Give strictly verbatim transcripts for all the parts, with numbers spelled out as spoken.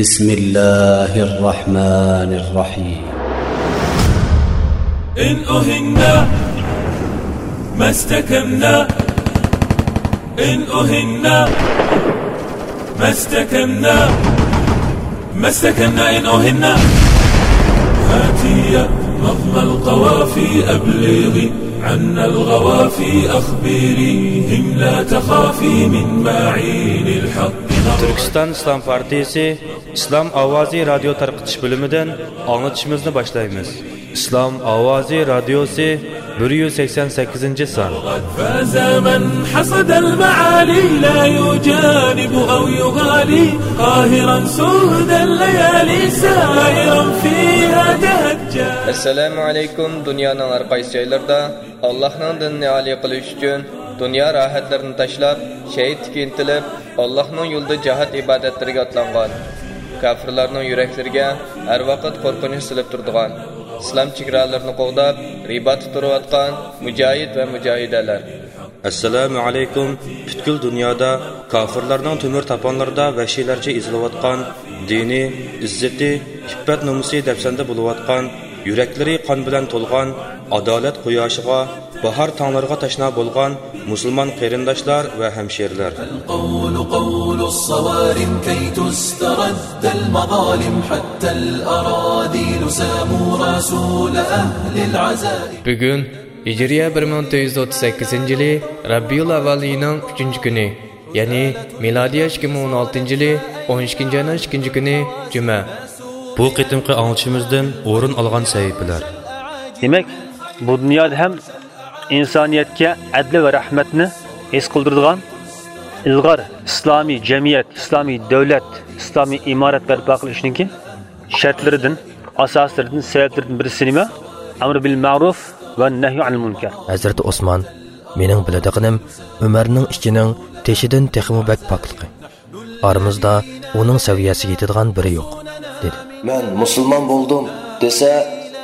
بسم الله الرحمن الرحيم. إن أهنا ما استكنا، إن أهنا ما استكنا، ما استكنا إن أهنا. هاتي يا نظم القوافي أبلغي عنا الغوافي أخبريهم لا تخافي من معين الحق. تۈركىستان ئىسلام پارتىيىسى ئىسلام ئاۋازى رادىيو تارقىتىش بۆلۈمىدىن ئاڭلىتىشىمىزنى باشلايمىز. ئىسلام ئاۋازى رادىيوسى، بىر يۈز سەكسەن سەككىزىنچى سان. فاز من حصد المعالي لا يجانب أو يغالي قاهرا سود الليالي سائرا فيها تهجى. ئەسسالامۇ ئەلەيكۇم. دۇنيانىڭ ھەر قايسى جايلىرىدا ئاللاھنىڭ دىنىنى ئالىي قىلىش ئۈچۈن دۇنيا راھەتلىرىنى تاشلاپ، شەھىدلىككە ئىنتىلىپ، ئاللاھنىڭ يولىدا جىھاد ئىبادەتلىرىگە ئاتلانغان كاپىرلارنىڭ يۈرەكلىرىگە ھەر ۋاقىت قورقۇنچ سېلىپ تۇرىدىغان، ئىسلام چېگرالىرىنى قوغداپ، رىباتتا تۇرۇۋاتقان مۇجاھىد ۋە مۇجاھىدەلەر. ئەسسالامۇ ئەلەيكۇم. پۈتكۈل دۇنيادا كاپىرلارنىڭ تۆمۈر تاپانلىرىدا ۋەھشىيلەرچە ئېزىلىۋاتقان، دىنى، ئىززىتى، ئىپپەت-نومۇسى دەپسەندە بولۇۋاتقان، يۈرەكلىرى قان بىلەن تولغان، ئادالەت قۇياشىغا، باھار تاڭلىرىغا تەشنا بولغان مۇسۇلمان قېرىنداشلار ۋە ھەمشىرىلەر. القول قول الصوارم كي تسترد المظالم حتى الأراذل ساموا رسول أهل العزائم. بۈگۈن ھىجرىيە بىر مىڭ تۆت يۈز ئوتتۇز سەككىزىنچى يىلى رەبىئۇل ئەۋۋەل ئېيىنىڭ ئۈچىنچى كۈنى، يەنى مىلادىيە ئىككى مىڭ ئون ئالتىنچى يىلى ئون ئىككىنچى ئاينىڭ ئىككىنچى كۈنى جۈمە. بۇ قېتىمقى ئاڭلىتىشىمىزدىن ئورۇن ئالغان سەھىپىلەر. دېمەك، بۇ دۇنيادا ھەم ئىنسانىيەتكە ئەدلى ۋە رەھمەتنى ھېس قىلدۇرىدىغان ئىلغار ئىسلامىي جەمئىيەت، ئىسلامىي دۆلەت، ئىسلامىي ئىمارەت بەرپا قىلىشنىڭكى شەرتلىرىدىن، ئاساسلىرىدىن، سەۋەبلىرىدىن بىرسى نېمە؟ ئەمر بىل مەرۇف ۋە نەھيۇ ئەنىل مۇنكەر. ھەزرىتى ئوسمان، مېنىڭ بىلىدىغىنىم ئۆمەرنىڭ ئىچىنىڭ تېشىدىن تېخىمۇ بەك پاكلىقى. ئارىمىزدا ئۇنىڭ سەۋىيەسىگە يېتىدىغان بىرى يوق، دېدى. مەن مۇسۇلمان بولدۇم، دېسە،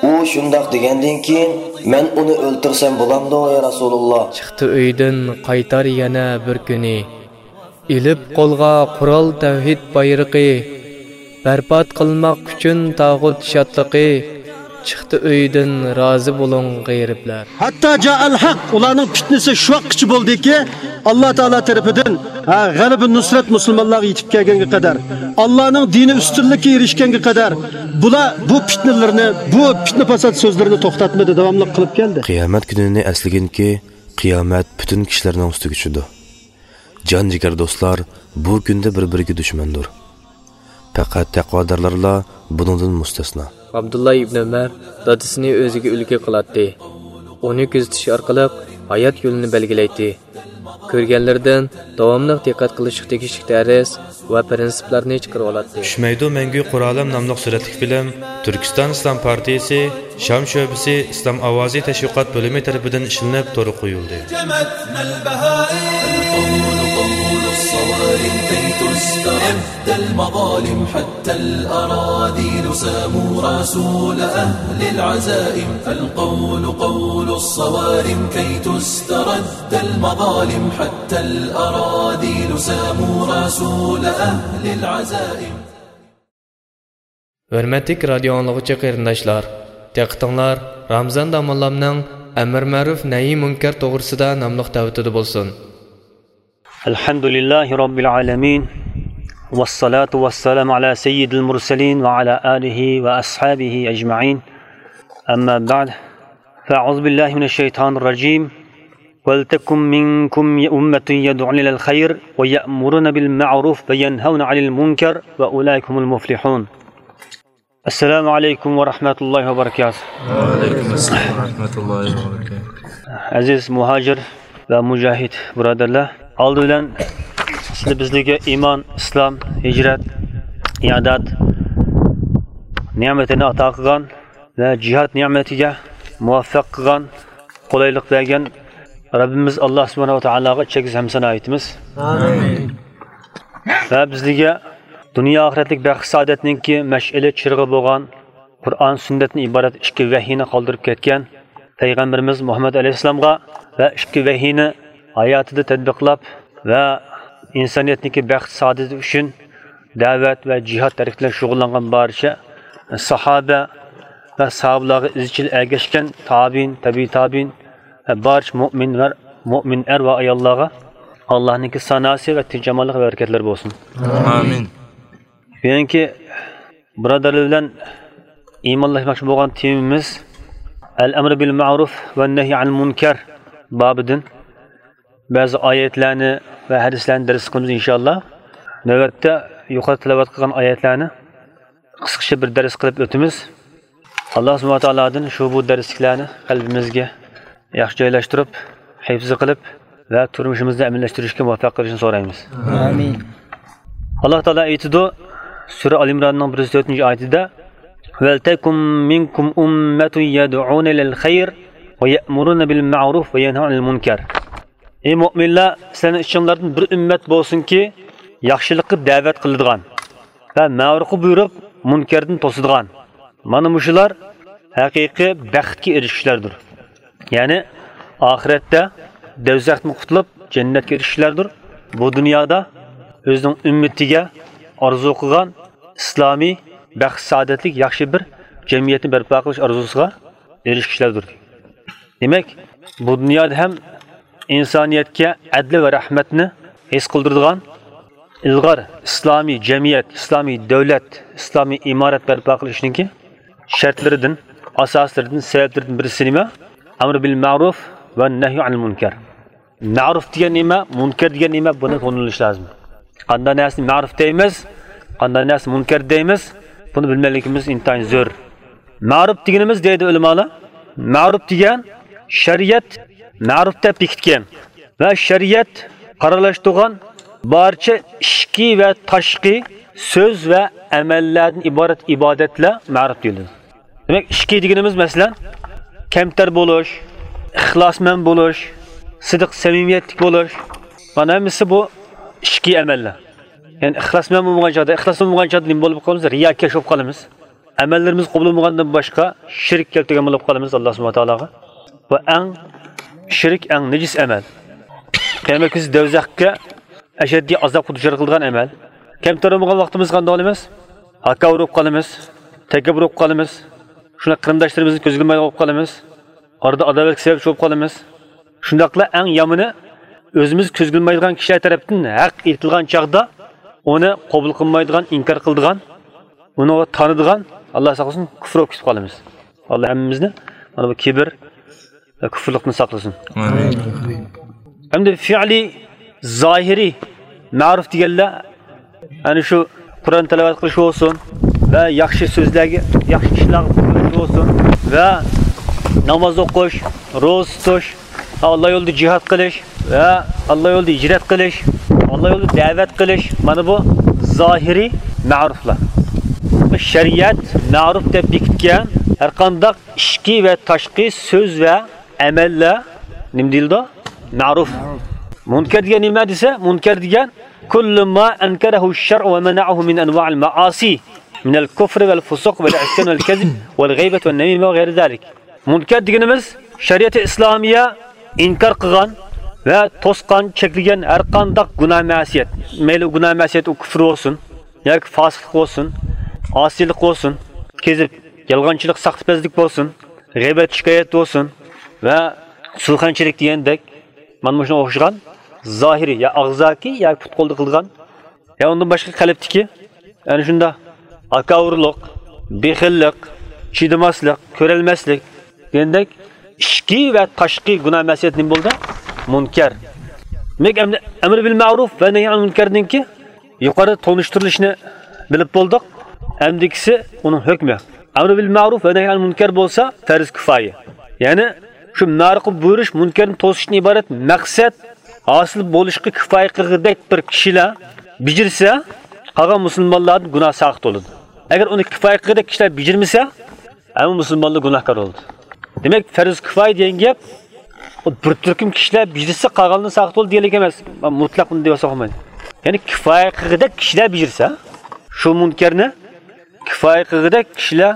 ئۇ شۇنداق دېگەندىن كېيىن، مەن ئۇنى ئۆلتۈرسەم بولامدۇ، يا رەسۇلۇللا؟ چىقتى ئۆيدىن قايتار يەنە بىر كۈنى. ئېلىپ قولغا قورال تەۋھىد بايرىقى، بەربات قىلماق ئۈچۈن تاغۇت شادلىقى، چىقتى ئۆيدىن رازى بولۇڭ غېرىبلەر. ھەتتا جائەل ھەق، ئۇلارنىڭ پىتنىسى شۇ ۋاقىتقىچە بولدىكى، ئاللا تائالا تەرىپىدىن، ھە، غەلىبە نۇسرەت مۇسۇلمانلارغا يېتىپ كەلگەنگە قەدەر، ئاللانىڭ دىنى ئۈستۈنلۈككە ئېرىشكەنگە قەدەر، بۇلار بۇ پىتنىلىرىنى، بۇ پىتنە پاسات سۆزلىرىنى توختاتمىدى، داۋاملىق قىلىپ كەلدى. قىيامەت كۈنىنى ئەسلىگىنكى، قىيامەت پۈتۈن كىشىلەرنىڭ ئۈستىگە چۈشىدۇ. جان جىگەر دوستلار بۇ كۈندە بىر-بىرىگە دۈشمەندۇر. پەقەت تەقۋادارلارلا بۇنىڭدىن مۇستەسنا. ئابدۇللا ئىبن ئۆمەر دادىسىنى ئۆزىگە ئۈلگە قىلاتتى. ئۇنى كۆزىتىش ئارقىلىق ھايات يولىنى بەلگىلەيتتى. كۆرگەنلىرىدىن داۋاملىق دىققەت قىلىشقا تېگىشلىك دەرس ۋە پىرىنسىپلارنى چىقىرىۋالاتتى. چۈشمەيدۇ مەڭگۈ قورالىم ناملىق سۈرەتلىك فىلىم تۈركىستان ئىسلام پارتىيىسى شام شۆبىسى ئىسلام ئاۋازى تەشۋىقات بۆلۈمى تەرىپىدىن ئىشلىنىپ تورغا قويۇلدى. جمتنا البهائم. القول قول الصوارم كي تسترد المظالم حتى الأراذل ساموا رسول أهل العزائم. القول قول الصوارم كي تسترد المظالم حتى الأراذل ساموا رسول أهل العزائم. ھۆرمەتلىك رادىيو ئاڭلىغۇچى قېرىنداشلار، دىققىتىڭلار رامىزان داموللامنىڭ ئەمر مەرۇف نەھى مۇنكەر توغرىسىدا ناملىق دەۋىتىدە بولسۇن. الحمد لله رب العالمين، والصلاة والسلام على سيد المرسلين وعلى آله وأصحابه أجمعين. أما بعد، فأعوذ بالله من الشيطان الرجيم. ولتكن منكم أمة يدعون إلى الخير ويأمرون بالمعروف وينهون عن المنكر وأولئك هم المفلحون. السلام عليكم ورحمة الله وبركاته. وعليكم السلام ورحمة الله وبركاته. ئەزىز مۇھاجىر ۋە مۇجاھىد بۇرادەرلەر، ئالدى بىلەن سىلى بىزلەرگە ئىمان، ئىسلام، ھىجرەت، ئىئادات نېمىتىنى ئاتا قىلغان ۋە جىھاد نېمىتىگە مۇۋەپپەق قىلغان، قولايلىق بەرگەن رەببىمىز ئاللا سۇبھانەھۇ ۋە تائالاغا چەكسىز ھەمدۇسانا ئېيتىمىز. ئامىن. ۋە بىزلەرگە دۇنيا ئاخىرەتلىك بەخت سائادەتنىڭكى مەشئىلى چىرىغى بولغان قۇرئان سۈننەتتىن ئىبارەت ئىككى ۋەھىينى قالدۇرۇپ كەتكەن پەيغەمبىرىمىز مۇھەممەد ئەلەيھىسسالامغا ۋە ئىككى ۋەھىينى ھاياتىدا تەتبىقلاپ ۋە ئىنسانىيەتنىڭكى بەخت سائادىتى ئۈچۈن دەۋەت ۋە جىھاد ھەرىكىتى بىلەن شۇغۇللانغان بارچە ساھابە ۋە ساھابىلارغا ئىزچىل ئەگەشكەن تابىئىن، تەبىئىي تابىئىن ۋە بارچە مۆمىن ۋە مۆمىن ئەر ۋە ئاياللارغا ئاللانىڭكى ساناسى ۋە تىنچ-ئامانلىق ۋە بەرىكەتلىرى بولسۇن. ئامىن. بۈگۈنكى بۇرادەرلەر بىلەن ئىمانلاشماقچى بولغان تېمىمىز ئەل ئەمرى بىل مەرۇف ۋە نەھي ئەنىل مۇنكەر بابىدىن بەزى ئايەتلەرنى ۋە ھەدىسلەرنى دەرس قىلىمىز ئىنشائاللا. نۆۋەتتە يۇقىرىدا تىلاۋەت قىلغان ئايەتلەرنى قىسقىچە بىر دەرس قىلىپ ئۆتىمىز. ئاللا سۇبھانەھۇ ۋە تائالادىن شۇ بۇ دەرسلىكلەرنى قەلبىمىزگە ياخشى جايلاشتۇرۇپ، ھىفزى قىلىپ ۋە تۇرمۇشىمىزدا ئەمەللەشتۈرۈشكە مۇۋەپپەق قىلىشىنى سورايمىز. ئامىن. ئاللا تائالا ئېيتىدۇ، سۈرە ئال ئىمراننىڭ بىر يۈز تۆتىنچى ئايىتىدە، ولتكن منكم أمة يدعون إلى الخير ويأمرون بالمعروف وينهون عن المنكر. ئەي مۆمىنلەر، سىلەرنىڭ ئىچىڭلاردىن بىر ئۈممەت بولسۇنكى، ياخشىلىققا دەۋەت قىلىدىغان ۋە مەرۇپقا بۇيرۇپ، مۇنكەردىن توسىدىغان. مانا مۇشۇلار ھەقىقىي بەختكە ئېرىشكۈچىلەردۇر. يەنى ئاخىرەتتە دوزاختىن قۇتۇلۇپ، جەننەتكە ئېرىشكۈچىلەردۇر. بۇ دۇنيادا ئۆزىنىڭ ئۈممىتىگە ئارزۇ قىلغان ئىسلامىي، بەخت-سائادەتلىك ياخشى بىر جەمئىيەتنى بەرپا قىلىش ئارزۇسىغا ئېرىشكۈچىلەردۇر. دېمەك، بۇ دۇنيادا ھەم ئىنسانىيەتكە ئەدلى ۋە رەھمەتنى ھېس قىلدۇرىدىغان ئىلغار ئىسلامىي جەمئىيەت، ئىسلامىي دۆلەت، ئىسلامىي ئىمارەت بەرپا قىلىشنىڭكى شەرتلىرىدىن، ئاساسلىرىدىن، سەۋەبلىرىدىن بىرسى نېمە؟ ئەمر بىل مەرۇف ۋە نەھي ئەنىل مۇنكەر. مەرۇف دېگەن نېمە، مۇنكەر دېگەن نېمە، بۇنى تونۇۋېلىش لازىم. قانداق نەرسىنى مەرۇف دەيمىز، قانداق نەرسىنى مۇنكەر دەيمىز، بۇنى بىلمەكلىكىمىز ئىنتايىن زۆرۈر. مەرۇپ دېگىنىمىز دەيدۇ ئۆلىمالار، مەرۇپ دېگەن شەرىئەت مەرۇپ دەپ بېكىتكەن ۋە شەرىئەت قارارلاشتۇرغان بارچە ئىچكى ۋە تاشقى سۆز ۋە ئەمەللەردىن ئىبارەت ئىبادەتلەر مەرۇپ دېيىلىدۇ. دېمەك، ئىچكى دېگىنىمىز، مەسىلەن، كەمتەر بولۇش، ئىخلاسمەن بولۇش، سىدىق، سەمىمىيەتلىك بولۇش، مانا ھەممىسى بۇ ئىچكى ئەمەللەر. يەنى ئىخلاسمەن بولمىغان چاغدا، ئىخلاسمەن بولمىغان چاغدا نېمە بولۇپ قالىمىز؟ رىياكەش بولۇپ قالىمىز. ئەمەللىرىمىز قوبۇل بولمىغاندىن باشقا شىرك كەلتۈرگەن بولۇپ قالىمىز ئاللا سۇبھانەھۇ ۋە تائالاغا. بۇ ئەڭ شىرك، ئەڭ نىجىس ئەمەل. قىيامەت كۈنى دوزاخقا ئەشەددىي ئازابقا دۇچار قىلىدىغان ئەمەل. كەمتەر بولغان ۋاقتىمىز قانداق بولىمىز؟ ھاكاۋۇر بولۇپ قالىمىز، تەكەببۇر بولۇپ قالىمىز، شۇنداق قېرىنداشلىرىمىزنى كۆزگە ئىلمايدىغان بولۇپ قالىمىز، ئارىدا ئاداۋەتكە سەۋەبچى بولۇپ قالىمىز. شۇنداقلا ئەڭ يامىنى، ئۆزىمىز كۆزگە ئىلمايدىغان كىشىلەر تەرەپتىن ھەق ئېيتىلغان چاغدا ئۇنى قوبۇل قىلمايدىغان، ئىنكار قىلىدىغان، ئۇنىڭغا تانىدىغان، ئاللا ساقلىسۇن، كۇفر بولۇپ كېتىپ قالىمىز. ئاللا ھەممىمىزنى مانا بۇ كىبىر ۋە كۇفرلۇقتىن ساقلىسۇن. ئامىن. ئەمدى فېئلىي، زاھىرىي مەرۇپ دېگەنلەر، ئەنە شۇ قۇرئان تىلاۋەت قىلىش بولسۇن ۋە ياخشى سۆزلەرگە، ياخشى ئىشلارغا بۇيرۇش بولسۇن ۋە ناماز ئوقۇش، روزا تۇتۇش، ئاللا يولىدا جىھاد قىلىش ۋە ئاللا يولىدا ھىجرەت قىلىش، ئاللا يولىدا دەۋەت قىلىش، مانا بۇ زاھىرىي مەرۇپلار. شەرىئەت مەرۇپ دەپ بېكىتكەن ھەرقانداق ئىچكى ۋە تاشقى سۆز ۋە ئەمەللەر نېمە دېيىلىدۇ؟ مەرۇپ. مۇنكەر دېگەن نېمە دېسە، مۇنكەر دېگەن كل ما أنكره الشرع ومنعه من أنواع المعاصي من الكفر والفسوق والعصيان والكذب والغيبة والنميمة وغير ذلك. مۇنكەر دېگىنىمىز شەرىئەتى ئىسلامىيە ئىنكار قىلغان ۋە توسقان، چەكلىگەن ھەرقانداق گۇناھ مەسىيەت، مەيلى ئۇ گۇناھ مەسىيەت ئۇ كۇفر بولسۇن ياكى فاسىقلىق بولسۇن، ئاسىيلىق بولسۇن، كېزىپ، يالغانچىلىق، ساختىپەزلىك بولسۇن، غەيۋەت، شىكايەت بولسۇن ۋە سۇخەنچىلىك دېگەندەك، مانا مۇشۇنىڭغا ئوخشىغان زاھىرىي يا ئاغزاكى يا پۇت-قولدا قىلغان يا ئۇندىن باشقا قەلبتىكى، يەنى شۇنداق ھاكاۋۇرلۇق، بېخىللىق، چىدىماسلىق، كۆرەلمەسلىك دېگەندەك ئىچكى ۋە تاشقى گۇناھ مەسىيەت نېمە بولدى؟ مۇنكەر. دېمەك، ئەمدى ئەمر بىل مەرۇف ۋە نەھي ئەنىل مۇنكەردىنكى يۇقىرىدا تونۇشتۇرۇلۇشىنى بىلىپ بولدۇق. ئەمدىكىسى ئۇنىڭ ھۆكمى. ئەمر بىل مەرۇف ۋە نەھي ئەنىل مۇنكەر بولسا پەرز كىفايە. يەنى شۇ مەرۇپقا بۇيرۇش، مۇنكەردىن توسۇشتىن ئىبارەت مەقسەت ھاسىل بولۇشقا كىفايە قىلغۇدەك بىر كىشىلەر بېجىرسە، قالغان مۇسۇلمانلاردىن گۇناھ ساقىت بولىدۇ. ئەگەر ئۇنى كىفايە قىلغۇدەك كىشىلەر بېجىرمىسە، ھەممە مۇسۇلمانلار گۇناھكار بولىدۇ. دېمەك، پەرز كىفايە دېگەن گەپ، ئۇ بىر تۈركۈم كىشىلەر بېجىرسە، قالغانلار ساقىت بولىدۇ دېگەنلىك ئەمەس. مۇتلەق بۇنى دېۋالساق بولمايدۇ. يەنى كىفايە قىلغۇدەك كىشىلەر بېجىرسە، شۇ مۇنكەرنى كىفايە قىلغۇدەك كىشىلەر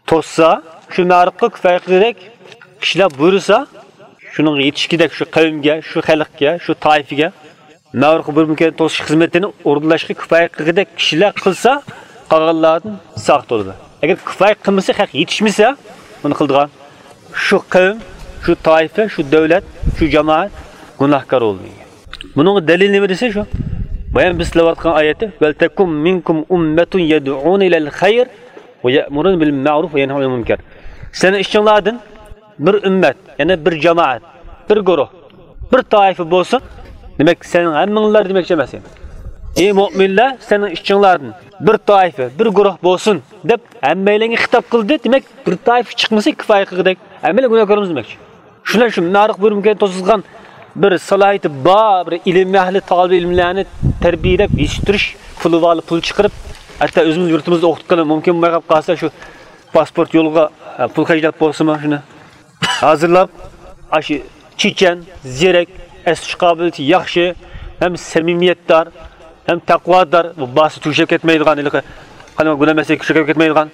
توسسا، شۇ مەرۇپقا كىفايە قىلغۇدەك كىشىلەر بۇيرۇسا، شۇنىڭغا يېتىشكۈدەك شۇ قەۋمگە، شۇ خەلقكە، شۇ تائىپىگە، مەرۇپقا بۇيرۇپ مۇنكەرنى توسۇش خىزمىتىنى ئورۇنلاشقا كۇپايە قىلغۇدەك كىشىلەر قىلسا، قالغانلاردىن ساقىت بولىدۇ. ئەگەر كۇپايە قىلمىسا، خەق يېتىشمىسە، بۇنى قىلىدىغان شۇ قەۋم، شۇ تائىپە، شۇ دۆلەت، شۇ جامائەت گۇناھكار بولىدۇ. بۇنىڭغا دەلىل نېمە دېسە شۇ. بايام بىز تىلەۋاتقان ئايەتتە، «ولتكن منكم أمة يدعون إلى الخير ويأمرون بالمعروف وينهون عن المنكر.» سىلەرنىڭ ئىچىڭلاردىن بىر ئۈممەت، يەنى بىر جامائەت، بىر گۇرۇھ، بىر تائىپە بولسۇن. دېمەك، سەن ھەممىڭلار دېمەكچى ئەمەس. «ئەي مۆمىنلەر، سەنىڭ ئىچىڭلاردىن بىر تائىپە، بىر گۇرۇھ بولسۇن» دەپ ھەممەيلەنگە خىتاب قىلدى. دېمەك، بىر تائىپە چىقمىسا كۇپايە قىلغۇدەك، ھەممەيلەن گۇناھكار بولىمىز دېمەكچى. شۇنداق شۇ مەرۇپقا بۇيرۇپ مۇنكەرنى توسىدىغان بىر سالاھىيىتى بار، بىر ئىلىم ئەھلى، تالىبە ئىلىملەرنى تەربىيەلەپ، يېتىشتۈرۈش پۇلى بارلار پۇل چىقىرىپ، ھەتتا ئۆزىمىز يۇرتىمىزدا ئوقۇتقىلى مۇمكىن بولماي قېلىپ قالسا، شۇ پاسپورت يولىغا، ئە، پۇل خەجلەپ بولسىمۇ، شۇنى ھازىرلاپ، ئاشۇ چېچەن، زېرەك، ئەسلىشىش قابىلىيىتى ياخشى، ھەم سەمىمىيەتدار، ھەم تەقۋادار، بۇ باسا تۈگىشىپ كەتمەيدىغان، ھېلىقى قانداق گۇناھ مەسىلىگە كىرىشىپ كەتمەيدىغان،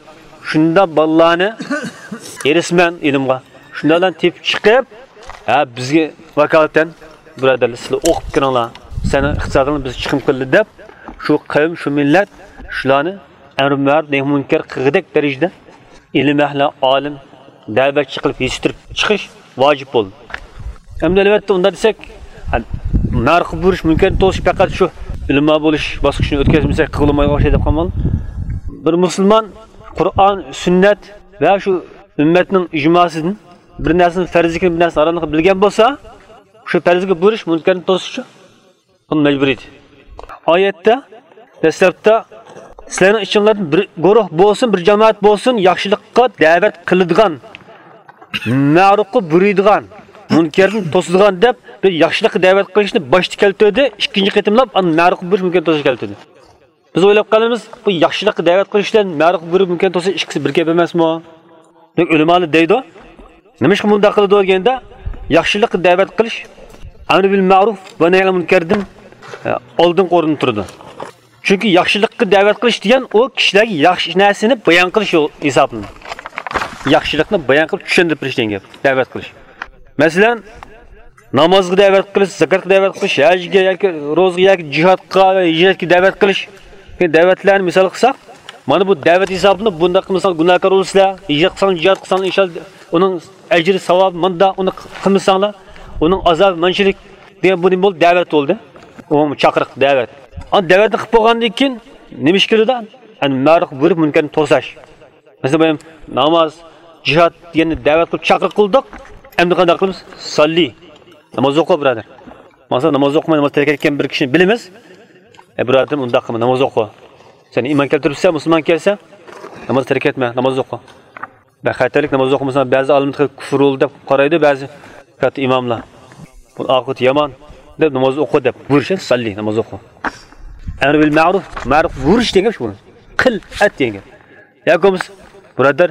شۇنداق بالىلارنى ھېرىسمەن ئىلىمغا، شۇنداقلارنى تېپىپ چىقىپ، ھە، بىزگە ۋاكالىتەن، بۇرادەرلەر، سىلەر ئوقۇپ كىرىڭلار، سەنىڭ ئىقتىسادىڭنى بىز چىقىم قىلدى دەپ، شۇ قەۋم، شۇ مىللەت شۇلارنى ئەمرى مەرۇپ نەھى مۇنكەر قىلغۇدەك دەرىجىدە ئىلىم ئەھلى، ئالىم، دەۋەتچى قىلىپ يېتىشتۈرۈپ چىقىش ۋاجىپ بولدى. ئەمدى ئەلۋەتتە ئۇنداق دېسەك، مەرۇپقا بۇيرۇش مۇنكەرنى توسۇش پەقەت شۇ ئۆلىما بولۇش باسقۇچىنى ئۆتكۈزمىسەك قىلغىلىمايدىغان ئوخشايدۇ دەپ قالماڭلار. بىر مۇسۇلمان قۇرئان، سۈننەت ۋە شۇ ئۈممەتنىڭ ئىجماسىدىن بىر نەرسىنىڭ پەرزلىكىنى، بىر نەرسىنىڭ ھاراملىقىنى بىلگەن بولسا، شۇ پەرزگە بۇيرۇش مۇنكەرنى توسۇشچۇ. بۇ مەجبۇرىيىتى. ئايەتتە دەسلەپتە سىلەرنىڭ ئىچىڭلاردىن بىر گۇرۇھ بولسۇن، بىر جامائەت بولسۇن، ياخشىلىققا دەۋەت قىلىدىغان، مەرۇپقا بۇيرۇيدىغان، مۇنكەردىن توسىدىغان دەپ بىر ياخشىلىققا دەۋەت قىلىشنى باشتا كەلتۈردى، ئىككىنچى قېتىملاپ ئاندىن مەرۇپقا بۇيرۇش مۇنكەرنى توسۇشنى كەلتۈردى. بىز ئويلاپ قالىمىز، بۇ ياخشىلىققا دەۋەت قىلىش بىلەن مەرۇپقا بۇيرۇپ مۇنكەرنى توسۇش ئىككىسى بىر گەپ ئەمەسمۇ؟ دەپ ئۆلىمالار دەيدۇ. نېمىشقا مۇنداق قىلىدۇ دېگەندە، ياخشىلىققا دەۋەت قىلىش، ئەمرى بىل مەرۇپ ۋە نەھيى ئەنىل مۇنكەردىن، ئە، ئالدىنقى ئورۇندا تۇرىدۇ. چۈنكى ياخشىلىققا دەۋەت قىلىش دېگەن ئۇ كىشىلەرگە ياخشى نەرسىنى بايان قىلىش يول ھېسابلىنىدۇ. ياخشىلىقنى بايان قىلىپ چۈشەندۈرۈپ بېرىش دېگەن گەپ، دەۋەت قىلىش. مەسىلەن، نامازغا دەۋەت قىلىش، زاكاتقا دەۋەت قىلىش، ھەجگە ياكى روزىغا ياكى جىھادقا ۋە ھىجرەتكە دەۋەت قىلىش. دەۋەتلەرنى مىسال قىلساق، مانا بۇ دەۋەت ھېسابىنى، بۇنداق قىلمىساڭ گۇناھكار بولىسىلەر، ھىجرەت قىلساڭ، جىھاد قىلساڭ، ئىنشاللا ئۇنىڭ ئەجرى، ساۋابى مۇنداق، ئۇنى قىلمىساڭلار، ئۇنىڭ ئازابى مانچىلىك دېگەن، بۇ نېمە بولدى؟ دەۋەت بولدى. ئومۇمىي چاقىرىق، دەۋەت. ئاندىن دەۋەتنى قىلىپ بولغاندىن كېيىن نېمە ئىش كېلىدۇ؟ يەنى مەرۇپقا بۇيرۇپ مۇنكەرنى توساش. مەسىلەن، بايام ناماز، جىھاد دېگەننى دەۋەت قىلىپ چاقىرىق قىلدۇق. ئەمدى قانداق قىلىمىز؟ ساللى. ناماز ئوقۇ، بۇرادەر. ماڭسا ناماز ئوقۇماي، ناماز تەرك ئەتكەن بىر كىشىنى بىلىمىز. ئەي بۇرادىرىم، ئۇنداق قىلما، ناماز ئوقۇ. سەن ئىمان كەلتۈرۈپسەن، مۇسۇلمان كەلسەن، ناماز تەرك ئەتمە، ناماز ئوقۇ. بەك خەتەرلىك، ناماز ئوقۇمىساڭ، بەزى ئالىملار كۇفر بولدى دەپ قارايدۇ بەزى كاتتا ئىماملار. بۇ ئاقىۋىتى يامان دەپ، ناماز ئوقۇ دەپ بۇيرۇش، ساللى، ناماز ئوقۇ. ئەمر بىل مەرۇپ، مەرۇپ بۇيرۇش دېگەن گەپ شۇ. قىل، ئەت دېگەن گەپ. ياكى بولمىسا، بۇرادەر،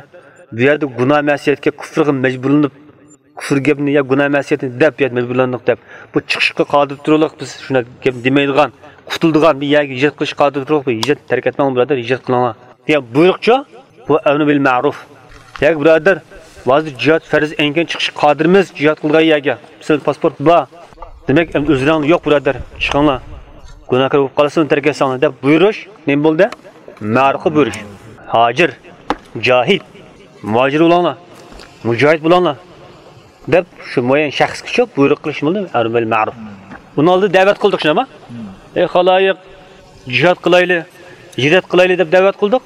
بۇ يەردە گۇناھ مەسىيەتكە، كۇفرغا مەجبۇرلىنىپ، كۇفر گەپنى يا گۇناھ مەسىيەتنى دەپ، يا مەجبۇرلاندۇق دەپ، بۇ چىقىشقا قادىر تۇرۇلۇق، بىز شۇنداق گەپ دېمەيدىغان، قۇتۇلىدىغان بىر يەرگە ھىجرەت قىلىشقا قادىر تۇرۇق، بىر ھىجرەت تەرك ئەتمەڭ بۇرادەر، ھىجرەت قىلىڭلار دېگەن بۇيرۇقچۇ. بۇ ئەمر بىل مەرۇپ. ياكى بۇرادەر، ھازىر جىھاد پەرز ئەينەن چىقىشقا قادىرمىز، جىھاد قىلىدىغان يەرگە. سىلەردە پاسپورت بار. دېمەك، ئەمدى ئۆزلەرڭلار يوق بۇرادەر، چىقىڭلار. گۇناھكار بولۇپ قالىسىلەر، تەرك ئەتسەڭلار دەپ بۇيرۇش نېمە بولدى؟ مەرۇپقا بۇيرۇش. ھاجىر، جاھىد، مۇھاجىر بولۇڭلار، مۇجاھىد بولۇڭلار دەپ شۇ مۇئەييەن شەخسكىچۇ بۇيرۇق قىلىش بولدى، ئەمر بىل مەرۇپ. ئۇنىڭ ئالدىدا دەۋەت قىلدۇق شۇنداقمۇ؟ ئەي خالايىق، جىھاد قىلايلى، ھىجرەت قىلايلى دەپ دەۋەت قىلدۇق.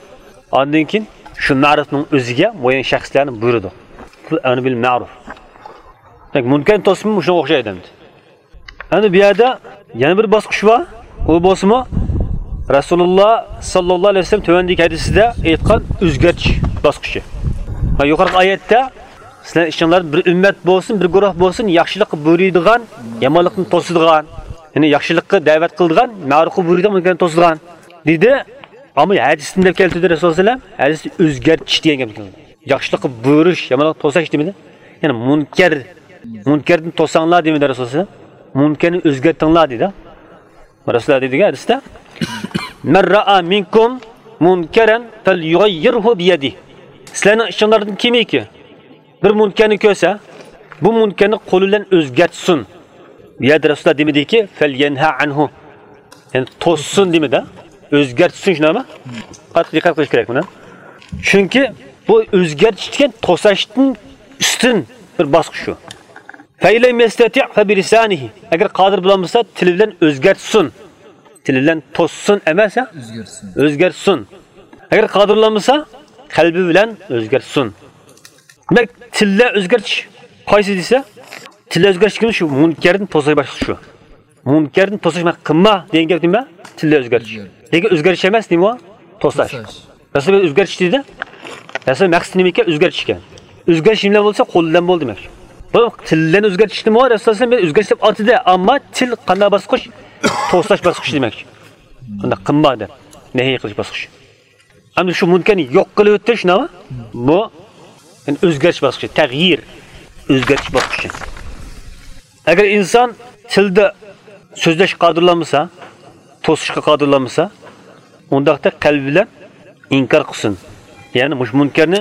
ئاندىن كېيىن شۇ مەرۇپنىڭ ئۆزىگە مۇئەييەن شەخسلەرنى بۇيرۇدۇق. بۇ ئەمر بىل مەرۇپ. دېمەك، مۇنكەرنى توسۇشمۇ شۇنىڭغا ئوخشايدۇ ئەمدى. ئەمدى بۇ يەردە يەنە بىر باسقۇچ بار. ئۇ بولسىمۇ رەسۇلۇللا ساللاللاھۇ ئەلەيھى ۋەسەللەم تۆۋەندىكى ھەدىسىدە ئېيتقان ئۆزگەرتىش باسقۇچى. ۋە يۇقىرىقى ئايەتتە سىلەر ئىچىڭلاردا بىر ئۈممەت بولسۇن، بىر گۇرۇھ بولسۇن، ياخشىلىققا بۇيرۇيدىغان، يامانلىقتىن توسىدىغان، يەنى ياخشىلىققا دەۋەت قىلىدىغان، مەرۇپقا بۇيرۇيدىغان، مۇنكەرنى توسىدىغان دېدى. ئەمما ھەدىستىن دەپ كەلتۈردى رەسۇلۇللا سەللەللاھۇ ئەلەيھى ۋەسەللەم، ھەدىستە ئۆزگەرتىش دېگەن گەپ. ياخشىلىققا بۇيرۇش، يامانلىققا توساش دېمىدى. يەنى مۇنكەر، مۇنكەردىن توساڭلار دېمىدى رەسۇلۇللا سەللەللاھۇ ئەلەيھى ۋەسەللەم. مۇنكەرنى ئۆزگەرتىڭلار دېدى. رەسۇلۇللا دېدىكەن ھەدىستە، مەن رەئا مىنكۇم مۇنكەرەن فەليۇغەييىرھۇ بىيەدىھ. سىلەرنىڭ ئىچىڭلاردىن كىمكى بىر مۇنكەرنى كۆرسە، بۇ مۇنكەرنى قولى بىلەن ئۆزگەرتسۇن. بۇ يەردە رەسۇلۇللا دېمىدىكى، فەليەنھە ئەنھۇ. يەنى توسسۇن دېمىدى. ئۆزگەرتسۇن، شۇنداقمۇ؟ قاتتىق دىققەت قىلىش كېرەك بۇنى. چۈنكى بۇ ئۆزگەرتىش دېگەن توساشتىن ئۈستۈن بىر باسقۇچ شۇ. فەئىلەم يەستەتىئ فەبىلىسانىھى. ئەگەر قادىر بولالمىسا، تىلى بىلەن ئۆزگەرتسۇن. تىلى بىلەن توسسۇن ئەمەس، ھە؟ ئۆزگەرتسۇن. ئۆزگەرتسۇن. ئەگەر قادىر بولالمىسا، قەلبى بىلەن ئۆزگەرتسۇن. دېمەك، تىللا ئۆزگەرتىش قايسى دېسە، تىللا ئۆزگەرتىش دېگەن شۇ مۇنكەردىن توساش باسقۇچ شۇ. مۇنكەردىن توساش، مانا، قىلما دېگەن گەپ نېمە؟ تىللا ئۆزگەرتىش. ئۆزگەرتىش. لېكىن ئۆزگەرتىش ئەمەس، نېمە ئۇ؟ توساش. توساش. رەسۇلۇللا ئۆزگەرتىش دېدى. رەسۇلۇللا مەقسىتى نېمە ئىكەن؟ ئۆزگەرتىش ئىكەن. ئۆزگەرتىش نېمە بىلەن بولسا، قول بىلەن بولدى دېمەكچى. بۇ تىل بىلەن ئۆزگەرتىشنىمۇ رەسۇلۇللا ئۆزگەرتىش دەپ ئاتىدى، ئەمما تىل قانداق باسقۇچ؟ توساش باسقۇچى دېمەكچى. بۇنداق قىلما دەپ، نەھىي قىلىش باسقۇچى. ئەمدى شۇ مۇنكەرنى يوق قىلىۋېتىش نېمە؟ بۇ، يەنى ئۆزگەرتىش باسقۇچى، تەغيىر، ئۆزگەرتىش باسقۇچى. ئەگەر ئىنسان تىلدا سۆزلەشكە قادىرلانمىسا، توسۇشقا قادىرلانمىسا، ئۇنداقتا قەلبى بىلەن ئىنكار قىلسۇن. يەنى مۇشۇ مۇنكەرنى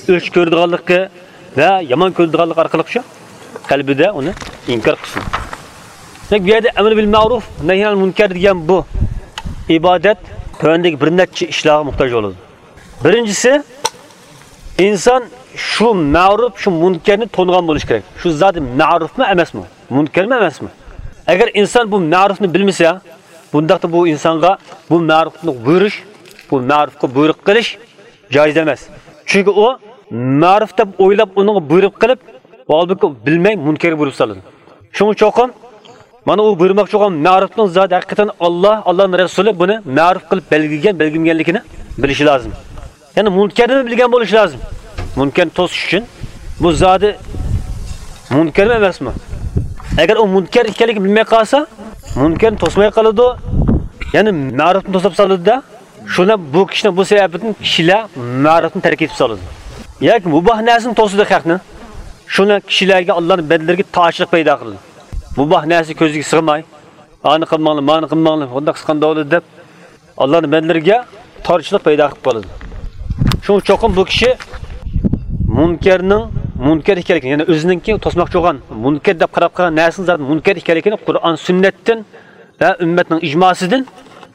ئۆچ كۆرىدىغانلىقى ۋە يامان كۆرىدىغانلىقى ئارقىلىق شۇ قەلبىدە ئۇنى ئىنكار قىلسۇن. دېمەك، بۇ يەردە ئەمر بىل مەرۇف، نەھي ئەنىل مۇنكەر دېگەن بۇ ئىبادەت تۆۋەندىكى بىر نەچچە ئىشلارغا موھتاج بولىدۇ. بىرىنچىسى، ئىنسان شۇ مەرۇپ، شۇ مۇنكەرنى تونۇغان بولۇشى كېرەك. شۇ زادى مەرۇپمۇ ئەمەسمۇ؟ مۇنكەرمۇ ئەمەسمۇ؟ ئەگەر ئىنسان بۇ مەرۇپنى بىلمىسە، بۇنداقتا بۇ ئىنسانغا بۇ مەرۇپنى بۇيرۇش، بۇ مەرۇپقا بۇيرۇق قىلىش جايىز ئەمەس. چۈنكى ئۇ مەرۇپ دەپ ئويلاپ، ئۇنىڭغا بۇيرۇق قىلىپ، ھالبۇكى بىلمەي مۇنكەرگە بۇيرۇپ سالىدۇ. شۇڭا چوقۇم مانا ئۇ بۇيرۇماقچى بولغان مەرۇپنىڭ زادى ھەقىقەتەن ئاللا، ئاللانىڭ رەسۇلى بۇنى مەرۇپ قىلىپ بەلگىلىگەن، بەلگىلىمىگەنلىكىنى بىلىشى لازىم. يەنى مۇنكەرنىمۇ بىلگەن بولۇشى لازىم. مۇنكەرنى توسۇش ئۈچۈن بۇ زادى مۇنكەرمۇ ئەمەسمۇ؟ ئەگەر ئۇ مۇنكەر ئىكەنلىكىنى بىلمەي قالسا، مۇنكەرنى توسماي قالىدۇ، يەنى مەرۇپنى توسۇپ سالىدۇ-دە. شۇنى بۇ كىشىنى بۇ سەۋەبتىن كىشىلەر مەرۇپنى تەرك ئېتىپ سالىدۇ. ياكى مۇباھ نەرسىنى توسىدۇ خەقنى. شۇنى كىشىلەرگە، ئاللانىڭ بەندىلىرىگە تارچىلىق پەيدا قىلىدۇ. مۇباھ نەرسە كۆزىگە سىغماي، ئانى قىلماڭلار، مانى قىلماڭلار، ئۇنداق قىلسا قانداق بولىدۇ دەپ، ئاللانىڭ بەندىلىرىگە تارچىلىق پەيدا قىلىپ قالىدۇ. شۇڭا چوقۇم بۇ كىشى مۇنكەرنىڭ مۇنكەر ئىكەنلىكىنى، يەنى ئۆزىنىڭكى توسماقچى بولغان مۇنكەر دەپ قاراپ قالغان نەرسىنىڭ زادى مۇنكەر ئىكەنلىكىنى قۇرئان، سۈننەتتىن ۋە ئۈممەتنىڭ ئىجماسىدىن،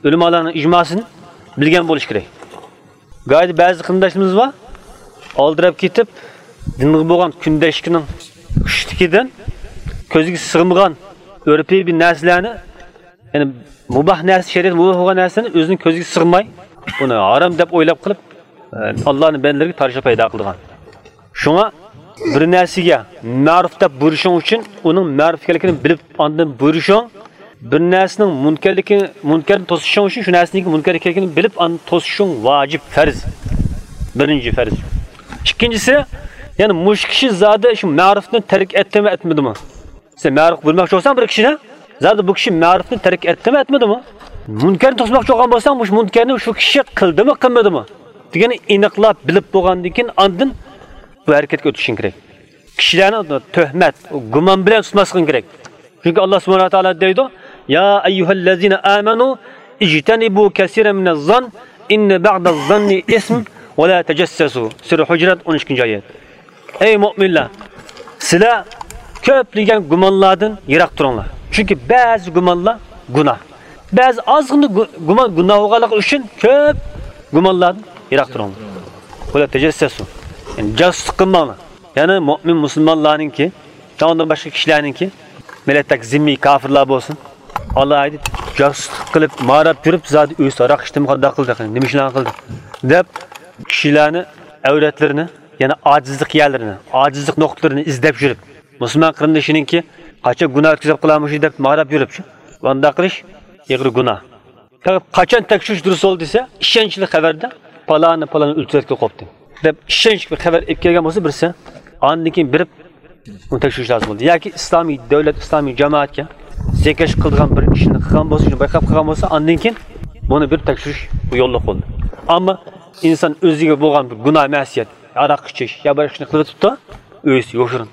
ئۆلىمالارنىڭ ئىجماسىدىن بىلگەن بولۇش كېرەك. گايىدا بەزى قېرىنداشلىرىمىز بار، ئالدىراپ كېتىپ، دىنغا بولغان كۈندەشلىكىنىڭ كۈچلۈكىدىن كۆزىگە سىغمىغان ئۆرپىي بىر نەرسىلەرنى، يەنى مۇباھ نەرسە، شەرىئەتتە مۇباھ بولغان نەرسىنى ئۆزىنىڭ كۆزىگە سىغماي، بۇنى ھارام دەپ ئويلاپ قېلىپ، ئاللانىڭ بەندىلىرىگە تارچىلىق پەيدا قىلىدىغان. شۇڭا بىر نەرسىگە مەرۇپ دەپ بۇيرۇشۇڭ ئۈچۈن ئۇنىڭ مەرۇپ ئىكەنلىكىنى بىلىپ، ئاندىن بۇيرۇشۇڭ، بىر نەرسىنىڭ مۇنكەرلىكى، مۇنكەرنى توسۇشۇڭ ئۈچۈن شۇ نەرسىنىڭكى مۇنكەر ئىكەنلىكىنى بىلىپ، ئاندىن توسۇشۇڭ ۋاجىپ، پەرز. بىرىنچى پەرز. ئىككىنچىسى، يەنى مۇشۇ كىشى زادى شۇ مەرۇپنى تەرك ئەتتىمۇ ئەتمىدىمۇ؟ سەن مەرۇپقا بۇيرۇماقچى بولساڭ بىر كىشىنى، زادى بۇ كىشى مەرۇپنى تەرك ئەتتىمۇ ئەتمىدىمۇ؟ مۇنكەرنى توسماقچى بولغان بولساڭ، مۇشۇ مۇنكەرنى شۇ كىشى قىلدىمۇ قىلمىدىمۇ دېگەننى ئېنىقلاپ بىلىپ بولغاندىن كېيىن ئاندىن بۇ ھەرىكەتكە ئۆتۈشۈڭ كېرەك. كىشىلەرنى تۆھمەت، گۇمان بىلەن تۇتماسلىقىڭ كېرەك. چۈنكى ئاللا سۇبھانەھۇ ۋە تائالا دەيدۇ، يا ئەييۇھەللەزىنە ئامەنۇ ئىجتەنىبۇ كەسىرەن مىنەززان ئىننە بەئدەززاننى ئىسم ۋە لا تەجەسسەسۇ. سۈرە ھۇجرات، ئون ئىككىنچى ئايەت. ئەي مۆمىنلەر، سىلەر كۆپلىگەن گۇمانلاردىن يىراق تۇرۇڭلار. چۈنكى بەزى گۇمانلار گۇناھ. بەزى ئازغىنا گۇ-، گۇمان گۇناھ بولغانلىقى ئۈچۈن كۆپ گۇمانلاردىن يىراق تۇرۇڭلار. ۋە لا تەجەسسەسۇ. يەنى جاسۇسلۇق قىلماڭلار. يەنى مۆمىن مۇسۇلمانلارنىڭكى، ئۇنىڭدىن باشقا كىشىلەرنىڭكى، مىللەتتەك زىممىي كاپىرلار بولسۇن، ئالاھىدە جاسۇسلۇق قىلىپ، ماراپ يۈرۈپ، زادى ئۆزى ھاراق ئىچتىمۇ، قانداق قىلدى، نېمە ئىشلارنى قىلدى دەپ، كىشىلەرنى، ئەۋرەتلىرىنى، يەنى ئاجىزلىق يەرلىرىنى، ئاجىزلىق نۇقتىلىرىنى ئىزدەپ يۈرۈپ، مۇسۇلمان قېرىندىشىنىڭكى قاچان گۇناھ ئۆتكۈزۈپ قالامۇ شۇ دەپ ماراپ يۈرۈپ، ئۇنداق قىلىش ئېغىر گۇناھ. پەقەت قاچان تەكشۈرۈش دۇرۇس بولدى دېسە، ئىشەنچلىك خەۋەردە پالانى، پالانى ئۆلتۈرۈۋەتكىلى قوپتى دەپ ئىشەنچلىك بىر خەۋەر ئېلىپ كەلگەن بولسا بىرسى، ئاندىن كېيىن بېرىپ ئۇنى تەكشۈرۈش لازىم بولدى. ياكى ئىسلامىي دۆلەت، ئىسلامىي جامائەتكە زىيانكەشلىك قىلىدىغان بىر ئىشنى قىلغان بولسا، شۇنى بايقاپ قالغان بولسا، ئاندىن كېيىن بۇنى بېرىپ تەكشۈرۈش بۇ يوللۇق بولدى. ئەمما ئىنسان ئۆزىگە بولغان بىر گۇناھ مەسىيەت، ھاراق ئىچىش يا باشقا ئىشنى قىلىۋېتىپتۇ، ئۆزى يوشۇرۇن.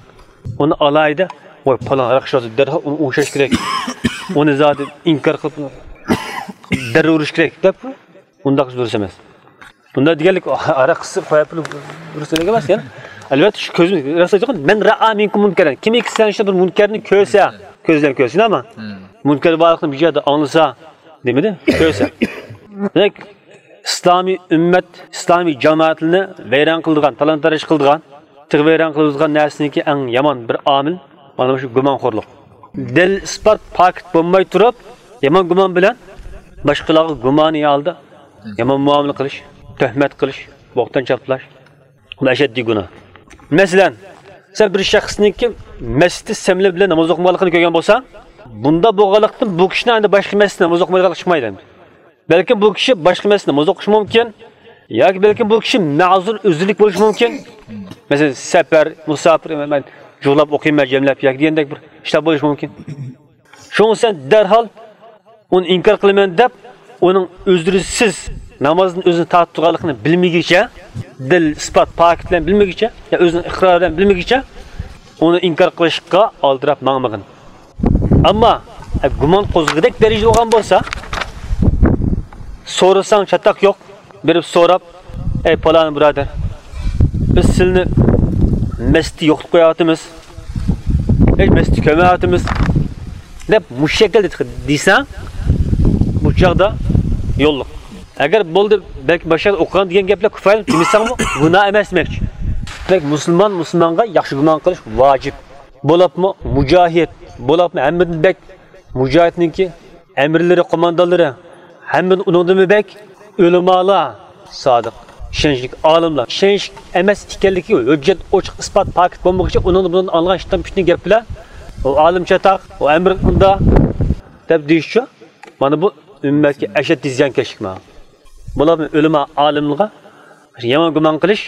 ئۇنى ئالاھىدە، ۋاي، پالان ھاراق ئىچىۋاتىدۇ، دەرھال ئۇنى ئوڭشاش كېرەك. ئۇنى زادى ئىنكار قىلىپ، دەررۇ ئۇرۇش كېرەك دەپ، ئۇنداق دۇرۇس ئەمەس. بۇنداق دېگەنلىك، ھاراق ئىچسە قويۇپ ئۇرۇش دېگەن ئەمەس، يەنى. ئەلۋەتتە، شۇ كۆزىمىز راست ئېيتقان، مەن رائا مىنكۇم مۇنكەرەن. كىمكى سىلەرنىڭ ئىچىدە بىر مۇنكەرنى كۆرسە، كۆزلەم كۆرسۇن، ئەمما مۇنكەر بارلىقنى بىر يەردە ئاڭلىسا، دېمىدى، كۆرسە. دېمەك، ئىسلامىي ئۈممەت، ئىسلامىي جامائەتلەرنى ۋەيران قىلىدىغان، تالان-تاراج قىلىدىغان، تېخى ۋەيران قىلىدىغان نەرسىنىڭكى ئەڭ يامان بىر ئامىل، مانا شۇ گۇمانخورلۇق. دەلىل-ئىسپات، پاكىت بولماي تۇرۇپ، يامان گۇمان بىلەن باشقىلارغا گۇمانىي ھالدا يامان مۇئامىلە قىلىش، تۆھمەت قىلىش، بوھتان چاپلاش، بۇ ئەشەددىي گۇناھ. مەسىلەن، سەن بىر شەخسنىڭكى مەستە سەملە بىلەن ناماز ئوقۇمىغانلىقىنى كۆرگەن بولساڭ، بۇنداق بولغانلىقتىن بۇ كىشىنىڭ ئەمدى باشقا مەستە ناماز ئوقۇمايدىغانلىقى چىقمايدۇ ئەمدى. بەلكىم بۇ كىشى باشقا مەستە ناماز ئوقۇشى مۇمكىن، ياكى بەلكىم بۇ كىشى مەزۇر ئۆزرىلىك بولۇشى مۇمكىن. مەسىلەن، سەپەر، مۇساپىر، مەن جۇغلاپ ئوقۇيمەن، جەملەپ ياكى دېگەندەك بىر ئىشلار بولۇشى مۇمكىن. شۇڭا سەن دەرھال ئۇنى ئىنكار قىلىمەن دەپ، ئۇنىڭ ئۆزرىسىز نامازدىن ئۆزىنى تارتىپ تۇرغانلىقىنى بىلمىگىچە، دەلىل، ئىسپات، پاكىت بىلەن بىلمىگىچە، يا ئۆزىنىڭ ئىقرارى بىلەن بىلمىگىچە، ئۇنى ئىنكار قىلىشقا ئالدىراپ ماڭمىغىن. ئەمما، ئە، گۇمان قوزغىغۇدەك دەرىجىدە بولغان بولسا، سورىساڭ چاتاق يوق، بېرىپ سوراپ، ئەي پالان بۇرادەر، بىز سىلىنى مەستە يوقىتىپ قويۇۋاتىمىز، ھېي مەستە كۆرمەيۋاتىمىز، دەپ مۇشۇ شەكىلدە دېسەڭ، بۇ چاغدا يوللۇق. ئەگەر بولدى، بەلكى باشقا ئوقۇغان دېگەن گەپلەر كۇپايە دېمىسەڭمۇ، گۇناھ ئەمەس دېمەكچى. دېمەك، مۇسۇلمان مۇسۇلمانغا ياخشى گۇمان قىلىش ۋاجىپ. بولۇپمۇ مۇجاھىد، بولۇپمۇ ھەممىدىن بەك مۇجاھىدنىڭكى ئەمىرلىرى، قوماندانلىرى، ھەممىدىن ئۇنىڭدىنمۇ بەك ئۆلىمالار، سادىق، ئىشەنچلىك ئالىملار، ئىشەنچلىك ئەمەس ئىكەنلىكى ھۆججەت، ئوچۇق ئىسپات، پاكىت بولمىغۇچە ئۇنىڭدىن بۇنىڭدىن ئاڭلىغان شىتان پىتنە گەپ بىلەن، ئۇ ئالىم چاتاق، ئۇ ئەمىر ئۇنداق دەپ دېيىشچۇ. مانا بۇ ئۈممەتكە ئەشەددىي زىيانكەشلىك مانا. بۇلارمۇ ئۆلىما ئالىملارغا يامان گۇمان قىلىش،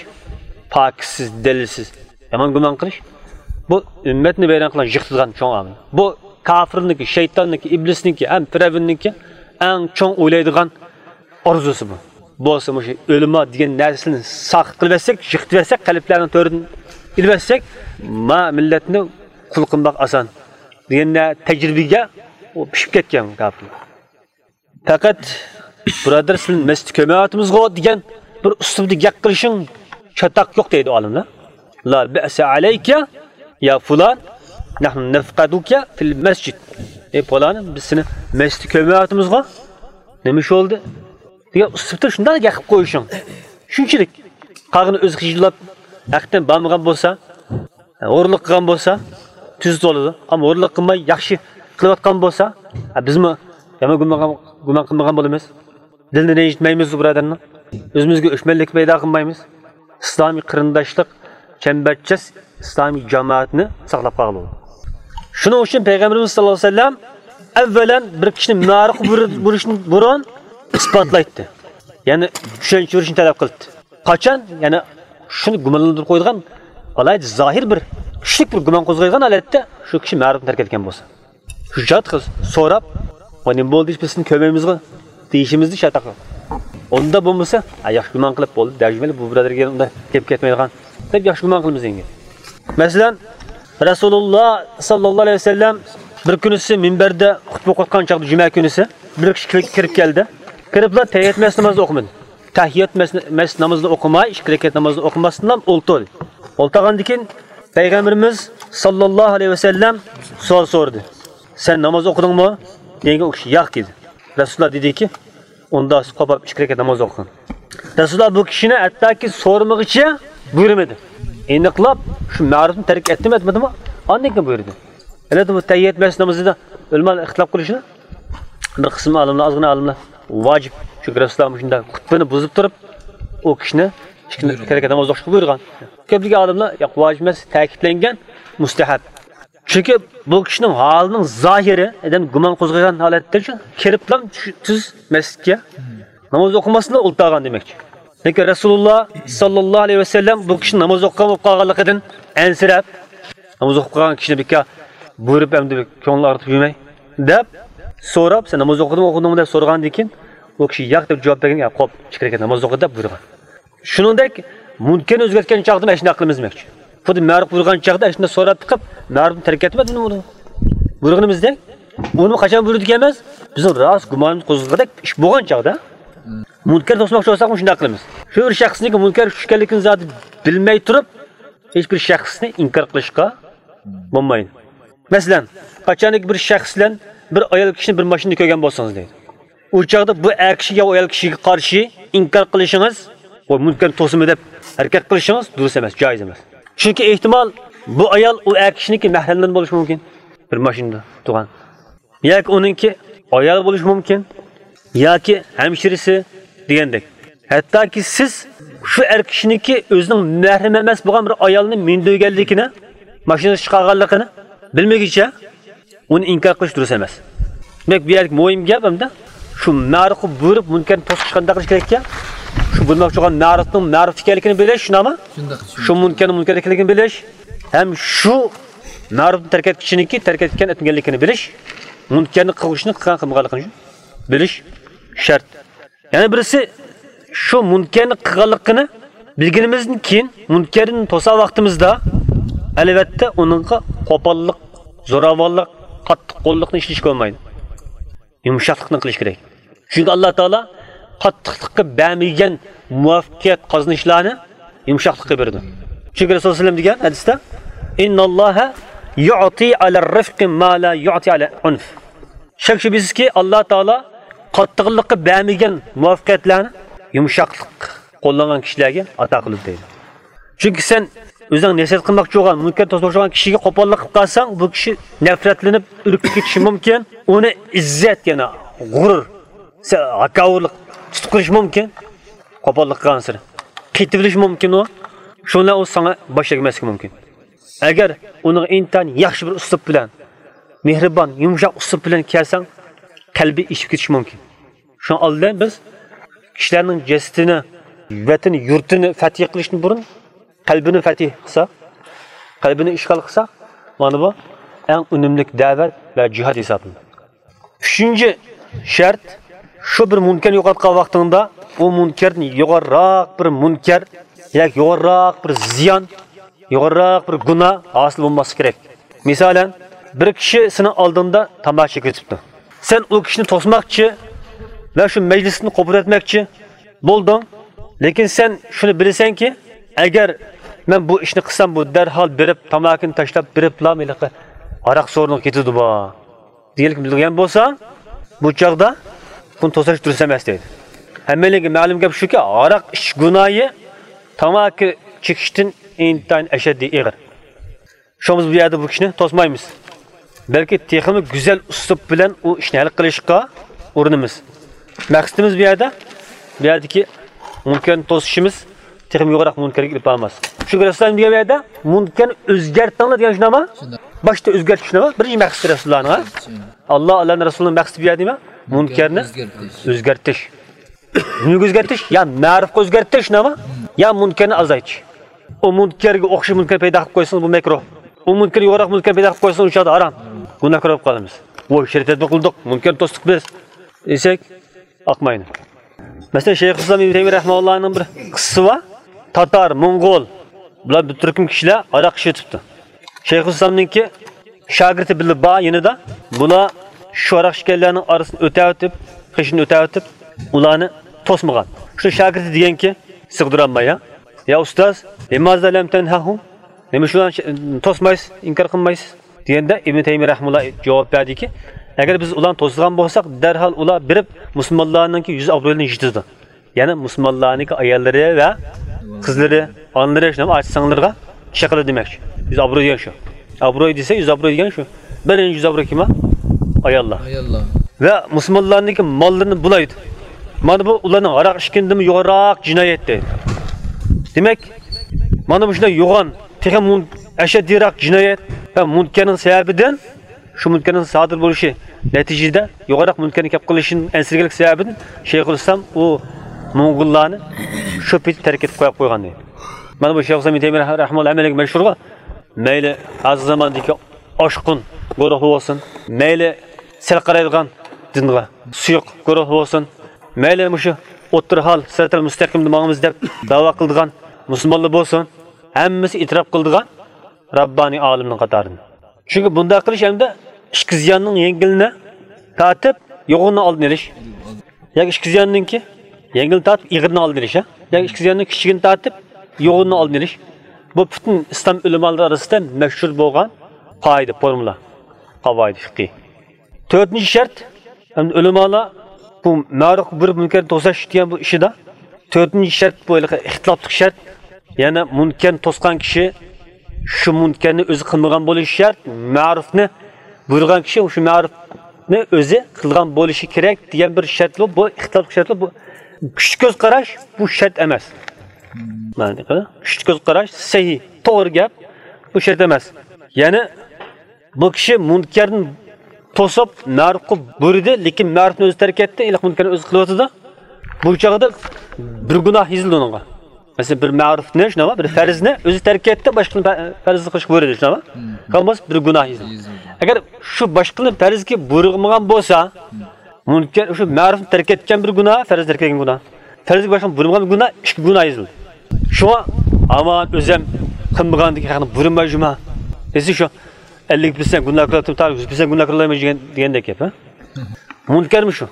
پاكىتسىز، دەلىلسىز يامان گۇمان قىلىش، بۇ ئۈممەتنى ۋەيران قىلغان، يىقىتىدىغان چوڭ ئامىل. بۇ كاپىرنىڭكى، شەيتاننىڭكى، ئىبلىسنىڭكى ھەم پىرئەۋننىڭكى ئەڭ چوڭ ئويلايدىغان ئارزۇسى بۇ. بولسا مۇشۇ ئۆلىما دېگەن نەرسىنى ساقىت قىلىۋەتسەك، يىقىتىۋەتسەك، قەلبلەرنىڭ تۆرىدىن ئېلىۋەتسەك، ما مىللەتنى قۇل قىلماق ئاسان دېگەن تەجرىبىگە ئۇ پىشىپ كەتكەن كاپىرلار. پەقەت، بۇرادەر، سىلىنى مەستە كۆرمەيۋاتىمىزغۇ دېگەن بىر ئۇسلۇبدا گەپ قىلىشىڭ چاتاق يوق دەيدۇ ئالىملار. لا بەئسە ئەلەيكە يا فۇلان، نەھنۇ نەفقەدۇكە فىل مەسجىد. ئەي پالان، بىز سېنى مەستە كۆرمەيۋاتىمىزغۇ، نېمە ئىش بولدى دېگەن ئۇسلۇبتا شۇنداق گەپ قىلىپ قويۇشۇڭ. شۇنچىلىك. قالغىنى ئۆزى خىجىللاپ، ھەقىقەتەن بارمىغان بولسا، ھورلۇق قىلغان بولسا، تۈزۈت بولىدۇ. ئەمما ھورلۇق قىلماي ياخشى قىلىۋاتقان بولسا، ھە، بىزمۇ يامان گۇمان، گۇمان قىلمىغان بولىمىز. دىلنى رەنجىتمەيمىز بۇ بۇرادەرنىڭ. ئۆزىمىزگە ئۆچمەنلىك پەيدا قىلمايمىز. ئىسلامىي قېرىنداشلىق، چەمبەرچاس ئىسلامىي جامائەتنى ساقلاپ قالغىلى بولىدۇ. شۇنىڭ ئۈچۈن پەيغەمبىرىمىز ساللاللاھۇ ئەلەيھى ۋەسەللەم ئەۋۋەلەن بىر كىشىنى مەرۇققا بۇر-، بۇرۇشتىن بۇرۇن ئىسپاتلايتتى. يەنى چۈشەنچە بېرىشنى تەلەپ قىلاتتى. قاچان؟ يەنى شۇنى گۇمانلاندۇرۇپ قويىدىغان، ئالاھىدە زاھىر بىر، كۈچلۈك بىر گۇمان قوزغايدىغان ھالەتتە شۇ كىشى مەرۇقنى تەرك ئەتكەن بولسا. شۇ چاغدا قىز سوراپ، ۋە نېمە بولدى، بىز سېنى كۆرمەيمىزغۇ دېيىشىمىزنى شەرت قىلىدۇ. ئۇنداق بولمىسا، ھە، ياخشى گۇمان قىلىپ بولدى، دەرجىمەلى بۇ بۇرادەرگە ئۇنداق گەپ كەتمەيدىغان دەپ ياخشى گۇمان قىلىمىز ئەمدى. مەسىلەن، رەسۇلۇللا ساللاللاھۇ ئەلەيھى ۋەسەللەم بىر كۈنىسى مىنبەردە خۇتبە ئوقۇۋاتقان چاغدا، جۈمە كۈنىسى، بىر كىشى كىرىپ، كىرىپ كەلدى. كىرىپلا تەھىيەت مەس نامازىنى ئوقۇمىدى. تەھىيەت مەس، مەس نامىزىنى ئوقۇماي، ئىككى رەكەت نامازىنى ئوقۇماستىنلا ئولتۇردى. ئولتۇرغاندىن كېيىن پەيغەمبىرىمىز ساللاللاھۇ ئەلەيھى ۋەسەللەم سوئال سورىدى. سەن ناماز ئوقۇدۇڭمۇ؟ دېگەنگە ئۇ كىشى ياق دېدى. رەسۇلۇللا دېدىكى، ئۇندا قوپاپ ئىككى رەكەت ناماز ئوقۇغىن. رەسۇلۇللا بۇ كىشىنى ھەتتاكى سورىمىغىچە بۇيرۇمىدى. ئېنىقلاپ شۇ مەرۇپنى تەرك ئەتتىمۇ ئەتمىدىمۇ، ئاندىن كېيىن بۇيرۇدى. ئەلۋەتتە، بۇ تەھىيەت مەسجىد نامىزىدا ئۆلىمالار ئىختىلاپ قىلىشىدۇ. بىر قىسىم ئالىملار، ئازغىنا ئالىملار ۋاجىپ، چۈنكى رەسۇلۇللا مۇشۇنداق خۇتبىنى بۇزۇپ تۇرۇپ، ئۇ كىشىنى ئىككى رەكەت ناماز ئوقۇشقا بۇيرۇغان. كۆپلىگەن ئالىملار، ياق، ۋاجىپ ئەمەس، تەكىتلەنگەن، مۇستەھەب. چۈنكى بۇ كىشىنىڭ ھالىنىڭ زاھىرى، ئادەم گۇمان قوزغىغان ھالەتتە شۇ كىرىپلا شۇ تۈز مەسچىتكە ناماز ئوقۇماستىن ئولتۇرغان دېمەكچى. لېكىن رەسۇلۇللا ساللاللاھۇ ئەلەيھى ۋەسەللەم بۇ كىشىنىڭ ناماز ئوقۇغان بولۇپ قالغانلىقىدىن ئەنسىرەپ، ناماز ئوقۇپ قالغان كىشىنى بىكار بۇيرۇپ، ئەمدى كۆڭلىنى ئاغرىتىپ يۈرمەي دەپ سوراپ، سەن ناماز ئوقۇدۇڭمۇ، ئوقۇدۇڭمۇ دەپ سورىغاندىن كېيىن، ئۇ كىشى ياق دەپ جاۋاب بەرگەن، يا قوپ، ئىككى رەكەت ناماز ئوقۇ دەپ بۇيرۇغان. شۇنىڭدەك مۇنكەرنى ئۆزگەرتكەن چاغدىمۇ ئەشۇنداق قىلىمىز دېمەكچى. خۇددى مەرۇپ بۇيرۇغان چاغدا ئەشۇنداق سوراپ بېقىپ، مەرۇپنى تەرك ئەتمەيدۇ بۇنى. بۇيرۇغىنىمىزدەك، ئۇنى قاچان بۇيرۇدى ئەمەس، بىزنىڭ راست گۇمانىمىز قوزغىغۇدەك ئىش بولغان چاغدا، مۇنكەر توسماقچى بولساقمۇ شۇنداق قىلىمىز. شۇ بىر شەخسنىڭكى مۇنكەر كۈچ ئىكەنلىكىنى زادى بىلمەي تۇرۇپ، ھېچ بىر شەخسنى ئىنكار قىلىشقا بولمايدۇ. مەسىلەن، قاچانكى بىر شەخس بىلەن بىر ئايال كىشىنى بىر ماشىنىدا كۆرگەن بولسىڭىز دەيدۇ. ئۇ چاغدا بۇ ئەر كىشىگە يا ئايال كىشىگە قارشى ئىنكار قىلىشىڭىز، ۋە مۇنكەرنى توسىمەن دەپ ھەرىكەت قىلىشىڭىز دۇرۇس ئەمەس، جائىز ئەمەس. چۈنكى ئېھتىمال بۇ ئايال ئۇ ئەر كىشىنىڭكى مەھرەملىرى بولۇشى مۇمكىن. بىر ماشىنىدا تۇرغان. ياكى ئۇنىڭكى ئايالى بولۇشى مۇمكىن. ياكى ھەمشىرىسى دېگەندەك. ھەتتاكى سىز شۇ ئەر كىشىنىڭكى ئۆزىنىڭ مەھرىمى ئەمەس بولغان بىر ئايالنى مىندۈرگەنلىكىنى، ماشىنىسىغا چىقارغانلىقىنى بىلمىگۈچە ئۇنى ئىنكار قىلىش دۇرۇس ئەمەس. دېمەك، بۇ يەردىكى مۇھىم گەپ ئەمدى شۇ مەرۇفقا بۇيرۇپ، مۇنكەرنى توسۇشقا قانداق قىلىش كېرەك ئىكەن؟ شۇ بۇيرۇماقچى بولغان مەرۇفنىڭ مەرۇف ئىكەنلىكىنى بىلىش، شۇنداقمۇ؟ شۇنداق، شۇ شۇنداق. مۇنكەرنىڭ مۇنكەر ئىكەنلىكىنى بىلىش ھەم شۇ مەرۇفنى تەرك ئەتكۈچىنىڭكى تەرك ئەتكەن، ئەتمىگەنلىكىنى بىلىش، مۇنكەرنى قىلغۇچىنىڭ قىلغان، قىلمىغانلىقىنى بىلىش شەرت. يەنە بىرسى، شۇ مۇنكەرنى قىلغانلىقىنى بىلگىنىمىزدىن كېيىن، مۇنكەرنى توسا ۋاقتىمىزدا، ئەلۋەتتە، ئۇنىڭغا قوپاللىق، زوراۋانلىق، قاتتىق قوللۇقنى ئىشلىتىشكە بولمايدۇ. يۇمشاقلىقنى قىلىش كېرەك. چۈنكى ئاللا تائالا قاتتىقلىققا بەرمىگەن مۇۋەپپەقىيەت قازىنىشلارنى يۇمشاقلىققا بېرىدۇ. چۈنكى رەسۇل سەللەم دېگەن ھەدىستە، «إن الله يعطي على الرفق ما لا يعطي على العنف.» شەك شۈبھىسىزكى، ئاللا تائالا قاتتىقلىققا بەرمىگەن مۇۋەپپەقىيەتلەرنى يۇمشاقلىق قوللانغان كىشىلەرگە ئاتا قىلىدۇ دەيدۇ. چۈنكى سەن ئۆزۈڭ نەسىھەت قىلماقچى بولغان، مۇنكەر توسماقچى بولغان كىشىگە قوپاللىق قىلىپ قالساڭ، بۇ كىشى نەپرەتلىنىپ، ئۈركۈپ كېتىشى مۇمكىن. ئۇنى ئىززەت، يەنى غۇرۇر، سە-، ھاكاۋۇرلۇق تۇتۇپ قېلىشى مۇمكىن. قوپاللىق قىلغانسېرى قېتىۋېلىشى مۇمكىن ئۇ. شۇ بىلەن ئۇ ساڭا باش تەگمەسلىكى مۇمكىن. ئەگەر ئۇنىڭغا ئىنتايىن ياخشى بىر ئۇسلۇب بىلەن، مېھرىبان، يۇمشاق ئۇسلۇب بىلەن كەلسەڭ، قەلبى ئېچىپ كېتىشى مۇمكىن. شۇڭا ئالدىن بىز كىشىلەرنىڭ جەسىتىنى، ۋەتىنى، يۇرتىنى فەتھى قىلىشتىن بۇرۇن قەلبىنى فەتھى قىلساق، قەلبىنى ئىشغال قىلساق، مانا بۇ ئەڭ ئۈنۈملۈك دەۋەت ۋە جىھاد ھېسابلىنىدۇ. ئۈچىنچى شەرت، شۇ بىر مۇنكەرنى يوقاتقان ۋاقتىڭدا، ئۇ مۇنكەردىن يۇقىرىراق بىر مۇنكەر ياكى يۇقىرىراق بىر زىيان، يۇقىرىراق بىر گۇناھ ھاسىل بولماسلىقى كېرەك. مىسالەن، بىر كىشى سېنىڭ ئالدىڭدا تاماكا چېكىۋېتىپتۇ. سەن ئۇ كىشىنى توسماقچى ۋە شۇ مەجلىستىن قوپۇرۇۋەتمەكچى بولدۇڭ. لېكىن سەن شۇنى بىلىسەنكى، ئەگەر مەن بۇ ئىشنى قىلسام، بۇ دەرھال بېرىپ، تاماكىنى تاشلاپ بېرىپلا، ھېلىقى ھاراق سورۇنىغا كېتىدۇ بۇ. دېگەنلىكنى بىلگەن بولساڭ، بۇ چاغدا بۇنى توساش دۇرۇس ئەمەس دەيدۇ. ھەممەيلەنگە مەلۇم گەپ شۇكى، ھاراق ئىچىش گۇناھى تاماكا چېكىشتىن ئىنتايىن ئەشەددىي ئېغىر. شۇڭا بىز بۇ يەردە بۇ كىشىنى توسمايمىز. بەلكى تېخىمۇ گۈزەل ئۇسلۇب بىلەن ئۇ ئىشنى ھەل قىلىشقا ئۇرۇنىمىز. مەقسىتىمىز بۇ يەردە، بۇ يەردىكى مۇنكەرنى توسۇشىمىز تېخىمۇ يۇقىرىراق مۇنكەرگە ئېلىپ بارماس. شۇ رەسۇلۇللا دېگەن يەردە مۇنكەرنى ئۆزگەرتىڭلار دېگەن شۇنداقمۇ؟ شۇنداق. باشتا ئۆزگەرتىش شۇنداقمۇ؟ بىرىنچى مەقسىتى رەسۇلۇللانىڭ، ھە؟ شۇنداق. ئاللا، ئاللانىڭ رەسۇلىنىڭ مەقسىتى بۇ يەردە نېمە؟ مۇنكەرنى ئۆزگەرتىش. ئۆزگەرتىش. نېمىگە ئۆزگەرتىش؟ يا مەرۇپقا ئۆزگەرتىش، نېمە؟ يا مۇنكەرنى ئازايتىش. ئۇ مۇنكەرگە ئوخشاش مۇنكەر پەيدا قىلىپ قويسىڭىز، بۇ مەكرۇھ. ئۇ مۇنكەر يۇقىرىراق مۇنكەر پەيدا قىلىپ قويسىڭىز، ئۇ چاغدا ھارام. گۇناھكار بولۇپ قالىمىز. ۋوي، شەرىئەت تەدبىر قىلدۇق، مۇنكەرنى توستۇق بىز دېسەك، ئاقمايدۇ. مەسىلەن، شەيخۇلئىسلام ئىبن تەيمىيە رەھىمەھۇللانىڭ بىر قىسسىسى بار. تاتار، موڭغۇل، بۇلار بىر تۈركۈم كىشىلەر ھاراق ئىچىۋېتىپتۇ. شەيخۇلئىسلامنىڭكى شاگىرتى بىللە بار يېنىدا. بۇلار شۇ ھاراق ئىچكەنلەرنىڭ ئارىسىدىن ئۆتەۋېتىپ، قېشىدىن ئۆتەۋېتىپ، ئۇلارنى توسمىغان. شۇ شاگىرتى دېگەنكى، سىغدۇرالماي، يا، يا ئۇستاز، لىمازا لەم تەنھەھۇم؟ نېمە شۇلارنى توسمايسىز، ئىنكار قىلمايسىز؟ دېگەندە ئىبن تەيمىيە رەھىمۇللا جاۋاب بەردىكى، ئەگەر بىز ئۇلارنى توسىدىغان بولساق، دەرھال ئۇلار بېرىپ مۇسۇلمانلارنىڭكى يۈز ئابرۇيىنى يىرتىدۇ. يەنى مۇسۇلمانلارنىڭكى ئاياللىرى ۋە قىزلىرى، ئانىلىرى، شۇنداق ئاچا-سىڭىللىرىغا ئىش قىلىدۇ دېمەكچى. يۈز ئابرۇي دېگەن شۇ. ئابرۇي دېسە، يۈز ئابرۇي دېگەن شۇ. بىرىنچى يۈز ئابرۇي كىم؟ ئاياللار. ئاياللار. ۋە مۇسۇلمانلارنىڭكى ماللىرىنى بۇلايدۇ. مانا بۇ ئۇلارنىڭ ھاراق ئىچكىنىدىنمۇ يۇقىرىراق جىنايەت دەيدۇ. دېمەك، مانا مۇشۇنداق يوغان، تېخىمۇ ئەشەددىيراق جىنايەت ۋە مۇنكەرنىڭ سەۋەبىدىن، شۇ مۇنكەرنىڭ سادىر بولۇشى نەتىجىدە يۇقىرىراق مۇنكەرنىڭ كەپ قېلىشىدىن ئەنسىرىگەنلىك سەۋەبىدىن شەيخۇلئىسلام ئۇ موڭغۇللارنى شۇ پېتى تەرك ئېتىپ قويۇپ قويغان دەيدۇ. مانا بۇ شەيخۇلئىسلام ئىبن تەيمىيە رەھىمەھۇللا ھەممىگە مەشھۇرغۇ. مەيلى ھازىر زاماندىكى ئاشقۇن گۇرۇھى بولسۇن، مەيلى سەل قارايدىغان دىنغا سۇيۇق گۇرۇھ بولسۇن، مەيلى مۇشۇ ئوتتۇرا ھال، سىراتىل مۇستەقىمدا ماڭىمىز دەپ داۋا قىلىدىغان مۇسۇلمانلار بولسۇن، ھەممىسى ئېتىراپ قىلىدىغان راببانىي ئالىمنىڭ قاتارىدىن. چۈنكى بۇنداق قىلىش ئەمدى ئىككى زىياننىڭ يەڭگىلىنى تارتىپ، يوغىنىنى ئالدىنى ئېلىش. ياكى ئىككى زىياننىڭكى يەڭگىلىنى تارتىپ، ئېغىرىنى ئالدىنى ئېلىش، ھە؟ ياكى ئىككى زىياننىڭ كىچىكىنى تارتىپ، يوغىنىنى ئالدىنى ئېلىش. بۇ پۈتۈن ئىسلام ئۆلىمالىرى ئارىسىدا مەشھۇر بولغان قائىدە، فورمۇلا. قاۋائىد فىقھى. تۆتىنچى شەرت، ئەمدى ئۆلىمالار بۇ مەرۇفقا بۇيرۇپ مۇنكەرنى توساش دېگەن بۇ ئىشىدا تۆتىنچى شەرت، بۇ ھېلىقى ئىختىلاپلىق شەرت. يەنى مۇنكەرنى توسقان كىشى شۇ مۇنكەرنى ئۆزى قىلمىغان بولۇشى شەرت، مەرۇفنى بۇيرۇغان كىشى شۇ مەرۇفنى ئۆزى قىلغان بولۇشى كېرەك دېگەن بىر شەرت بۇ. بۇ ئىختىلاپلىق شەرت بۇ. كۈچلۈك كۆز قاراش بۇ شەرت ئەمەس. مەنە، كۈچلۈك كۆز قاراش سەھىھ، توغرا گەپ، بۇ شەرت ئەمەس. يەنى بۇ كىشى مۇنكەرنى توسۇپ، مەرۇفقا بۇيرۇدى، لېكىن مەرۇفنى ئۆزى تەرك ئەتتى، ھېلىقى مۇنكەرنى ئۆزى قىلىۋاتىدۇ. بۇ چاغدا بىر گۇناھ يېزىلدى ئۇنىڭغا. مەسىلەن، بىر مەرۇفنى، شۇنداقمۇ؟ بىر پەرزنى ئۆزى تەرك ئەتتى، باشقىنى پە-، پەرزنى قىلىشقا بۇيرۇدى، شۇنداقمۇ؟ قىلغان بولسا بىر گۇناھ يېزىلدى. ئەگەر شۇ باشقىنى پەرزگە بۇيرۇغان بولسا، مۇنكەر شۇ مەرۇفنى تەرك ئەتكەن بىر گۇناھ، پەرزنى تەرك ئەتكەن گۇناھ. پەرزگە باشقىنى بۇيرۇمىغان بىر گۇناھ، ئىككى گۇناھ يېزىلدى. شۇڭا ئامان ئۆزۈم قىلمىغاندىكى ھەقنى بۇيرۇماي جۇما. ئەسلى شۇ ئەللىك پىرسەنت گۇناھ قىلىۋاتىمەن، تا يۈز پىرسەنت گۇناھ قىلالمايمەن دېگەن، دېگەندەك گەپ، ھە؟ مۇنكەرمۇ شۇ.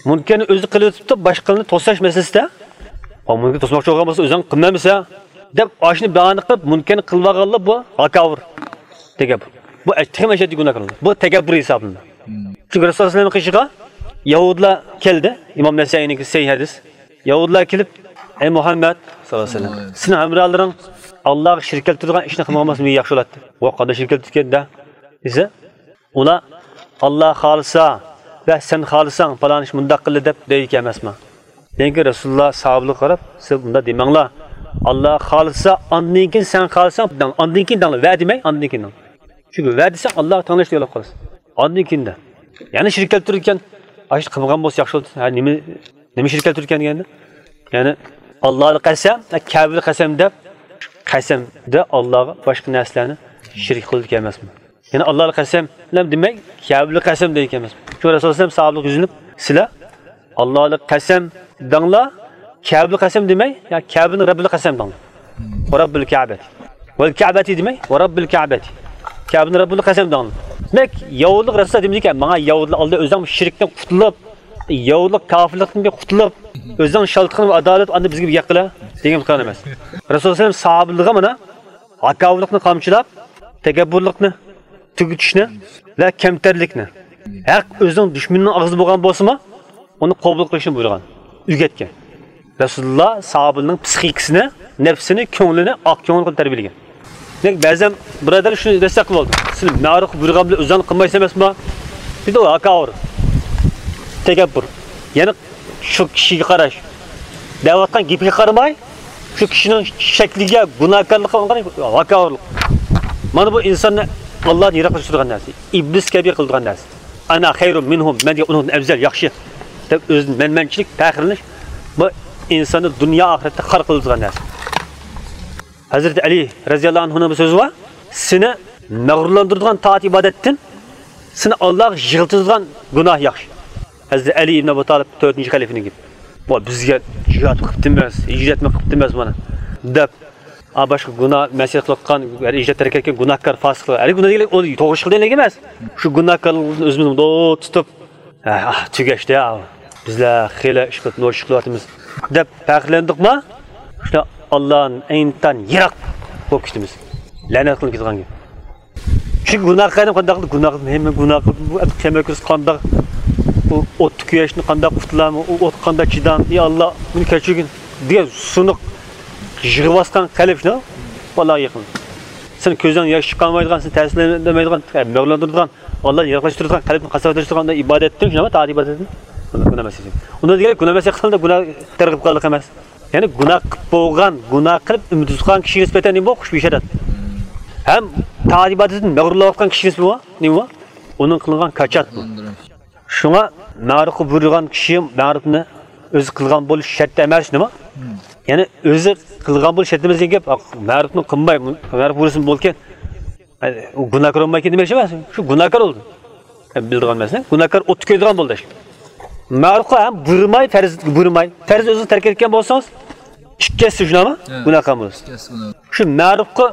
مۇنكەرنى ئۆزى قىلىۋېتىپتۇ، باشقىلارنى توساش مەسىلىسىدە. ئا، مۇنكەر توسماقچى بولغان بولسا، ئۆزۈڭ قىلمامسەن دەپ، ئاشۇنى باھانە قىلىپ، مۇنكەرنى قىلىۋالغانلار بۇ ھاكاۋۇر دېگەن. بۇ ئەش-، تېخىمۇ ئەشەددىي گۇناھكارلار. بۇ تەكەببۇر ھېسابلىنىدۇ. چۈنكى رەسۇلۇللاھ ئەلەيھىسسالامنىڭ قېشىغا يەھۇدىيلار كەلدى. ئىمام نەسەئىينىڭكى سەھىھ ھەدىس. يەھۇدىيلار كېلىپ، ئەي مۇھەممەد ساللاللاھۇ ئەلەيھى ۋەسەللەم، سېنىڭ ھەمراھلىرىڭ ئاللاغا شېرىك كەلتۈرىدىغان ئىشنى قىلمىغان بولسا مېنىڭ ياخشى بولاتتى. ۋاي، قانداق شېرىك كەلتۈرگەندە دېسە، ئۇلار ئاللا خالىسا ۋە سەن خالىساڭ پالان ئىش مۇنداق قىلدى دەپ دەيدىكەن ئەمەسمۇ؟ لېكىن رەسۇلۇللاھ ساھابىلەرگە قاراپ، سىز مۇنداق دېمەڭلار، ئاللا خالىسا، ئاندىن كېيىن سەن خالىساڭ دەڭ، ئاندىن كېيىن دەڭلار، ۋە دېمەي، ئاندىن كېيىن دەڭ. چۈنكى ۋە دېسەڭ ئاللاغا تەڭلەش دېگەنلىك قىلىسىز. ئاندىن كېيىن دە. يەنى شېرىك كەلتۈرىدىكەن، ئاشۇ قىلمىغان بولسا ياخشى بولدى. ھە، نېمە، نېمە شېرىك كەلتۈرىدىكەن دېگەندە؟ يەنى ئاللاھلىق قەسەم، كەبىلىق قەسەم دەپ، قەسەمدە ئاللاغا باشقا نەرسىلەرنى شېرىك قىلىدىكەن ئەمەسمۇ؟ يەنى ئاللاھلىق قەسەم دېمەي، كەبىلىق قەسەم دەيدىكەن ئەمەسمۇ؟ شۇ رەسۇلۇللاھ ساھابىلەرگە يۈزلىنىپ، سىلەر ئاللاھلىق قەسەم دەڭلار، كەبىلىق قەسەم دېمەي، يا كەبىنىڭ رەببىلىك قەسەم دەڭلار. ۋە رەببىل كەبەتى. ۋەل كەبەتى دېمەي، ۋە رەببىل كەبەتى. كەبىنىڭ رەببىلىك قەسەم دەڭلار. دېمەك، يەھۇدىيلار رەسۇلۇللاھ دېمىدىكەن، ماڭا يەھۇدىيلار ئالدى ئۆزۈڭ شېرىكتىن قۇتۇلۇپ، يەھۇدىيلار كاپىرلىقتىن بىر قۇتۇلۇپ، ئۆزۈڭ شالتىقىڭ ۋە ئادالەت ئاندىن بىزگە بىر ياق قىلە دېگەن قىلغان ئەمەس. رەسۇلۇللاھ ساھابىلىرىگە مانا ھاكاۋۇرلۇقنى قامچىلاپ، تەكەببۇرلۇقنى تۈگىتىشنى ۋە كەمتەرلىكنى، ھەق ئۆزىنىڭ دۈشمىنىنىڭ ئاغزىدا بولغان بولسىمۇ، ئۇنى قوبۇل قىلىشنى بۇيرۇغان، ئۆگەتكەن. رەسۇلۇللاھ ساھابىنىڭ پسىخىكىسىنى، نەپسىنى، كۆڭلىنى ئاق كۆڭۈل قىلىپ تەربىيەلىگەن. دېمەك، بەزەن بۇرادەرلەر شۇنى دەسسەپ قىلىۋالىدۇ. سىلەر مەرۇفقا بۇيرۇغان بىلەن ئۆزۈڭ قىلمايسەن ئەمەسمۇ؟ دېدى ئۇ ھاكاۋۇر. تەكەببۇر. يەنى شۇ كىشىگە قاراش. دەۋاتقان گېپىگە قارىماي، شۇ كىشىنىڭ شەكلىگە، گۇناھكارلىقىغا قاراش، ھاكاۋۇرلۇق. مانا بۇ ئىنساننى ئاللادىن يىراقلاشتۇرىدىغان نەرسە. ئىبلىس كەبى قىلىدىغان نەرسە. ئانا خەيرۇن مىنھۇم، مەن دېگەن ئۇنىڭدىن ئەۋزەل، ياخشى دەپ ئۆزىنى مەنمەنچىلىك، پەخىرلىنىش، بۇ ئىنساننى دۇنيا ئاخىرەتتە خار قىلىدىغان نەرسە. ھەزرىتى ئەلى رەزىياللاھۇ ئەنھۇنىڭ بىر سۆزى بار، سېنى مەغرۇرلاندۇرىدىغان تائەت ئىبادەتتىن سېنى ئاللاغا يىغلىتىدىغان گۇناھ ياخشى. ھەزرىتى ئەلى ئىبن ئەبۇ تالىپ تۆتىنچى خەلىپىنىڭ گېپى. ۋا بىزگە جىھاد قىپتىمىز، ھىجرەتمۇ قىپتىمىز مانا دەپ، ئا، باشقا گۇناھ، مەسىيەت قىلىۋاتقان، ھەر ھىجرەت تەرك ئەتكەن گۇناھكار، پاسىقلار. ھەر گۇناھ دېگەن ئۇ توغرا ئىش قىلدى دېگەن ئەمەس. شۇ گۇناھكارلىقتىن ئۆزىمىزنى دوت تۇتۇپ، ھە، ئاھ، تۈگەشتى يا. بىزلەر خېلى ئىش قىلىپ، نوچى ئىش قىلىۋاتىمىز دەپ پەخىرلەندۇقما، شۇ ئاللانىڭ ئەينىتان يىراق بولۇپ كېتىمىز. لەنەت قىلىنىپ كېتىدىغان گەپ. چۈنكى گۇناھ قىلدىم، قانداق قىلدىم؟ گۇناھ قىلدىم. ھەممە گۇناھ قىلدىم. بۇ قىيامەت كۈنى قانداق، بۇ ئوتتا كۆيۈشتىن قانداق قۇتۇلامەن؟ ئۇ ئوتقا قانداق چىدام؟ ئى ئاللا، مېنى كەچۈرگىن دېگەن سۇنۇق يىغىۋاتقان قەلب شۇ بالىغا يېقىن. سېنىڭ كۆزۈڭ ياش چىقارمايدىغان، سېنى تەسىرلەندۈرمەيدىغان، مەغرۇرلاندۇرىدىغان، ئاللادىن يىراقلاشتۇرىدىغان، قەلبنى قاساۋەتلەشتۈرىدىغان ئىبادەتتىن شۇنداقمۇ؟ تائەت ئىبادەتتىن. بۇنى گۇناھ ئەمەس دېسەك. ئۇندا دېگەن گۇناھ ئەمەس قىلغاندا گۇناھ تەرغىب قىلغانلىق ئەمەس. يەنى گۇناھ قىلىپ بولغان، گۇناھ قىلىپ ئۈمىد ئۈزۈپ قالغان كىشىگە نىسبەتەن نېمە بۇ؟ خۇشبۇي شەرەپ. ھەم تائەت ئىبادەتتىن مەغرۇرلاۋاتقان كىشىگە نىسبەتەن بۇ نېمە بۇ؟ ئۇنىڭ قىلغان كاچات بۇ. شۇڭا مەرۇفقا بۇيرۇغان كىشى مەرۇفنى ئۆزى قىلغان بولۇش شەرت ئەمەس نېمە؟ يەنى ئۆزى قىلغان بولۇش شەرت ئەمەس دېگەن گەپ، مەرۇفنى قىلماي، مەرۇف بۇيرۇسىمۇ بولكەن، ئۇ گۇناھكار بولمايكەن دېمەكچى ئەمەس. شۇ گۇناھكار بولدى. بىلىدىغان مەسىلە، گۇناھكار ئوتتا كۆيىدىغان بولدى. مەرۇفقا ھەم بۇيرۇماي، پەرز بۇيرۇماي، پەرز ئۆزىڭىز تەرك ئەتكەن بولسىڭىز، ئىككى ھەسسە شۇنداقمۇ؟ ھە. گۇناھكار بولىسىز. ئىككى ھەسسە گۇناھ. شۇ مەرۇفقا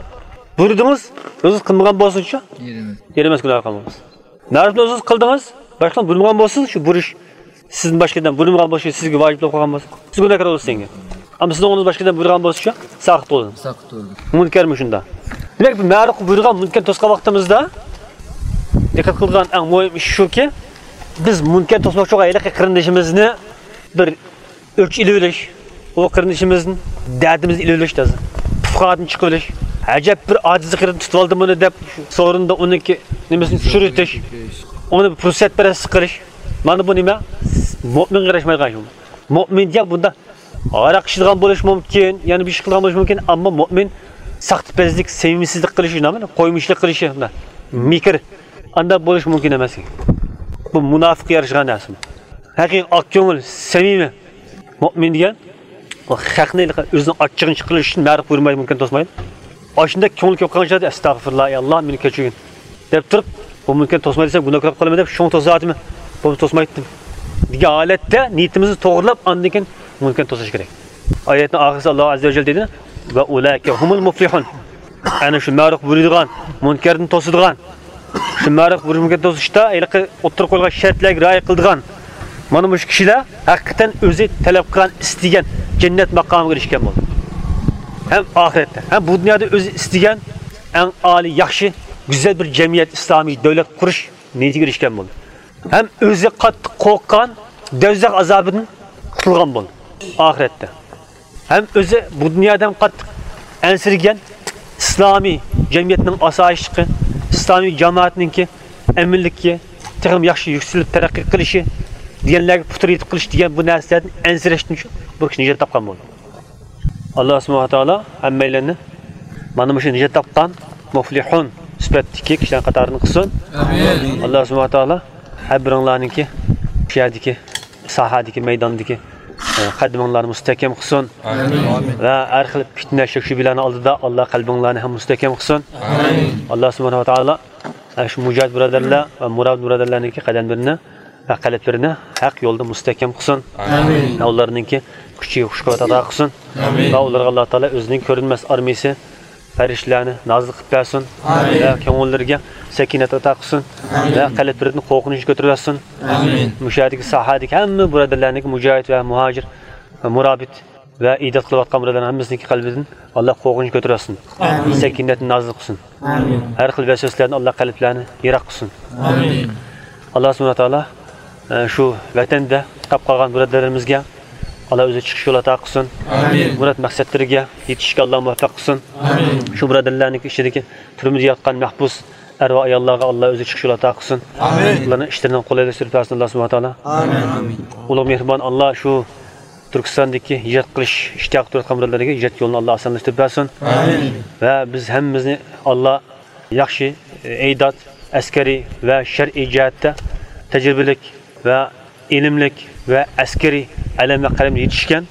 بۇيرۇدىڭىز، ئۆزىڭىز قىلمىغان بولسىڭىزچۇ؟ يېرىمەس. يېرىمەس گۇناھكار بولىسىز. مەرۇفنى ئۆزىڭىز قىلدىڭىز، باشقىلارنى بۇيرۇمىغان بولسىڭىز، شۇ بۇيرۇش سىزدىن باشقا ئادەم بۇيرۇمىغان بولسا، سىزگە ۋاجىپ بولۇپ قالغان بولسا، سىز گۇناھكار بولىسىز دېگەن گەپ. ئەمما سىزنىڭ ئورنىڭىزدا باشقا ئادەم بۇيرۇغان بولسىچۇ؟ ساقىت بولىدۇ. ساقىت بولىدۇ. مۇنكەرمۇ شۇنداق. دېمەك، بۇ مەرۇفقا بۇيرۇغان مۇنكەر توسقان ۋاقتىمىزدا، دىققەت قىلىدىغان ئەڭ مۇھىم ئىش شۇكى، بىز مۇنكەر توسماقچى بولغان ھېلىقى قېرىندىشىمىزنى بىر ئۆچ ئېلىۋېلىش، ئۇ قېرىندىشىمىزدىن دەردىمىزنى ئېلىۋېلىش لازىم. پۇقرادىن چىقىۋېلىش. ئەجەب بىر ئاجىزلىق يېرىدىن تۇتۇۋالدى بۇنى دەپ، سورۇندا ئۇنىڭكى نېمىسىنى چۈشۈرۈۋېتىش. ئۇنى بىر پۇرسەتپەرەسلىك قىلىش. مانا بۇ نېمە؟ مۆمىنگە ياراشمايدىغان ئىش بۇ. مۆمىن دېگەن بۇنداق ھاراق ئىچىدىغان بولۇشى مۇمكىن، يەنە بىر ئىش قىلىدىغان بولۇشى مۇمكىن، ئەمما مۆمىن ساختىپەزلىك، سەمىمىيەتسىزلىك قىلىشى، نېمە، قويمىشىلىق قىلىشى، مۇنداق مىكىر، ئانداق بولۇشى مۇمكىن ئەمەس. بۇ مۇناپىققا يارىشىدىغان نەرسە. ھەقىقىي ئاق كۆڭۈل، سەمىمىي مۆمىن دېگەن، ئۇ خەقنى ئۆزىنىڭ ئاچچىقىنى چىقىرىش ئۈچۈن مەرۇپ بۇيرۇمايدۇ، مۇنكەر توسمايدۇ. ئاشۇنداق كۆڭۈل كۆپ قالغان چاغدا، ئەستەغپىرۇللا، ئەي ئاللا، مېنى كەچۈرگىن دەپ تۇرۇپ، بۇ مۇنكەر توسمايدۇ دېسەم، گۇناھ كۆرۈپ قالىمەن دەپ، شۇڭا توساتتىم، بولمىسا توسمايتتىم دېگەن ھالەتتە نىيىتىمىزنى توغرىلاپ، ئاندىن كېيىن مۇنكەرنى توسۇش كېرەك. ئايەتنىڭ ئاخىرىسىدا ئاللا ئەززە ۋە جەل دەيدۇ، ۋە ئۇلائىكە ھۇمۇل مۇفلىھۇن. ئەنە شۇ مەرۇپ بۇيرۇيدىغان، مۇنكەردىن توسىدىغان، شۇ مەرۇپ بۇيرۇغان توسۇشتا ھېلىقى ئوتتۇرىغا قويۇلغان شەرتلەرگە رىئايە قىلىدىغان، مانا مۇشۇ كىشىلەر ھەقىقەتەن ئۆزى تەلەپ قىلغان، ئىستىگەن جەننەت ماقامىغا ئېرىشكەن بولدى. ھەم ئاخىرەتتە، ھەم بۇ دۇنيادا ئۆزى ئىستىگەن ئەڭ ئالىي، ياخشى، گۈزەل بىر جەمئىيەت، ئىسلامىي دۆلەت قۇرۇش نىيىتىگە ئېرىشكەن بولدى. ھەم ئۆزى قاتتىق قورققان دەۋزەخ ئازابىدىن قۇتۇلغان بولدى ئاخىرەتتە. ھەم ئۆزى بۇ دۇنيادا ھەم قاتتىق ئەنسىرىگەن ئىسلامىي جەمئىيەتنىڭ ئاسايىشلىقى، ئىسلامىي جامائەتنىڭكى ئەمىنلىكى تېخىمۇ ياخشى يۈكسىلىپ تەرەققىي قىلىشى دېگەنلەرگە پۇتىرى يېتىپ قېلىشى دېگەن بۇ نەرسىلەردىن ئەنسىرەشتىن بۇ كىشى نىجات تاپقان بولدى. ئاللا سۇبھانەھۇ ۋە تائالا ھەممەيلەننى مانا مۇشۇ نىجات تاپقان مۇفلىھۇن سۈپەتتىكى كىشىلەر قاتارىدىن قىلسۇن. ئامىن. ئاللا سۇبھانەھۇ ۋە تائالا ھەر بىرىڭلارنىڭكى شۇ يەردىكى ساھەدىكى، مەيداندىكى، ئە، قەدىمىڭلارنى مۇستەھكەم قىلسۇن. ئامىن. ۋە ھەر خىل پىتنە، شەك-شۈبھىلەرنىڭ ئالدىدا ئاللا قەلبىڭلارنى ھەم مۇستەھكەم قىلسۇن. ئامىن. ئاللا سۇبھانەھۇ ۋە تائالا، ئە، شۇ مۇجاھىد بۇرادەرلەر ۋە مۇرابىت بۇرادەرلەرنىڭكى قەدەملىرىنى ۋە قەلبلىرىنى ھەق يولدا مۇستەھكەم قىلسۇن. ئامىن. ۋە ئۇلارنىڭكى كۈچىگە كۈچ-قۇۋۋەت ئاتا قىلسۇن. ئامىن. ۋە ئۇلارغا ئاللا تائالا ئۆزىنىڭ كۆرۈنمەس ئارمىيىسى، پەرىشتىلەرنى نازىل قىلىپ بەرسۇن. ئامىن. ۋە كۆڭۈللىرىگە سەكىنەت ئاتا قىلسۇن. ئامىن. ۋە قەلبلىرىدىن قورقۇنچنى كۆتۈرۈۋەتسۇن. ئامىن. مۇشۇ يەردىكى ساھەدىكى ھەممە بۇرادەرلەرنىڭكى، مۇجاھىد ۋە مۇھاجىر ۋە مۇرابىت ۋە ئىداد قىلىۋاتقان بۇرادەرلەرنىڭ ھەممىسىنىڭكى قەلبىدىن ئاللا قورقۇنچنى كۆتۈرۈۋەتسۇن. ئامىن. سەكىنەتنى نازىل قىلسۇن. ئامىن. ھەر خىل ۋەسۋەسىلەردىن ئاللا قەلبلەرنى يىراق قىلسۇن. ئامىن. ئاللا سۇبھانەھۇ ۋە تائالا، ئە، شۇ ۋەتەندە قاپ قالغان بۇرادەرلىرىمىزگە ئاللا ئۆزى چىقىش يولى ئاتا قىلسۇن. ئامىن. مۇراد مەقسەتلىرىگە يېتىشىشكە ئاللا مۇۋەپپەق قىلسۇن. ئامىن. شۇ بۇرادەرلەرنىڭ ئىچىدىكى تۈرمىدە ياتقان مەھبۇس ئەر ۋە ئاياللارغا ئاللا ئۆزى چىقىش يولى ئاتا قىلسۇن. ئامىن. ئۇلارنىڭ ئىشلىرىنى قولايلاشتۇرۇپ بەرسۇن ئاللا سۇبھانەھۇ ۋە تائالا. ئامىن. ئۇلۇغ مېھرىبان ئاللا شۇ تۈركىستاندىكى ھىجرەت قىلىش ئىشتىياقى تۇرۇۋاتقان بۇرادەرلەرگە ھىجرەت يولىنى ئاللا ئاسانلاشتۇرۇپ بەرسۇن. ئامىن. ۋە بىز ھەممىمىزنى ئاللا ياخشى ئېداد، ئەسكەرىي ۋە شەرئىي جەھەتتە تەجرىبىلىك ۋە ئىلىملىك ۋە ئەسكىرىي ئەلەم ۋە قەلەمگە يېتىشكەن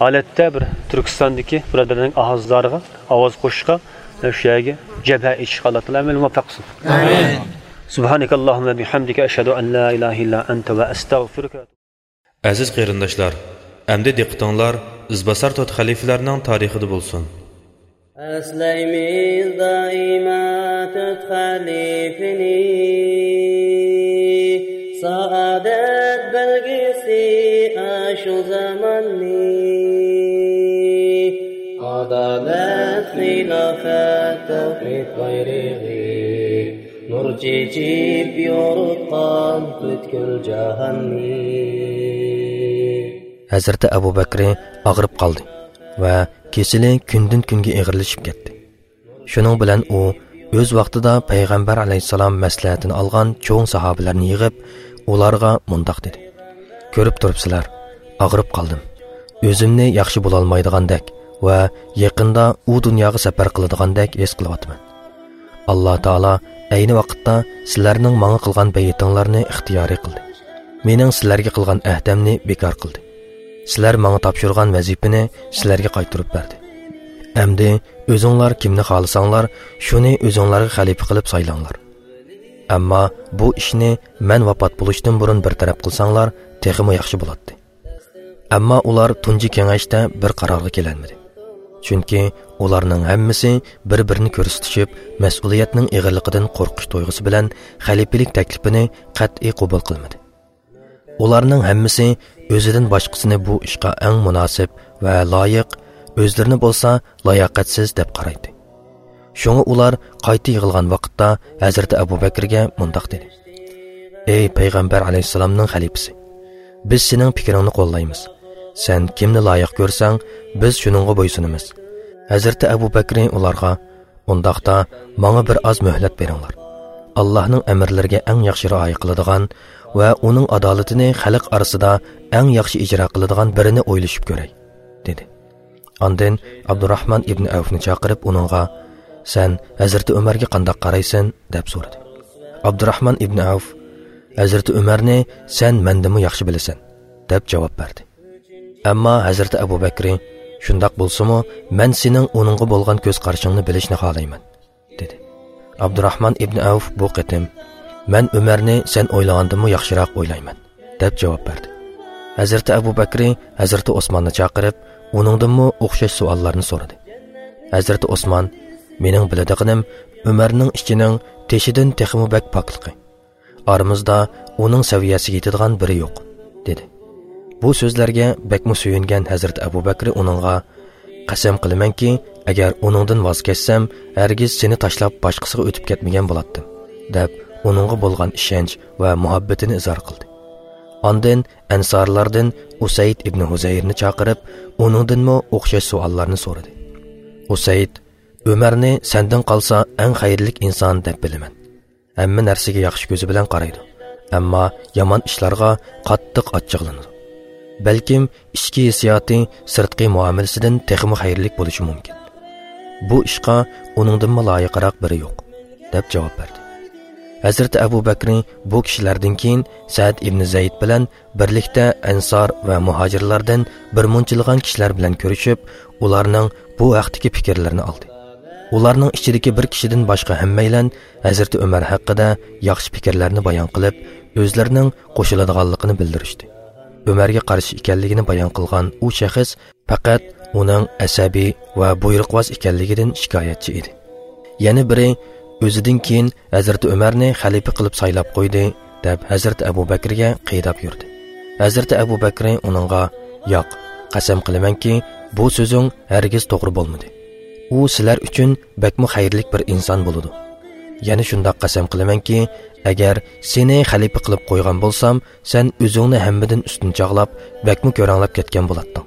ھالەتتە بىر تۈركىستاندىكى بۇرادەرلەرنىڭ ئاھازلارىغا ئاۋاز قوشۇشقا، شۇ يەرگە جەبھە ئېچىشقا ئاللا تائالا ھەممىنى مۇۋەپپەق قىلسۇن. ئامىن. سۇبھانەكاللاھۇممە بىھەمدىكە، ئەشھەدۇ ئەن لا ئىلاھە ئىللا ئەنتە ۋە ئەستەغفىرۇكە. ئەزىز قېرىنداشلار، ئەمدى دىققىتىڭلار ئىزباسار تۆت خەلىپىلەرنىڭ تارىخىدا بولسۇن. ئەسلەيمىز دائىما تۆت خەلىپىنى، سائادەت بەلگىسى ئاشۇ زاماننى. ئادالەت، خىلاپەت، تەۋھىد بايرىقى، نۇر چېچىپ يورۇتقان پۈتكۈل جاھاننى. ھەزرىتى ئەبۇ بەكرى ئاغرىپ قالدى ۋە كېسىلى كۈندىن-كۈنگە ئېغىرلىشىپ كەتتى. شۇنىڭ بىلەن ئۇ ئۆز ۋاقتىدا پەيغەمبەر ئەلەيھىسسالام مەسلىھەتىنى ئالغان چوڭ ساھابىلەرنى يىغىپ، ئۇلارغا مۇنداق دېدى: «كۆرۈپ تۇرۇپسىلەر، ئاغرىپ قالدىم. ئۆزۈمنى ياخشى بولالمايدىغاندەك ۋە يېقىندا ئۇ دۇنياغا سەپەر قىلىدىغاندەك ھېس قىلىۋاتىمەن. ئاللا تائالا ئەينى ۋاقىتتا سىلەرنىڭ ماڭا قىلغان بەيئىتىڭلارنى ئىختىيارىي قىلدى. مېنىڭ سىلەرگە قىلغان ئەھدەمنى بىكار قىلدى. سىلەر ماڭا تاپشۇرغان ۋەزىپىنى سىلەرگە قايتۇرۇپ بەردى. ئەمدى ئۆزۈڭلار كىمنى خالىساڭلار، شۇنى ئۆزۈڭلارغا خەلىپە قىلىپ سايلاڭلار.» ئەمما بۇ ئىشنى مەن ۋاپات بولۇشتىن بۇرۇن بىر تەرەپ قىلساڭلار، تېخىمۇ ياخشى بولاتتى. ئەمما ئۇلار تۇنجى كېڭەشتە بىر قارارغا كېلەلمىدى. چۈنكى ئۇلارنىڭ ھەممىسى بىر-بىرىنى كۆرسىتىشىپ، مەسئۇلىيەتنىڭ ئېغىرلىقىدىن قورقۇش تۇيغۇسى بىلەن خەلىپىلىك تەكلىپىنى قەتئىي قوبۇل قىلمىدى. ئۇلارنىڭ ھەممىسى ئۆزىدىن باشقىسىنى بۇ ئىشقا ئەڭ مۇناسىپ ۋە لايىق، ئۆزلىرىنى بولسا لاياقەتسىز دەپ قارايتتى. شۇڭا ئۇلار قايتا يىغىلغان ۋاقىتتا ھەزرىتى ئەبۇ بەكرىگە مۇنداق دېدى: «ئەي پەيغەمبەر ئەلەيھىسسالامنىڭ خەلىپىسى، بىز سېنىڭ پىكرىڭنى قوللايمىز. سەن كىمنى لايىق كۆرسەڭ، بىز شۇنىڭغا بويسۇنىمىز.» ھەزرىتى ئەبۇ بەكرى ئۇلارغا: «ئۇنداقتا ماڭا بىر ئاز مۆھلەت بېرىڭلار. ئاللاھنىڭ ئەمىرلىرىگە ئەڭ ياخشى رىئايە قىلىدىغان ۋە ئۇنىڭ ئادالىتىنى خەلق ئارىسىدا ئەڭ ياخشى ئىجرا قىلىدىغان بىرىنى ئويلىشىپ كۆرەي.» دېدى. ئاندىن ئابدۇراھمان ئىبنى ئەۋفنى چاقىرىپ ئۇنىڭغا: «سەن ھەزرىتى ئۆمەرگە قانداق قارايسەن؟» دەپ سورىدى. ئابدۇراھمان ئىبنى ئەۋف: «ھەزرىتى ئۆمەرنى سەن مەندىنمۇ ياخشى بىلىسەن» دەپ جاۋاب بەردى. ئەمما ھەزرىتى ئەبۇ بەكرى: «شۇنداق بولسىمۇ، مەن سېنىڭ ئۇنىڭغا بولغان كۆز قارىشىڭنى بىلىشنى خالايمەن» دېدى. ئابدۇراھمان ئىبنى ئەۋف بۇ قېتىم: «مەن ئۆمەرنى سەن ئويلىغاندىنمۇ ياخشىراق ئويلايمەن» دەپ جاۋاب بەردى. ھەزرىتى ئەبۇ بەكرى ھەزرىتى ئوسماننى چاقىرىپ، ئۇنىڭدىنمۇ ئوخشاش سوئاللارنى سورىدى. ھەزرىتى ئوسمان: «مېنىڭ بىلىدىغىنىم ئۆمەرنىڭ ئىچىنىڭ تېشىدىن تېخىمۇ بەك پاكلىقى، ئارىمىزدا ئۇنىڭ سەۋىيەسىگە يېتىدىغان بىرى يوق» دېدى. بۇ سۆزلەرگە بەكمۇ سۆيۈنگەن ھەزرىتى ئەبۇ بەكرى ئۇنىڭغا: «قەسەم قىلىمەنكى، ئەگەر ئۇنىڭدىن ۋاز كەچسەم، ھەرگىز سېنى تاشلاپ باشقىسىغا ئۆتۈپ كەتمىگەن بولاتتىم» دەپ، ئۇنىڭغا بولغان ئىشەنچ ۋە مۇھەببىتىنى ئىزھار قىلدى. ئاندىن ئەنسارلاردىن ئۇسەيد ئىبنى ھۇزەيرنى چاقىرىپ، ئۇنىڭدىنمۇ ئوخشاش سوئاللارنى سورىدى. ئۇسەيد: «ئۆمەرنى سەندىن قالسا ئەڭ خەيرلىك ئىنسان دەپ بىلىمەن. ھەممە نەرسىگە ياخشى كۆزى بىلەن قارايدۇ. ئەمما يامان ئىشلارغا قاتتىق ئاچچىقلىنىدۇ. بەلكىم ئىچكى ھېسسىياتى سىرتقى مۇئامىلىسىدىن تېخىمۇ خەيرلىك بولۇشى مۇمكىن. بۇ ئىشقا ئۇنىڭدىنمۇ لايىقراق بىرى يوق» دەپ جاۋاب بەردى. ھەزرىتى ئەبۇ بەكرى بۇ كىشىلەردىن كېيىن سەئد ئىبنى زەيد بىلەن بىرلىكتە ئەنسار ۋە مۇھاجىرلاردىن بىر مۇنچىلىغان كىشىلەر بىلەن كۆرۈشۈپ، ئۇلارنىڭ بۇ ھەقتىكى پىكىرلىرىنى ئالدى. ئۇلارنىڭ ئىچىدىكى بىر كىشىدىن باشقا ھەممەيلەن ھەزرىتى ئۆمەر ھەققىدە ياخشى پىكىرلەرنى بايان قىلىپ، ئۆزلىرىنىڭ قوشۇلىدىغانلىقىنى بىلدۈرۈشتى. ئۆمەرگە قارشى ئىكەنلىكىنى بايان قىلغان ئۇ شەخس پەقەت ئۇنىڭ ئەسەبىي ۋە بۇيرۇقۋاز ئىكەنلىكىدىن شىكايەتچى ئىدى. يەنە بىرى ئۆزىدىن كېيىن ھەزرىتى ئۆمەرنى خەلىپە قىلىپ سايلاپ قويدى، دەپ ھەزرىتى ئەبۇ بەكرىگە قىيداپ يۈردى. ھەزرىتى ئەبۇ بەكرى ئۇنىڭغا: «ياق، قەسەم قىلىمەنكى، بۇ سۆزۈڭ ھەرگىز توغرا بولمىدى. ئۇ سىلەر ئۈچۈن بەكمۇ خەيرلىك بىر ئىنسان بولىدۇ. يەنە شۇنداق قەسەم قىلىمەنكى، ئەگەر سېنى خەلىپە قىلىپ قويغان بولسام، سەن ئۆزۈڭنى ھەممىدىن ئۈستۈن چاغلاپ، بەكمۇ كۆرەڭلەپ كەتكەن بولاتتىڭ.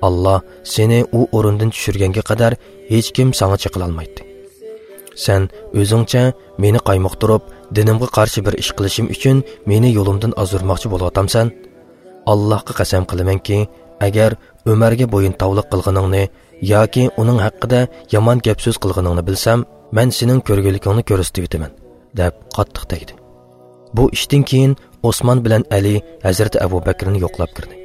ئاللا سېنى ئۇ ئورۇندىن چۈشۈرگەنگە قەدەر ھېچكىم ساڭا چېقىلالمايتتى. سەن ئۆزۈڭچە مېنى قايمۇقتۇرۇپ، دىنىمغا قارشى بىر ئىش قىلىشىم ئۈچۈن مېنى يولۇمدىن ئازدۇرماقچى بولۇۋاتامسەن؟ ئاللاھقا قەسەم قىلىمەنكى، ئەگەر ئۆمەرگە بويۇنتاۋلىق قىلغىنىڭنى ياكى ئۇنىڭ ھەققىدە يامان گەپ سۆز قىلغىنىڭنى بىلسەم، مەن سېنىڭ كۆرگۈلۈكۈڭنى كۆرسىتىۋېتىمەن» دەپ قاتتىق تەگدى. بۇ ئىشتىن كېيىن ئوسمان بىلەن ئەلى ھەزرىتى ئەبۇ بەكرىنى يوقلاپ كىردى.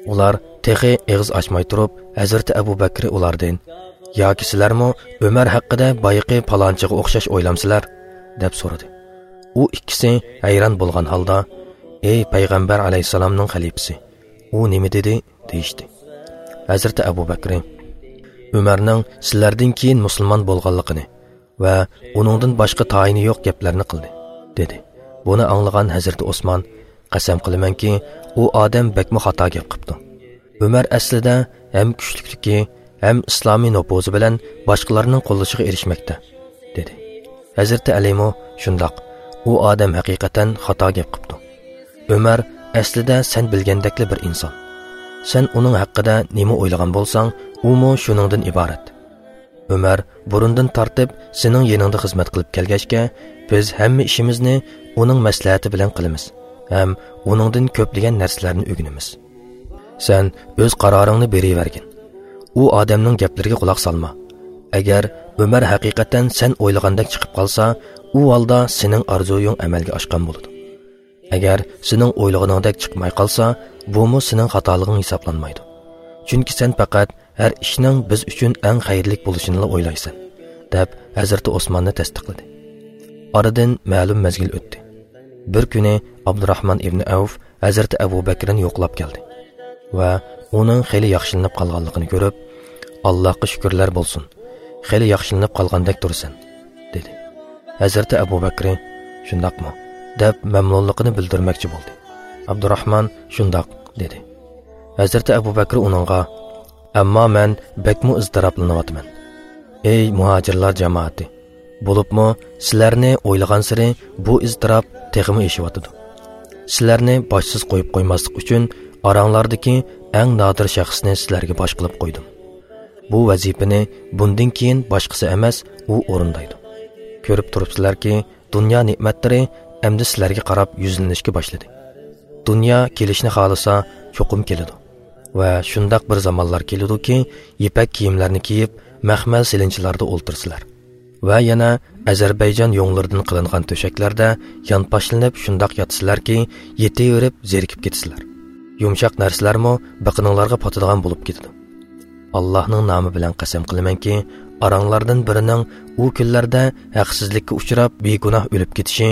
ئۇلار تېخى ئېغىز ئاچماي تۇرۇپ، ھەزرىتى ئەبۇ بەكرى ئۇلاردىن: «ياكى سىلەرمۇ ئۆمەر ھەققىدە بايىقى پالانچىغا ئوخشاش ئويلامسىلەر؟» دەپ سورىدى. ئۇ ئىككىسى ھەيران بولغان ھالدا: «ئەي پەيغەمبەر ئەلەيھىسسالامنىڭ خەلىپىسى، ئۇ نېمە دېدى؟» دېيىشتى. ھەزرىتى ئەبۇ بەكرى: «ئۆمەرنىڭ سىلەردىن كېيىن مۇسۇلمان بولغانلىقىنى ۋە ئۇنىڭدىن باشقا تايىنى يوق گەپلەرنى قىلدى» دېدى. بۇنى ئاڭلىغان ھەزرىتى ئوسمان: «قەسەم قىلىمەنكى، ئۇ ئادەم بەكمۇ خاتا گەپ قىپتۇ. ئۆمەر ئەسلىدە ھەم كۈچلۈكلۈكى، ھەم ئىسلامىي نوپۇزى بىلەن باشقىلارنىڭ قوللىشىغا ئېرىشمەكتە» دېدى. ھەزرىتى ئەلىمۇ: «شۇنداق، ئۇ ئادەم ھەقىقەتەن خاتا گەپ قىپتۇ. ئۆمەر ئەسلىدە سەن بىلگەندەكلا بىر ئىنسان. سەن ئۇنىڭ ھەققىدە نېمە ئويلىغان بولساڭ، ئۇمۇ شۇنىڭدىن ئىبارەت. ئۆمەر بۇرۇندىن تارتىپ سېنىڭ يېنىڭدا خىزمەت قىلىپ كەلگەچكە، بىز ھەممە ئىشىمىزنى ئۇنىڭ مەسلىھەتى بىلەن قىلىمىز ھەم ئۇنىڭدىن كۆپلىگەن نەرسىلەرنى ئۆگىنىمىز. سەن ئۆز قارارىڭنى بېرىۋەرگىن. ئۇ ئادەمنىڭ گەپلىرىگە قۇلاق سالما. ئەگەر ئۆمەر ھەقىقەتەن سەن ئويلىغاندەك چىقىپ قالسا، ئۇ ھالدا سېنىڭ ئارزۇيۇڭ ئەمەلگە ئاشقان بولىدۇ. ئەگەر سېنىڭ ئويلىغىنىڭدەك چىقماي قالسا، بۇمۇ سېنىڭ خاتالىقىڭ ھېسابلانمايدۇ. چۈنكى سەن پەقەت ھەر ئىشنىڭ بىز ئۈچۈن ئەڭ خەيرلىك بولۇشىنىلا ئويلايسەن» دەپ ھەزرىتى ئوسماننى تەستىقلىدى. ئارىدىن مەلۇم مەزگىل ئۆتتى. بىر كۈنى ئابدۇراھمان ئىبنى ئەۋف ھەزرىتى ئەبۇ بەكرىنى يوقلاپ كەلدى ۋە ئۇنىڭ خېلى ياخشىلىنىپ قالغانلىقىنى كۆرۈپ، «ئاللاھقا شۈكۈرلەر بولسۇن، خېلى ياخشىلىنىپ قالغاندەك تۇرىسەن» دېدى. ھەزرىتى ئەبۇ بەكرى: «شۇنداقمۇ؟» دەپ مەمنۇنلۇقىنى بىلدۈرمەكچى بولدى. ئابدۇراھمان: «شۇنداق» دېدى. ھەزرىتى ئەبۇ بەكرى ئۇنىڭغا: «ئەمما مەن بەكمۇ ئىزتىراپلىنىۋاتىمەن. ئەي مۇھاجىرلار جامائىتى! بولۇپمۇ سىلەرنى ئويلىغانسېرى بۇ ئىزتىراپ تېخىمۇ ئېشىۋاتىدۇ. سىلەرنى باشسىز قويۇپ قويماسلىق ئۈچۈن ئاراڭلاردىكى ئەڭ نادىر شەخسنى سىلەرگە باش قىلىپ قويدۇم. بۇ ۋەزىپىنى بۇندىن كېيىن باشقىسى ئەمەس، ئۇ ئورۇندايدۇ. كۆرۈپ تۇرۇپسىلەركى، دۇنيا نېمەتلىرى ئەمدى سىلەرگە قاراپ يۈزلىنىشكە باشلىدى. دۇنيا كېلىشنى خالىسا، چوقۇم كېلىدۇ. ۋە شۇنداق بىر زامانلار كېلىدۇكى، يىپەك كىيىملەرنى كىيىپ، مەخمەل سېلىنچىلاردا ئولتۇرىسىلەر. ۋە يەنە ئەزەربەيجان يۇڭلىرىدىن قىلىنغان تۆشەكلەردە يانپاشلىنىپ شۇنداق ياتىسىلەركى، يېتىۋېرىپ زېرىكىپ كېتىسىلەر. يۇمشاق نەرسىلەرمۇ بېقىنىڭلارغا پاتىدىغان بولۇپ كېتىدۇ. ئاللاھنىڭ نامى بىلەن قەسەم قىلىمەنكى، ئاراڭلاردىن بىرىنىڭ ئۇ كۈنلەردە ھەقسىزلىككە ئۇچراپ، بىگۇناھ ئۆلۈپ كېتىشى،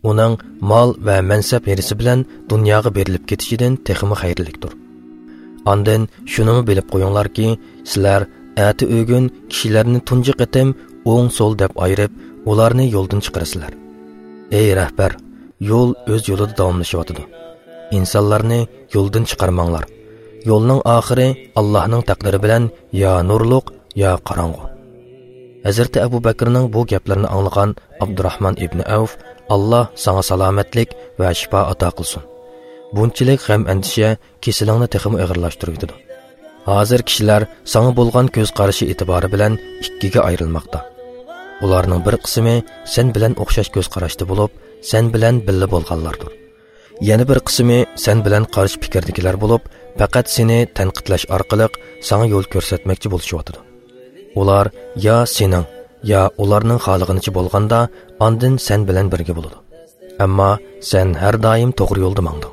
ئۇنىڭ مال ۋە مەنسەپ ھىرسى بىلەن دۇنياغا بېرىلىپ كېتىشىدىن تېخىمۇ خەيرلىكتۇر. ئاندىن شۇنىمۇ بىلىپ قويۇڭلاركى، سىلەر ئەتە ئۆگۈن كىشىلەرنى تۇنجى قېتىم ئوڭ-سول دەپ ئايرىپ، ئۇلارنى يولدىن چىقىرىسىلەر. ئەي رەھبەر، يول ئۆز يولىدا داۋاملىشىۋاتىدۇ. ئىنسانلارنى يولدىن چىقارماڭلار. يولنىڭ ئاخىرى ئاللاھنىڭ تەقدىرى بىلەن يا نۇرلۇق، يا قاراڭغۇ. ھەزرىتى ئەبۇ بەكرىنىڭ بۇ گەپلىرىنى ئاڭلىغان ئابدۇراھمان ئىبنى ئەۋف، «ئاللا ساڭا سالامەتلىك ۋە شىپا ئاتا قىلسۇن. بۇنچىلىك غەم-ئەندىشە كېسىلىڭنى تېخىمۇ ئېغىرلاشتۇرۇۋېتىدۇ. ھازىر كىشىلەر ساڭا بولغان كۆز قارىشى ئېتىبارى بىلەن ئىككىگە ئايرىلماقتا. ئۇلارنىڭ بىر قىسمى سەن بىلەن ئوخشاش كۆز قاراشتا بولۇپ، سەن بىلەن بىللە بولغانلاردۇر. يەنە بىر قىسمى سەن بىلەن قارشى پىكىردىكىلەر بولۇپ، پەقەت سېنى تەنقىدلەش ئارقىلىق ساڭا يول كۆرسەتمەكچى بولۇشۇۋاتىدۇ. ئۇلار يا سېنىڭ، يا ئۇلارنىڭ خالىغىنىچە بولغاندا، ئاندىن سەن بىلەن بىرگە بولىدۇ. ئەمما سەن ھەر دائىم توغرا يولدا ماڭدىڭ.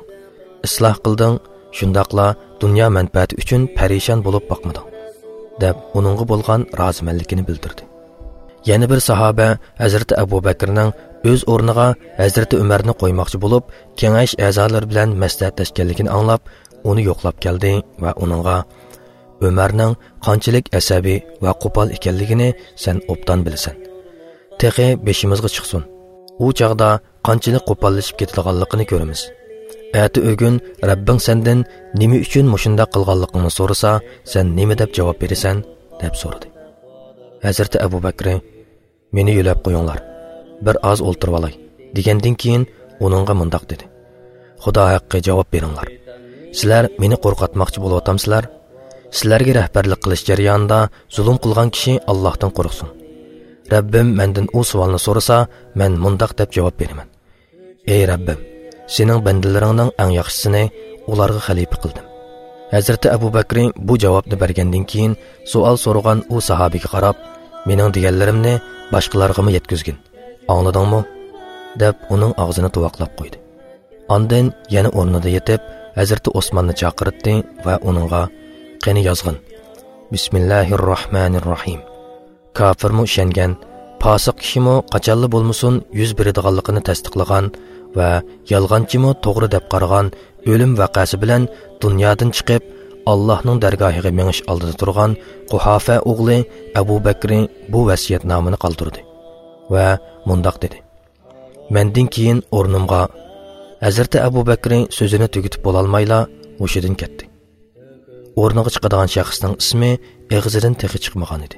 ئىسلاھ قىلدىڭ، شۇنداقلا دۇنيا مەنپەئەتى ئۈچۈن پەرىشان بولۇپ باقمىدىڭ» دەپ، ئۇنىڭغا بولغان رازىمەنلىكىنى بىلدۈردى. يەنە بىر ساھابە ھەزرىتى ئەبۇ بەكرىنىڭ ئۆز ئورنىغا ھەزرىتى ئۆمەرنى قويماقچى بولۇپ، كېڭەش ئەزالىرى بىلەن مەسلىھەتلەشكەنلىكىنى ئاڭلاپ، ئۇنى يوقلاپ كەلدى ۋە ئۇنىڭغا، «ئۆمەرنىڭ قانچىلىك ئەسەبىي ۋە قوپال ئىكەنلىكىنى سەن ئوبدان بىلىسەن. تېخى بېشىمىزغا چىقسۇن. ئۇ چاغدا قانچىلىك قوپاللىشىپ كېتىدىغانلىقىنى كۆرىمىز. ئەتە ئۆگۈن رەببىڭ سەندىن نېمە ئۈچۈن مۇشۇنداق قىلغانلىقىڭنى سورىسا، سەن نېمە دەپ جاۋاب بېرىسەن؟» دەپ سورىدى. ھەزرىتى ئەبۇ بەكرى، «مېنى يۆلەپ قويۇڭلار، بىر ئاز ئولتۇرۇۋالاي» دېگەندىن كېيىن، ئۇنىڭغا مۇنداق دېدى: «خۇدا ھەققى، جاۋاب بېرىڭلار. سىلەر مېنى قورقۇتماقچى بولۇۋاتامسىلەر؟ سىلەرگە رەھبەرلىك قىلىش جەريانىدا زۇلۇم قىلغان كىشى ئاللاھتىن قورقسۇن. رەببىم مەندىن ئۇ سوئالنى سورىسا، مەن مۇنداق دەپ جاۋاب بېرىمەن: ئەي رەببىم، سېنىڭ بەندىلىرىڭنىڭ ئەڭ ياخشىسىنى ئۇلارغا خەلىپە قىلدىم.» ھەزرىتى ئەبۇ بەكرى بۇ جاۋابنى بەرگەندىن كېيىن، سوئال سورىغان ئۇ ساھابىگە قاراپ، «مېنىڭ دېگەنلىرىمنى باشقىلارغىمۇ يەتكۈزگىن، ئاڭلىدىڭمۇ؟» دەپ، ئۇنىڭ ئاغزىنى تۇۋاقلاپ قويدى. ئاندىن يەنە ئورنىدا يېتىپ، ھەزرىتى ئوسماننى چاقىرتتى ۋە ئۇنىڭغا، «قېنى يازغىن: بىسمىللاھىرراھمانىرراھىم. كاپىرمۇ ئىشەنگەن، پاسىق كىشىمۇ قاچانلا بولمىسۇن يۈز بېرىدىغانلىقىنى تەستىقلىغان ۋە يالغانچىمۇ توغرا دەپ قارىغان ئۆلۈم ۋەقەسى بىلەن دۇنيادىن چىقىپ، ئاللاھنىڭ دەرگاھىغا مېڭىش ئالدىدا تۇرغان قۇھافە ئوغلى ئەبۇ بەكرى بۇ ۋەسىيەتنامىنى قالدۇردى ۋە مۇنداق دېدى: مەندىن كېيىن ئورنۇمغا...» ھەزرىتى ئەبۇ بەكرى سۆزىنى تۈگىتىپ بولالمايلا ھوشىدىن كەتتى. ئورنىغا چىقىدىغان شەخسنىڭ ئىسمى ئېغىزىدىن تېخى چىقمىغان ئىدى.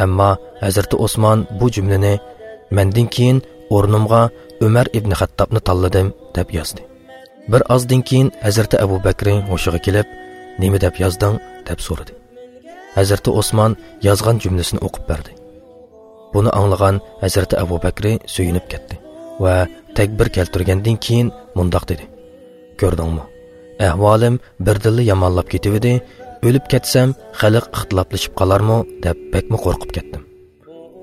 ئەمما ھەزرىتى ئوسمان بۇ جۈملىنى «مەندىن كېيىن ئورنۇمغا ئۆمەر ئىبنى خەتتابنى تاللىدىم» دەپ يازدى. بىر ئازدىن كېيىن ھەزرىتى ئەبۇ بەكرى ھوشىغا كېلىپ، «نېمە دەپ يازدىڭ؟» دەپ سورىدى. ھەزرىتى ئوسمان يازغان جۈملىسىنى ئوقۇپ بەردى. بۇنى ئاڭلىغان ھەزرىتى ئەبۇ بەكرى سۆيۈنۈپ كەتتى ۋە تەكبىر كەلتۈرگەندىن كېيىن مۇنداق دېدى: «كۆردۈڭمۇ؟ ئەھۋالىم بىردىنلا يامانلاپ كېتىۋىدى، ئۆلۈپ كەتسەم خەلق ئىختىلاپلىشىپ قالارمۇ دەپ بەكمۇ قورقۇپ كەتتىم.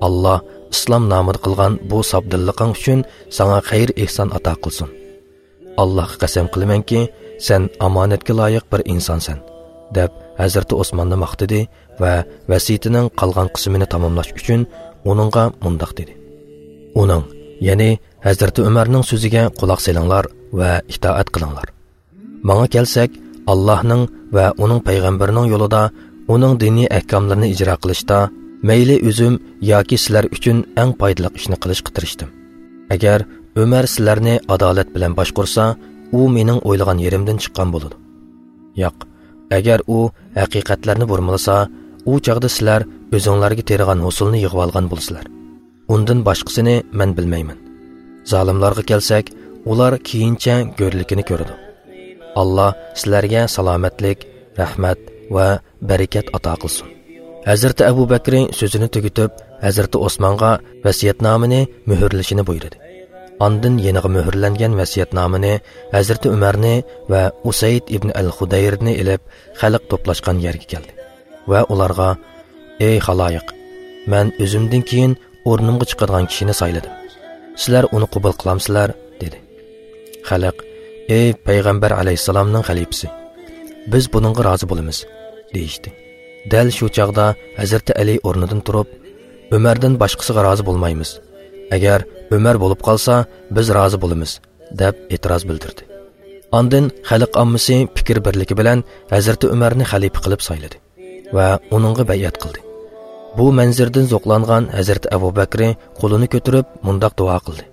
ئاللا ئىسلام نامىدا قىلغان بۇ ساپ دىللىقىڭ ئۈچۈن ساڭا خەير ئېھسان ئاتا قىلسۇن. ئاللاھقا قەسەم قىلىمەنكى، سەن ئامانەتكە لايىق بىر ئىنسانسەن» دەپ ھەزرىتى ئوسماننى ماختىدى ۋە ۋەسىيىتىنىڭ قالغان قىسمىنى تاماملاش ئۈچۈن ئۇنىڭغا مۇنداق دېدى: «ئۇنىڭ، يەنى ھەزرىتى ئۆمەرنىڭ سۆزىگە قۇلاق سېلىڭلار ۋە ئىتائەت قىلىڭلار. ماڭا كەلسەك، ئاللاھنىڭ ۋە ئۇنىڭ پەيغەمبىرىنىڭ يولىدا، ئۇنىڭ دىنىي ئەھكاملىرىنى ئىجرا قىلىشتا مەيلى ئۆزۈم ياكى سىلەر ئۈچۈن ئەڭ پايدىلىق ئىشنى قىلىشقا تىرىشتىم. ئەگەر ئۆمەر سىلەرنى ئادالەت بىلەن باشقۇرسا، ئۇ مېنىڭ ئويلىغان يېرىمدىن چىققان بولىدۇ. ياق، ئەگەر ئۇ ھەقىقەتلەرنى بۇرمىلىسا، ئۇ چاغدا سىلەر ئۆزۈڭلارگە تېرىغان ھوسۇلنى يىغىۋالغان بولىسىلەر. ئۇندىن باشقىسىنى مەن بىلمەيمەن. زالىملارغا كەلسەك، ئۇلار كېيىنچە گۆرلۈكىنى كۆرىدۇ. ئاللا سىلەرگە سالامەتلىك، رەھمەت ۋە بەرىكەت ئاتا قىلسۇن. ھەزرىتى ئەبۇ بەكرى سۆزىنى تۈگىتىپ، ھەزرىتى ئوسمانغا ۋەسىيەتنامىنى مۆھۈرلىشىنى بۇيرۇدى. ئاندىن يېنىغا مۆھۈرلەنگەن ۋەسىيەتنامىنى ھەزرىتى ئۆمەرنى ۋە ئۇسەيد ئىبن ئەل خۇدەيرنى ئېلىپ، خەلق توپلاشقان يەرگە كەلدى ۋە ئۇلارغا، «ئەي خالايىق، مەن ئۆزۈمدىن كېيىن ئورنۇمغا چىقىدىغان كىشىنى سايلىدىم. سىلەر ئۇنى قوبۇل قىلامسىلەر؟» دېدى. خەلق، «ئەي پەيغەمبەر ئەلەيھىسسالامنىڭ خەلىپىسى، بىز بۇنىڭغا رازى بولىمىز» دېيىشتى. دەل شۇ چاغدا ھەزرىتى ئەلى ئورنىدىن تۇرۇپ، «ئۆمەردىن باشقىسىغا رازى بولمايمىز. ئەگەر ئۆمەر بولۇپ قالسا، بىز رازى بولىمىز» دەپ ئېتىراز بىلدۈردى. ئاندىن خەلق ئاممىسى پىكىر بىرلىكى بىلەن ھەزرىتى ئۆمەرنى خەلىپە قىلىپ سايلىدى ۋە ئۇنىڭغا بەيئەت قىلدى. بۇ مەنزىرىدىن زوقلانغان ھەزرىتى ئەبۇ بەكرى قولىنى كۆتۈرۈپ مۇنداق دۇئا قىلدى: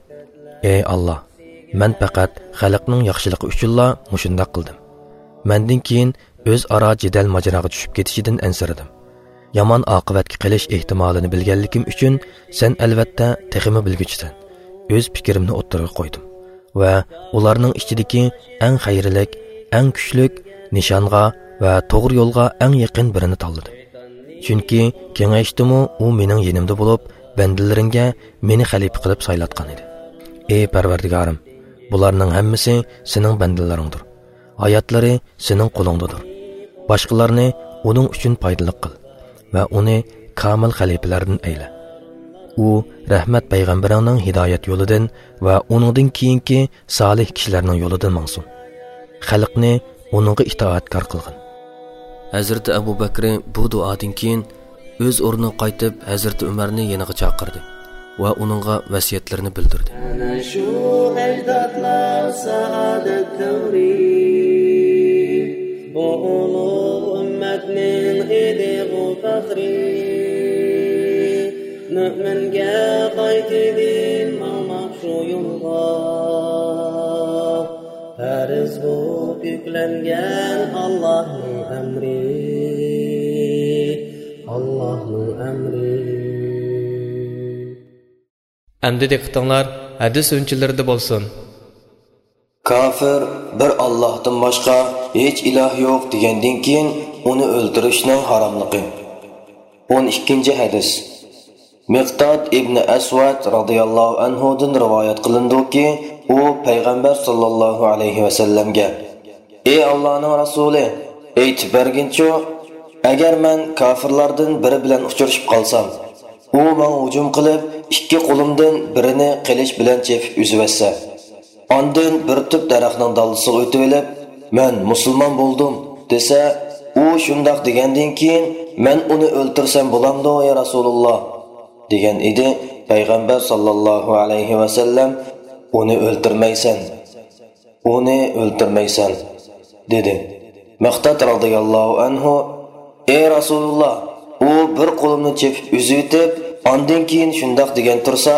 «ئەي ئاللا، مەن پەقەت خەلقنىڭ ياخشىلىقى ئۈچۈنلا مۇشۇنداق قىلدىم. مەندىن كېيىن ئۆزئارا جېدەل ماجىراغا چۈشۈپ كېتىشىدىن ئەنسىرىدىم. يامان ئاقىۋەتكە قېلىش ئېھتىمالىنى بىلگەنلىكىم ئۈچۈن، سەن ئەلۋەتتە تېخىمۇ بىلگۈچىسەن. ئۆز پىكرىمنى ئوتتۇرىغا قويدۇم ۋە ئۇلارنىڭ ئىچىدىكى ئەڭ خەيرلىك، ئەڭ كۈچلۈك، نىشانغا ۋە توغرا يولغا ئەڭ يېقىن بىرىنى تاللىدىم. چۈنكى كېڭەشتىمۇ ئۇ مېنىڭ يېنىمدا بولۇپ، بەندىلىرىڭگە مېنى خەلىپە قىلىپ سايلاتقان ئىدى. ئەي پەرۋەردىگارىم، بۇلارنىڭ ھەممىسى سېنىڭ بەندىلىرىڭدۇر. ھاياتلىرى سېنىڭ قولۇڭدىدۇر. باشقىلارنى ئۇنىڭ ئۈچۈن پايدىلىق قىل ۋە ئۇنى كامىل خەلىپىلەردىن ئەيلە. ئۇ رەھمەت پەيغەمبىرىڭنىڭ ھىدايەت يولىدىن ۋە ئۇنىڭدىن كېيىنكى سالىھ كىشىلەرنىڭ يولىدىن ماڭسۇن. خەلقنى ئۇنىڭغا ئىتائەتكار قىلغىن.» ھەزرىتى ئەبۇ بەكرى بۇ دۇئادىن كېيىن ئۆز ئورنىغا قايتىپ، ھەزرىتى ئۆمەرنى يېنىغا چاقىردى ۋە ئۇنىڭغا ۋەسىيەتلىرىنى بىلدۈردى. ئەنە شۇ ئەجدادلار سائادەت دەۋرى، بۇ ئۇلۇغ ئۈممەتنىڭ ئىدىغۇ پەخرى. مۆمىنگە قايتىدىن ماڭماق شۇ يولغا، پەرز بولۇپ يۈكلەنگەن ئاللاھنىڭ ئەمرى، ئاللاھنىڭ ئەمرى. ئەمدى دىققىتىڭلار ھەدىس ئۈنچىلىرىدە بولسۇن. كافىر بىر ئاللاھتىن باشقا ھېچ ئىلاھ يوق دېگەندىن كېيىن ئۇنى ئۆلتۈرۈشنىڭ ھاراملىقى. ئون ئىككىنچى ھەدىس. مىقداد ئىبنى ئەسۋەد رازىياللاھۇ ئەنھۇدىن رىۋايەت قىلىنىدۇكى، ئۇ پەيغەمبەر ساللاللاھۇ ئەلەيھى ۋەسەللەمگە، ئەي ئاللانىڭ رەسۇلى، ئېيتىپ بەرگىنچۇ، ئەگەر مەن كافىرلاردىن بىرى بىلەن ئۇچرىشىپ قالسام، ئۇ ماڭا ھۇجۇم قىلىپ، ئىككى قولۇمدىن بىرىنى قىلىچ بىلەن چېپىپ ئۈزۈۋەتسە، ئاندىن بىر تۈپ دەرەخنىڭ دالدىسىغا ئۆتۈۋېلىپ، مەن مۇسۇلمان بولدۇم دېسە، ئۇ شۇنداق دېگەندىن كېيىن، مەن ئۇنى ئۆلتۈرسەم بولامدۇ، يا رەسۇلۇللا؟ دېگەن ئىدى. پەيغەمبەر ساللاللاھۇ ئەلەيھى ۋەسەللەم، ئۇنى ئۆلتۈرمەيسەن، ئۇنى ئۆلتۈرمەيسەن، دېدى. مىقداد رازىياللاھۇ ئەنھۇ، ئەي رەسۇلۇللا، ئۇ بىر قولۇمنى چېپىپ ئۈزۈۋېتىپ، ئاندىن كېيىن شۇنداق دېگەن تۇرسا،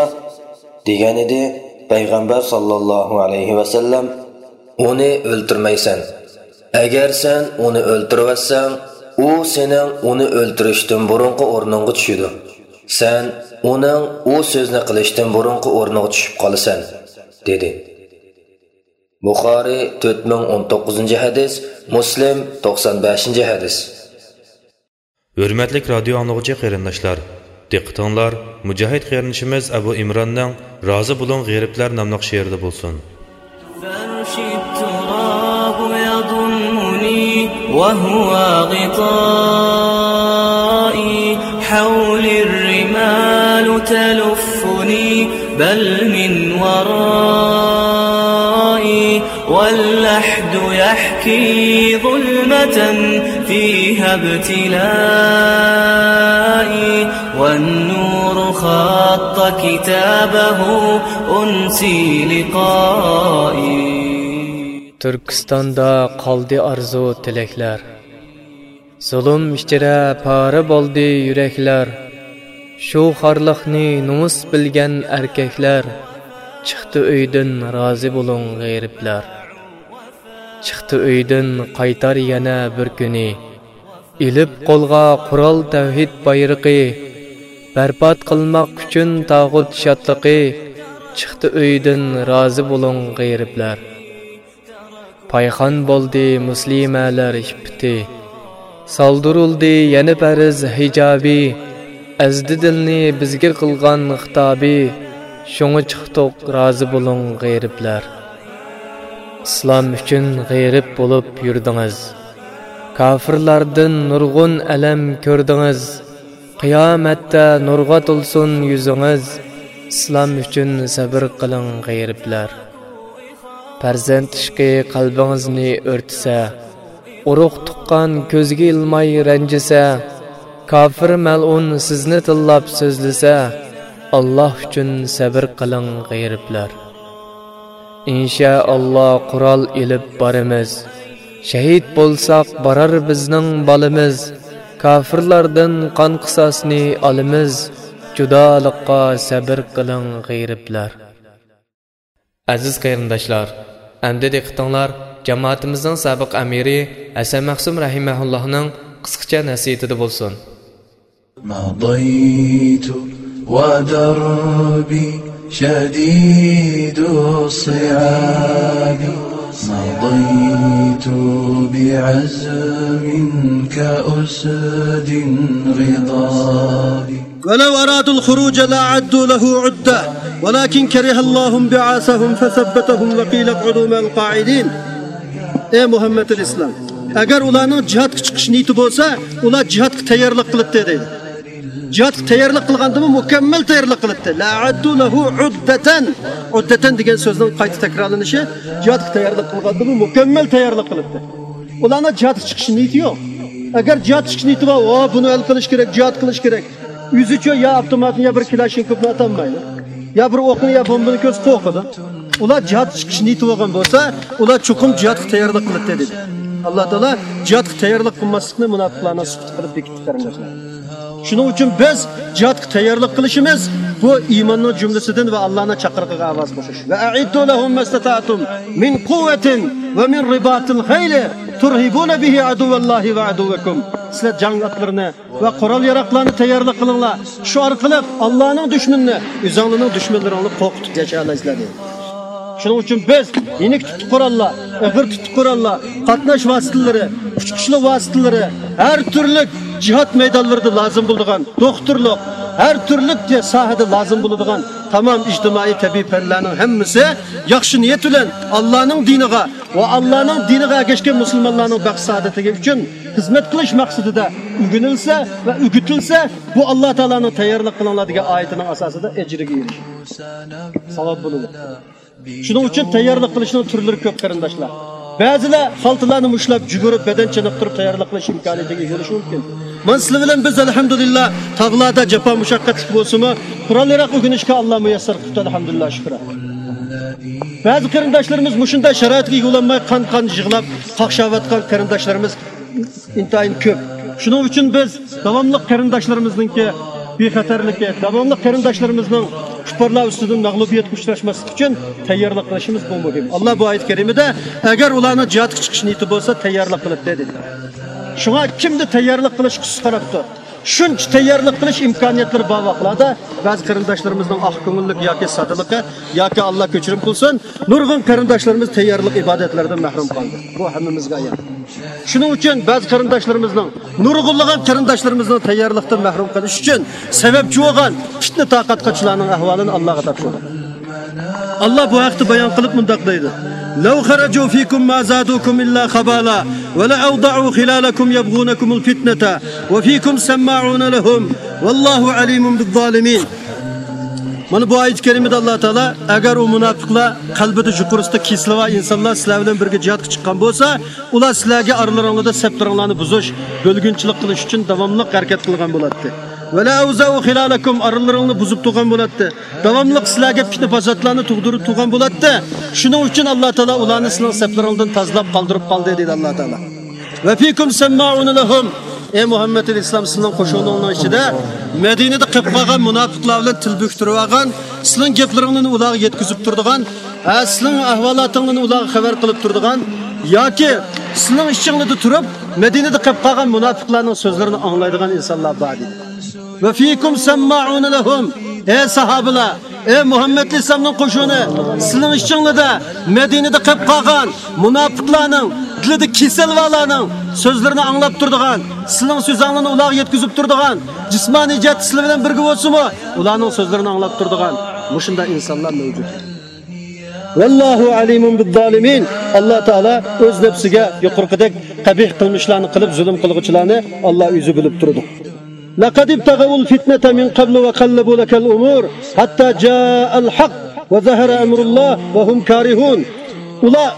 دېگەنىدى. پەيغەمبەر ساللاللاھۇ ئەلەيھى ۋەسەللەم، ئۇنى ئۆلتۈرمەيسەن. ئەگەر سەن ئۇنى ئۆلتۈرۈۋەتسەڭ، ئۇ سېنىڭ ئۇنى ئۆلتۈرۈشتىن بۇرۇنقى ئورنۇڭغا چۈشىدۇ. سەن ئۇنىڭ ئۇ سۆزنى قىلىشتىن بۇرۇنقى ئورنىغا چۈشۈپ قالىسەن، دېدى. بۇخارىي، تۆت مىڭ ئون توققۇزىنچى ھەدىس، مۇسلىم، توقسان بەشىنچى ھەدىس. ھۆرمەتلىك رادىيو ئاڭلىغۇچى قېرىنداشلار، دىققىتىڭلار مۇجاھىد قېرىندىشىمىز ئەبۇ ئىمراننىڭ رازى بولۇڭ غېرىبلەر ناملىق شېئىرىدا بولسۇن. فرش التراب يضمني وهو غطائي، حولي الرمال تلفني بل من ورائي، واللحد يحكي ظلمة فيها ابتلائي، والنور خط كتابه أنسي لقائي. تۈركىستاندا قالدى ئارزۇ تىلەكلەر. زۇلۇم ئىچىدە پارە بولدى يۈرەكلەر. شۇ خارلىقنى نومۇس بىلگەن ئەركەكلەر، چىقتى ئۆيدىن رازى بولۇڭ غېرىبلەر. چىقتى ئۆيدىن قايتار يەنە بىر كۈنى، ئېلىپ قولغا قورال تەۋھىد بايرىقى، بەربات قىلماق ئۈچۈن تاغۇت شادلىقى، چىقتى ئۆيدىن رازى بولۇڭ غېرىبلەر. پايخان بولدى مۇسلىمەلەر ئىپپىتى، سالدۇرۇلدى يەنە پەرز ھىجابى، ئەزدى دىلنى بىزگە قىلغان خىتابى، شۇڭا چىقتۇق رازى بولۇڭ غېرىبلەر. ئىسلام ئۈچۈن غېرىب بولۇپ يۈردىڭىز، كاپىرلاردىن نۇرغۇن ئەلەم كۆردىڭىز، قىيامەتتە نۇرغا تولسۇن يۈزىڭىز، ئىسلام ئۈچۈن سەبىر قىلىڭ غېرىبلەر. پەرزەنت ئىشقى قەلبىڭىزنى ئۆرتىسە، ئۇرۇق تۇغقان كۆزگە ئىلماي رەنجىسە، كاپىر مەلئۇن سىزنى تىللاپ سۆزلىسە، ئاللا ئۈچۈن سەبىر قىلىڭ غېرىبلەر. ئىنشائاللا قورال ئېلىپ بارىمىز، شەھىت بولساق بارار بىزنىڭ بالىمىز، كاپىرلاردىن قان قىساسنى ئالىمىز، جۇدالىققا سەبىر قىلىڭ غېرىبلەر. ئەزىز قېرىنداشلار، ئەمدى دىققىتىڭلار جامائىتىمىزنىڭ سابىق ئەمىرى ھەسەن مەخسۇم رەھىمەھۇللاھنىڭ قىسقىچە نەسىھىتىدە بولسۇن. مضيت ودربي شديد الصعاب، مضيت بعزم كأسد غضاب. ولو أرادوا الخروج لأعدوا له عدة، ولكن كره الله انبعاثهم فثبطهم وقيل اقعدوا مع القاعدين. ئەي مۇھەممەدۇل ئىسلام، ئەگەر ئۇلارنىڭ جىھادقا چىقىش نىيىتى بولسا، ئۇلار جىھادقا تەييارلىق قىلاتتى دەيدۇ. جىھادقا تەييارلىق قىلغاندىمۇ مۇكەممەل تەييارلىق قىلاتتى. لأعدوا له عدة. عدة دېگەن سۆزنىڭ قايتا تەكرارلىنىشى، جىھادقا تەييارلىق قىلغاندىمۇ مۇكەممەل تەييارلىق قىلاتتى. ئۇلارنىڭ جىھادقا چىقىش نىيىتى يوق. ئەگەر جىھادقا چىقىش نىيىتى بار، ئۇ بۇنى ھەل قىلىش كېرەك، جىھاد قىلىش كېرەك. ئۆزىچۇ يا ئاپتوماتنى، يا بىر كلاشنكوفنى ئاتالمايدۇ، يا بىر ئوقنى، يا بومبىنى كۆرسە قورقىدۇ. ئۇلار جىھادقا چىقىش نىيىتى بولغان بولسا، ئۇلار چوقۇم جىھادقا تەييارلىق قىلاتتى دېدى. ئاللا تائالا جىھادقا تەييارلىق قىلماسلىقنى مۇناپىقلارنىڭ سۈپىتى قىلىپ بېكىتتى، قېرىنداشلار. شۇنىڭ ئۈچۈن بىز جىھادقا تەييارلىق قىلىشىمىز، بۇ ئىماننىڭ جۈملىسىدىن ۋە ئاللانىڭ چاقىرىقىغا ئاۋاز قوشۇش. وأعدوا لهم ما استطعتم من قوة ومن رباط الخيل ترهبون به عدو الله وعدوكم. سىلەر جەڭ ئاتلىرىنى ۋە قورال-ياراغلارنى تەييارلىق قىلىڭلار. شۇ ئارقىلىق ئاللانىڭ دۈشمىنىنى، ئۆزۈڭلارنىڭ دۈشمەنلىرىڭنى قورقۇتۇپ ياشىيالايسىلەر، دېدى. شۇنىڭ ئۈچۈن بىز يېنىك تۇتۇق قوراللار، ئېغىر تۇتۇق قوراللار، قاتناش ۋاسىتىلىرى، ئۇچقۇچلۇق ۋاسىتىلىرى، ھەر تۈرلۈك جىھاد مەيدانلىرىدا لازىم بولىدىغان، دوختۇرلۇق، ھەر تۈرلۈك ساھەدە لازىم بولىدىغان تامام ئىجتىمائىي تەبىئىي پەنلەرنىڭ ھەممىسى ياخشى نىيەت بىلەن ئاللانىڭ دىنىغا ۋە ئاللانىڭ دىنىغا ئەگەشكەن مۇسۇلمانلارنىڭ بەخت-سائادىتى ئۈچۈن خىزمەت قىلىش مەقسىتىدە ئۆگىنىلسە ۋە ئۆگىتىلسە، بۇ ئاللا تائالانىڭ تەييارلىق قىلىڭلار دېگەن ئايىتىنىڭ ئاساسىدا ئەجرىگە ئېرىشىش، ساۋاب بولىدۇ. شۇنىڭ ئۈچۈن تەييارلىق قىلىشنىڭ تۈرلىرى كۆپ، قېرىنداشلار. بەزىلەر خالتىلارنى مۇشتلاپ، جۈگۈرۈپ، بەدەن چېنىقتۇرۇپ تەييارلىق قىلىش ئىمكانىيىتىگە ئىگە بولۇشى مۇمكىن. مانا سىلەر بىلەن بىز، ئەلھەمدۇلىللا، تاغلاردا جاپا مۇشەققەتلىك بولسىمۇ، قورال-ياراغ ئۆگىنىشكە ئاللا مۇيەسسەر قىپتۇ، ئەلھەمدۇلىللا، شۈكرى. بەزى قېرىنداشلىرىمىز مۇشۇنداق شارائىتقا ئىگە بولالماي قان-قان يىغلاپ، قاقشاۋاتقان قېرىنداشلىرىمىز ئىنتايىن كۆپ. شۇنىڭ ئۈچۈن بىز داۋاملىق قېرىنداشلىرىمىزنىڭكى بىخەتەرلىكى، داۋاملىق قېرىنداشلىرىمىزنىڭ كۇپپارلار ئۈستىدىن مەغلۇبىيەتكە ئۇچراشماسلىقى ئۈچۈن تەييارلىق قىلىشىمىز بۇ مۇھىم. ئاللا بۇ ئايەت كەرىمىدە، ئەگەر ئۇلارنىڭ جىھادقا چىقىش نىيىتى بولسا، تەييارلىق قىلىپتۇ، دېدى. شۇڭا كىمدە تەييارلىق قىلىشقا سۇس قاراپتۇ، شۇنچە تەييارلىق قىلىش ئىمكانىيەتلىرى بار ۋاقىتلاردا، بەزى قېرىنداشلىرىمىزنىڭ ئاق كۆڭۈللۈك ياكى سادىلىقى ياكى، ئاللا كەچۈرۈم قىلسۇن، نۇرغۇن قېرىنداشلىرىمىز تەييارلىق ئىبادەتلىرىدىن مەھرۇم قالدى. بۇ ھەممىمىزگە ئايان. شۇنىڭ ئۈچۈن بەزى قېرىنداشلىرىمىزنىڭ، نۇرغۇنلىغان قېرىنداشلىرىمىزنىڭ تەييارلىقتىن مەھرۇم قىلىش ئۈچۈن سەۋەبچى بولغان پىتنە تارقاتقۇچىلارنىڭ ئەھۋالىنى ئاللاغا تاپشۇردۇق. ئاللا بۇ ھەقتە بايان قىلىپ مۇنداق دەيدۇ: لو خرجوا فيكم ما زادوكم إلا خبالا ولأوضعوا خلالكم يبغونكم الفتنة وفيكم سماعون لهم والله عليم بالظالمين. مانا بۇ ئايەت كەرىمىدە ئاللا تائالا، ئەگەر ئۇ مۇناپىقلار، قەلبىدە يۇقىرىسىدا كېسىلى بار ئىنسانلار سىلەر بىلەن بىرگە جىھادقا چىققان بولسا، ئۇلار سىلەرگە ئارىلىرىڭلاردا سەپلىرىڭلارنى بۇزۇش، بۆلگۈنچىلىك قىلىش ئۈچۈن داۋاملىق ھەرىكەت قىلغان بولاتتى. ۋەلە ئەۋزەئۇ خىلالەكۇم، ئارىلىرىڭلارنى بۇزۇپ تۇرغان بولاتتى. داۋاملىق سىلەرگە پىتنە-پاساتلارنى تۇغدۇرۇپ تۇرغان بولاتتى. شۇنىڭ ئۈچۈن ئاللا تائالا ئۇلارنى سىلىنىڭ سەپلىرىڭدىن تازىلاپ قالدۇرۇپ قالدى، دېدى ئاللا تائالا. ۋە فىكۇم سەممائۇنە لەھۇم. ئەي مۇھەممەد ئەلەيھىسسالام، سىلىنىڭ قوشۇنىڭىزنىڭ ئىچىدە مەدىنىدە قېلىپ قالغان مۇناپىقلار بىلەن تىل بېكىتىۋالغان، سىلىنىڭ گەپلىرىڭلارنى ئۇلارغا يەتكۈزۈپ تۇرىدىغان، ھە، سىلىنىڭ ئەھۋالاتىڭلارنى ئۇلارغا خەۋەر قىلىپ تۇرىدىغان ياكى سىلىنىڭ ئىچىڭلىدە تۇرۇپ، مەدىنىدە قېلىپ قالغان مۇناپىقلارنىڭ سۆزلىرىنى ئاڭلايدىغان ئىنسانلار بار دېدى. ۋە فىكۇم سەممائۇنە لەھۇم. ئەي ساھابىلار، ئەي مۇھەممەد ئەلەيھىسسالامنىڭ قوشۇنى، سىلىنىڭ ئىچىڭلىدە مەدىنىدە قېلىپ قالغان مۇناپىقلارنىڭ، دىلىدا كېسەل بارلارنىڭ سۆزلىرىنى ئاڭلاپ تۇرىدىغان، سىلىنىڭ سۆزۈڭلارنى ئۇلارغا يەتكۈزۈپ تۇرىدىغان، جىسمانىي جەھەتتە سىلەر بىلەن بىرگە بولسىمۇ، ئۇلارنىڭ سۆزلىرىنى ئاڭلاپ تۇرىدىغان مۇشۇنداق ئىنسانلار مەۋجۇت. ۋەللاھۇ ئەلىمۇن بىززالىمىن. ئاللا تائالا ئۆز نەپسىگە يۇقىرىقىدەك قەبىھ قىلمىشلارنى قىلىپ زۇلۇم قىلغۇچىلارنى ئاللا ئۆزى بىلىپ تۇرىدۇ. لەقەد ئىبتەغەۋۇل فىتنەتە مىن قەبلۇ ۋە قەللەبۇ لەكەل ئۇمۇر ھەتتا جائەل ھەق ۋە زەھەرە ئەمرۇللا ۋە ھۇم كارىھۇن. ئۇلار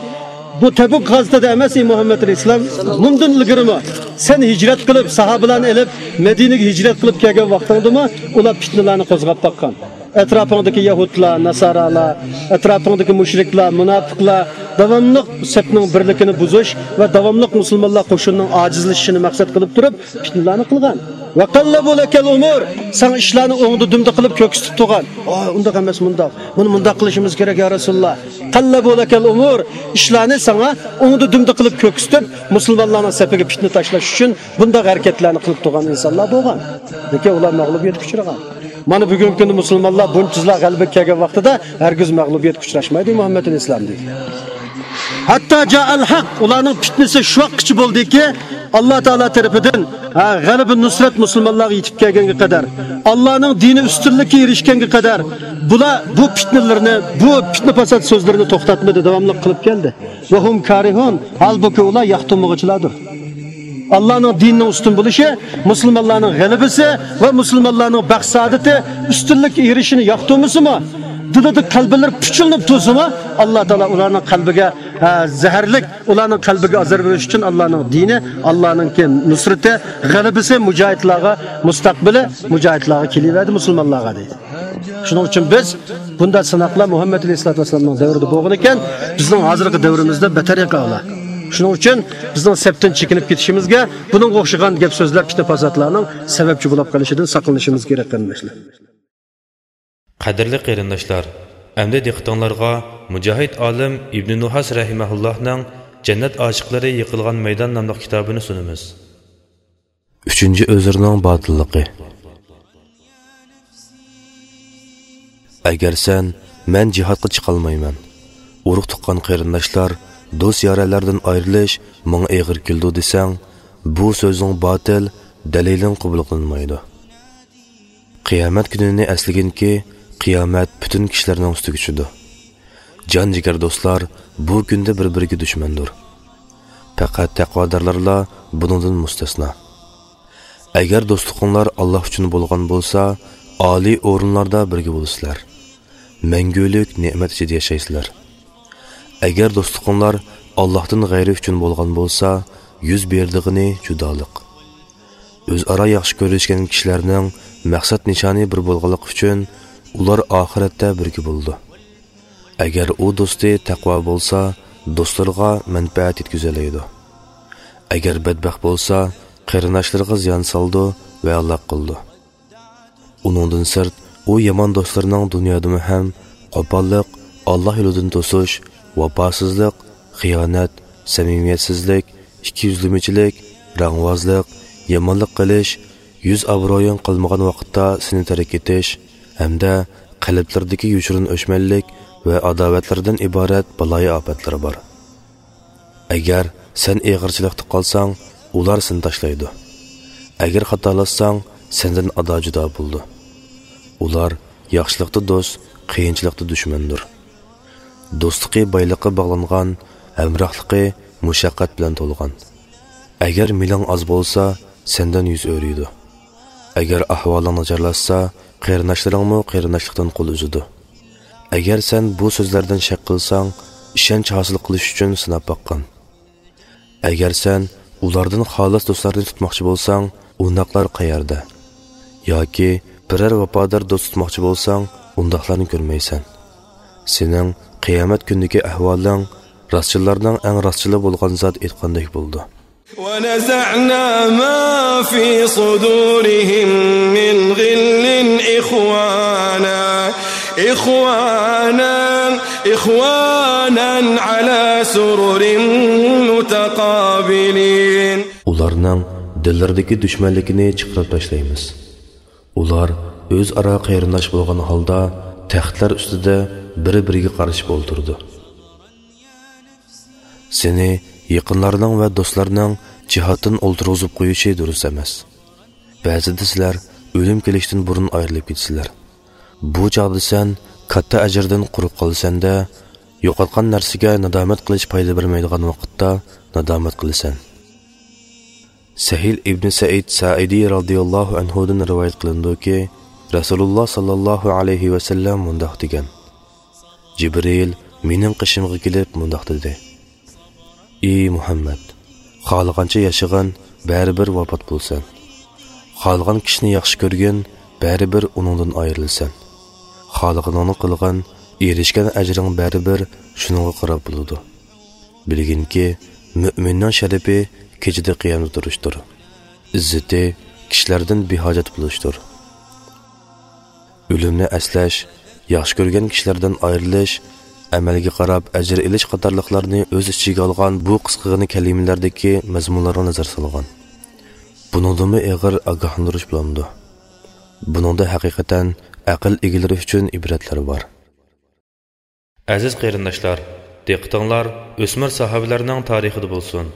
بۇ تەبۇك غازىتىدە ئەمەس، ئەي مۇھەممەد ئەلەيھىسسالام، مۇندىن ئىلگىرىمۇ سەن ھىجرەت قىلىپ، ساھابىلارنى ئېلىپ، مەدىنىگە ھىجرەت قىلىپ كەلگەن ۋاقتىڭدىمۇ ئۇلار پىتنىلەرنى قوزغاپ باققان. ئەتراپىڭدىكى يەھۇدلار، ناسارالار، ئەتراپىڭدىكى مۇشرىكلار، مۇناپىقلار داۋاملىق سەپنىڭ بىرلىكىنى بۇزۇش ۋە داۋاملىق مۇسۇلمانلار قوشۇنىنىڭ ئاجىزلىشىشىنى مەقسەت قىلىپ تۇرۇپ، پىتنىلەرنى قىلغان. ۋە قەللەبۇ لەكەل ئۇمۇر، ساڭا ئىشلارنى ئوڭدا دۈمدە قىلىپ كۆكسىتىپ تۇرغان. ئا، ئۇنداق ئەمەس، مۇنداق. بۇنى مۇنداق قىلىشىمىز كېرەك، يا رەسۇلۇللا. قەللەبۇ لەكەل ئۇمۇر، ئىشلارنى ساڭا ئوڭدا دۈمدە قىلىپ كۆكسىتىپ، مۇسۇلمانلارنىڭ سەپىگە پىتنە تاشلاش ئۈچۈن بۇنداق ھەرىكەتلەرنى قىلىپ تۇرغان ئىنسانلار بولغان. لېكىن ئۇلار مەغلۇبىيەتكە ئۇچرىغان. مانا بۈگۈنكى كۈندە مۇسۇلمانلار بۇنچە يىللار غەلىبىگە كەلگەن ۋاقتىدا ھەرگىز مەغلۇبىيەتكە ئۇچراشمايدۇ مۇھەممەد ئەلەيھىسسالام دېدى. ھەتتا جائەل ھەق، ئۇلارنىڭ پىتنىسى شۇ ۋاقىتقىچە بولدىكى، ئاللا تائالا تەرىپىدىن، ھە، غەلىبە نۇسرەت مۇسۇلمانلارغا يېتىپ كەلگەنگە قەدەر، ئاللانىڭ دىنى ئۈستۈنلۈككە ئېرىشكەنگە قەدەر، بۇلار بۇ پىتنىلىرىنى، بۇ پىتنە پاسات سۆزلىرىنى توختاتمىدى، داۋاملىق قىلىپ كەلدى. ۋە ھۇم كارىھۇن، ھالبۇكى ئۇلار ياقتۇرمىغۇچىلاردۇر. ئاللانىڭ دىنىنىڭ ئۈستۈن بولۇشى، مۇسۇلمانلارنىڭ غەلىبىسى ۋە مۇسۇلمانلارنىڭ بەخت سائادىتى، ئۈستۈنلۈككە ئېرىشىشىنى ياقتۇرمىسىمۇ، دىلىدا قەلبىلىرى پۇچۇلۇنۇپ تۇرسىمۇ، ئاللا تائالا ئۇلارنىڭ قەلبىگە، ھە، زەھەرلىك، ئۇلارنىڭ قەلبىگە ئازار بېرىش ئۈچۈن ئاللانىڭ دىنى، ئاللانىڭكى نۇسرىتى، غەلىبىسى مۇجاھىدلارغا، مۇستەقبىلى مۇجاھىدلارغا كېلىۋەردى، مۇسۇلمانلارغا دەيدۇ. شۇنىڭ ئۈچۈن بىز بۇنداق سىناقلار مۇھەممەد ئەلەيھىسسالاتۇ ۋەسسالامنىڭ دەۋرىدە بولغان ئىكەن، بىزنىڭ ھازىرقى دەۋرىمىزدە بەتەر ئەۋلاد. شۇنىڭ ئۈچۈن بىزنىڭ سەپتىن چېكىنىپ كېتىشىمىزگە، بۇنىڭغا ئوخشىغان گەپ سۆزلەر، پىتنە پاساتلارنىڭ سەۋەبچى بولۇپ قېلىشىدىن ساقلىنىشىمىز كېرەك، قېرىنداشلار. قەدىرلىك قېرىنداشلار، ئەمدى دىققىتىڭلارغا مۇجاھىد ئالىم ئىبنى نۇھاس رەھىمەھۇللاھنىڭ جەننەت ئاشىقلىرى يىقىلغان مەيدان ناملىق كىتابىنى سۇنىمىز. ئۈچىنچى ئۆزرىنىڭ باتىللىقى. ئەگەر سەن، مەن جىھادقا چىقالمايمەن، ئۇرۇق-تۇغقان، قېرىنداشلار، دوست-يارەنلەردىن ئايرىلىش ماڭا ئېغىر كېلىدۇ دېسەڭ، بۇ سۆزۈڭ باتىل، دەلىلىڭ قوبۇل قىلىنمايدۇ. قىيامەت كۈنىنى ئەسلىگىنكى، قىيامەت پۈتۈن كىشىلەرنىڭ ئۈستىگە چۈشىدۇ. جان-جىگەر دوستلار بۇ كۈندە بىر-بىرىگە دۈشمەندۇر. پەقەت تەقۋادارلارلا بۇنىڭدىن مۇستەسنا. ئەگەر دوستلۇقۇڭلار ئاللا ئۈچۈن بولغان بولسا، ئالىي ئورۇنلاردا بىرگە بولىسىلەر. مەڭگۈلۈك نېمەت ئىچىدە ياشايسىلەر. ئەگەر دوستلۇقۇڭلار ئاللاھتىن غەيرى ئۈچۈن بولغان بولسا، يۈز بېرىدىغىنى جۇدالىق. ئۆزئارا ياخشى كۆرۈشكەن كىشىلەرنىڭ مەقسەت نىشانى بىر بولغانلىقى ئۈچۈن ئۇلار ئاخىرەتتە بىرگە بولىدۇ. ئەگەر ئۇ دوستى تەقۋا بولسا، دوستلىرىغا مەنپەئەت يەتكۈزەلەيدۇ. ئەگەر بەتبەخت بولسا، قېرىنداشلىرىغا زىيان سالىدۇ ۋە ھالاك قىلىدۇ. ئۇنىڭدىن سىرت، ئۇ يامان دوستلىرىنىڭ دۇنيادىمۇ ھەم قوپاللىق، ئاللا يولىدىن توسۇش، ۋاپاسىزلىق، خىيانەت، سەمىمىيەتسىزلىك، ئىككىيۈزلىمىچىلىك، رەڭۋازلىق، يامانلىق قىلىش، يۈز ئابرۇيۇڭ قالمىغان ۋاقىتتا سېنى تەرك ئېتىش ھەمدە قەلبلىرىدىكى يوشۇرۇن ئۆچمەنلىك ۋە ئاداۋەتلەردىن ئىبارەت بالايىئاپەتلىرى بار. ئەگەر سەن ئېغىرچىلىقتا قالساڭ، ئۇلار سېنى تاشلايدۇ. ئەگەر خاتالاشساڭ، سەندىن ئادا-جۇدا بولىدۇ. ئۇلار ياخشىلىقتا دوست، قىيىنچىلىقتا دۈشمەندۇر. دوستلۇقى بايلىققا باغلانغان، ھەمراھلىقى مۇشەققەت بىلەن تولغان. ئەگەر مېلىڭ ئاز بولسا، سەندىن يۈز ئۆرۈيدۇ. ئەگەر ئەھۋالىڭ ناچارلاشسا، قېرىنداشلىرىڭمۇ قېرىنداشلىقتىن قول ئۈزىدۇ. ئەگەر سەن بۇ سۆزلەردىن شەك قىلساڭ، ئىشەنچ ھاسىل قىلىش ئۈچۈن سىناپ باققىن. ئەگەر سەن ئۇلاردىن خالىس دوستلارنى تۇتماقچى بولساڭ، ئۇنداقلار قەيەردە؟ ياكى بىرەر ۋاپادار دوست تۇتماقچى بولساڭ، ئۇنداقلارنى كۆرمەيسەن. سېنىڭ قىيامەت كۈنىدىكى ئەھۋالىڭ راستچىللارنىڭ ئەڭ راستچىلى بولغان زات ئېيتقاندەك بولىدۇ. ونزعنا ما في صدورهم من غل إخوانا إخوانا، إخوانا على سرر متقابلين. ئۇلارنىڭ دىللىرىدىكى دۈشمەنلىكىنى چىقىرىپ تاشلايمىز. ئۇلار ئۆزئارا قېرىنداش بولغان ھالدا تەختلەر ئۈستىدە بىر-بىرىگە قارىشىپ ئولتۇرىدۇ. سېنى يېقىنلارنىڭ ۋە دوستلارنىڭ جىھادتىن ئولتۇرغۇزۇپ قويۇشى دۇرۇس ئەمەس. بەزىدە سىلەر ئۆلۈم كېلىشتىن بۇرۇن ئايرىلىپ كېتىسىلەر. بۇ چاغدا سەن كاتتا ئەجىردىن قۇرۇق قالىسەن-دە، يوقاتقان نەرسىگە نادامەت قىلىش پايدا بەرمەيدىغان ۋاقىتتا نادامەت قىلىسەن. سەھىل ئىبنى سەئىد سائىدى رازىياللاھۇ ئەنھۇدىن رىۋايەت قىلىنىدۇكى، رەسۇلۇللا ساللاللاھۇ ئەلەيھى ۋەسەللەم مۇنداق دېگەن: جىبرىل مېنىڭ قېشىمغا كېلىپ مۇنداق دېدى: ئى مۇھەممەد، خالىغانچە ياشىغىن، بەرىبىر ۋاپات بولىسەن. خالىغان كىشىنى ياخشى كۆرگىن، بەرىبىر ئۇنىڭدىن ئايرىلىسەن. خالىغىنىڭنى قىلغىن، ئېرىشكەن ئەجرىڭ بەرىبىر شۇنىڭغا قاراپ بولىدۇ. بىلگىنكى، مۆمىننىڭ شەرىپى كېچىدە قىيامدا تۇرۇشتۇر. ئىززىتى كىشىلەردىن بىھاجەت بولۇشتۇر. ئۆلۈمنى ئەسلەش، ياخشى كۆرگەن كىشىلەردىن ئايرىلىش، ئەمەلگە قاراپ ئەجىر ئېلىش قاتارلىقلارنى ئۆز ئىچىگە ئالغان بۇ قىسقىغىنە كەلىمىلەردىكى مەزمۇنلارغا نەزەر سالغان. بۇنىڭدىنمۇ ئېغىر ئاگاھلاندۇرۇش بولامدۇ؟ بۇنىڭدا ھەقىقەتەن ئەقىل ئىگىلىرى ئۈچۈن ئىبرەتلەر بار. ئەزىز قېرىنداشلار، دىققىتىڭلار ئۆسمۈر ساھابىلەرنىڭ تارىخىدا بولسۇن.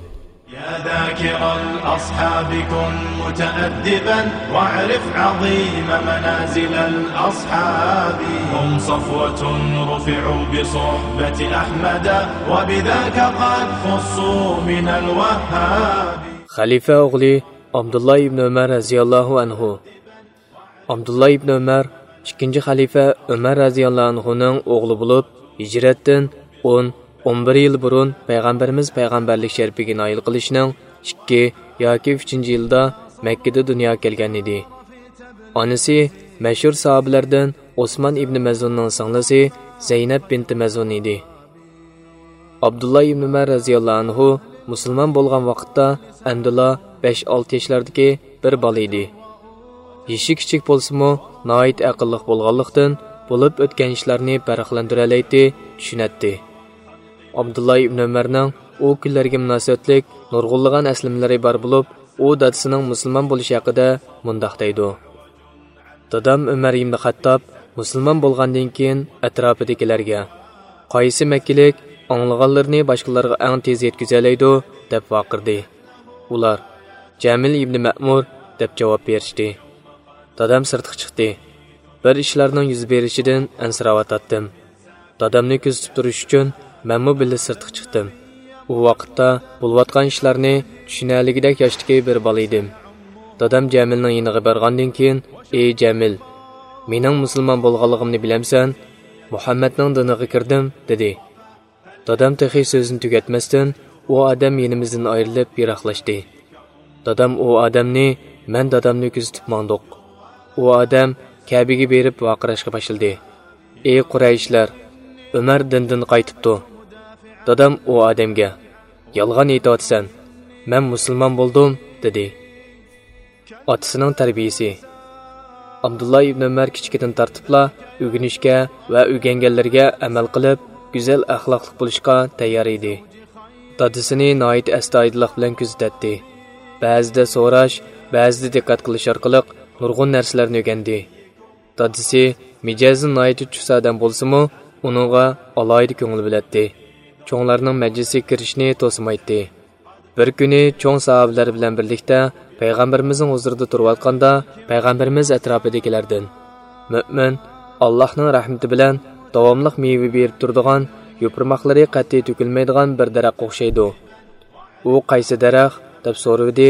يا ذاكر الأصحاب كن متأدبا واعرف عظيم منازل الأصحاب. هم صفوة رفعوا بصحبة أحمد وبذاك قد خصوا من الوهاب. خەلىپە ئوغلى ئابدۇللا ئىبن ئۆمەر رەزىياللاھۇ ئەنھۇ. ئابدۇللا ئىبن ئۆمەر ئىككىنچى خەلىپە ئۆمەر رەزىياللاھۇ ئەنھۇنىڭ ئوغلى بولۇپ، ھىجرەتتىن ئون، ئون بىر يىل بۇرۇن پەيغەمبىرىمىز پەيغەمبەرلىك شەرىپىگە نائىل قىلىشنىڭ ئىككى ياكى ئۈچىنچى يىلىدا مەككىدە دۇنياغا كەلگەن ئىدى. ئانىسى مەشھۇر ساھابىلەردىن ئوسمان ئىبن مەزئۇننىڭ سىڭلىسى زەينەپ بىنتى مەزئۇن ئىدى. ئابدۇللا ئىبن ئۆمەر رەزىياللاھۇ ئەنھۇ مۇسۇلمان بولغان ۋاقىتتا ئەمدىلا بەش-ئالتە ياشلاردىكى بىر بالا ئىدى. يېشى كىچىك بولسىمۇ، ناھايىتى ئەقىللىق بولغانلىقتىن، بولۇپ ئۆتكەن ئىشلارنى پەرقلەندۈرەلەيتتى، چۈشىنەتتى. ئابدۇللا ئىبن ئۆمەرنىڭ ئۇ كۈنلەرگە مۇناسىۋەتلىك نۇرغۇنلىغان ئەسلىمىلىرى بار بولۇپ، ئۇ دادىسىنىڭ مۇسۇلمان بولۇشى ھەققىدە مۇنداق دەيدۇ: دادام ئۆمەر ئىبن خەتتاب مۇسۇلمان بولغاندىن كېيىن ئەتراپىدىكىلەرگە، «قايسى مەككىلىك ئاڭلىغانلىرىنى باشقىلارغا ئەڭ تېز يەتكۈزەلەيدۇ؟» دەپ ۋارقىرىدى. ئۇلار، «جەمىل ئىبن مەمۇر» دەپ جاۋاب بېرىشتى. دادام سىرتقا چىقتى. بىر ئىشلارنىڭ يۈز بېرىشىدىن ئەنسىرەۋاتاتتىم. دادامنى كۆزىتىپ تۇرۇش ئۈچۈن مەنمۇ بىللە سىرتقا چىقتىم. ئۇ ۋاقىتتا بولۇۋاتقان ئىشلارنى چۈشىنەلىگۈدەك ياشتىكى بىر بالا ئىدىم. دادام جەمىلنىڭ يېنىغا بارغاندىن كېيىن، «ئى جەمىل، مېنىڭ مۇسۇلمان بولغانلىقىمنى بىلەمسەن؟ مۇھەممەدنىڭ دىنىغا كىردىم» دېدى. دادام تېخى سۆزىنى تۈگەتمەستىن، ئۇ ئادەم يېنىمىزدىن ئايرىلىپ يىراقلاشتى. دادام ئۇ ئادەمنى، مەن دادامنى كۆزىتىپ ماڭدۇق. ئۇ ئادەم كەبىگە بېرىپ ۋارقىراشقا باشلىدى. «ئى قۇرەيشلەر، ئۆمەر دىندىن قايتىپتۇ.» دادام ئۇ ئادەمگە، «يالغان ئېيتىۋاتىسەن، مەن مۇسۇلمان بولدۇم» دېدى. ئاتىسىنىڭ تەربىيىسى. ئابدۇللا ئىبن ئۆمەر كىچىكىدىن تارتىپلا ئۆگىنىشكە ۋە ئۆگەنگەنلىرىگە ئەمەل قىلىپ، گۈزەل ئەخلاقلىق بولۇشقا تەييار ئىدى. دادىسىنى ناھايىتى ئەستايىدىللىق بىلەن كۆزىتەتتى. بەزىدە سوراش، بەزىدە دىققەت قىلىش ئارقىلىق نۇرغۇن نەرسىلەرنى ئۆگەندى. دادىسى مىجەزى ناھايىتى چۇس ئادەم بولسىمۇ، ئۇنىڭغا ئالاھىدە كۆڭۈل بۆلەتتى. چوڭلارنىڭ مەجلىسىگە كىرىشنى توسىمايتتى. بىر كۈنى چوڭ ساھابىلەر بىلەن بىرلىكتە پەيغەمبىرىمىزنىڭ ھۇزۇرىدا تۇرۇۋاتقاندا، پەيغەمبىرىمىز ئەتراپىدىكىلەردىن، «مۆمىن ئاللاھنىڭ رەھمىتى بىلەن داۋاملىق مېۋە بېرىپ تۇرىدىغان، يوپۇرماقلىرى قەتئىي تۆكۈلمەيدىغان بىر دەرەخكە ئوخشايدۇ. ئۇ قايسى دەرەخ؟» دەپ سورىۋىدى.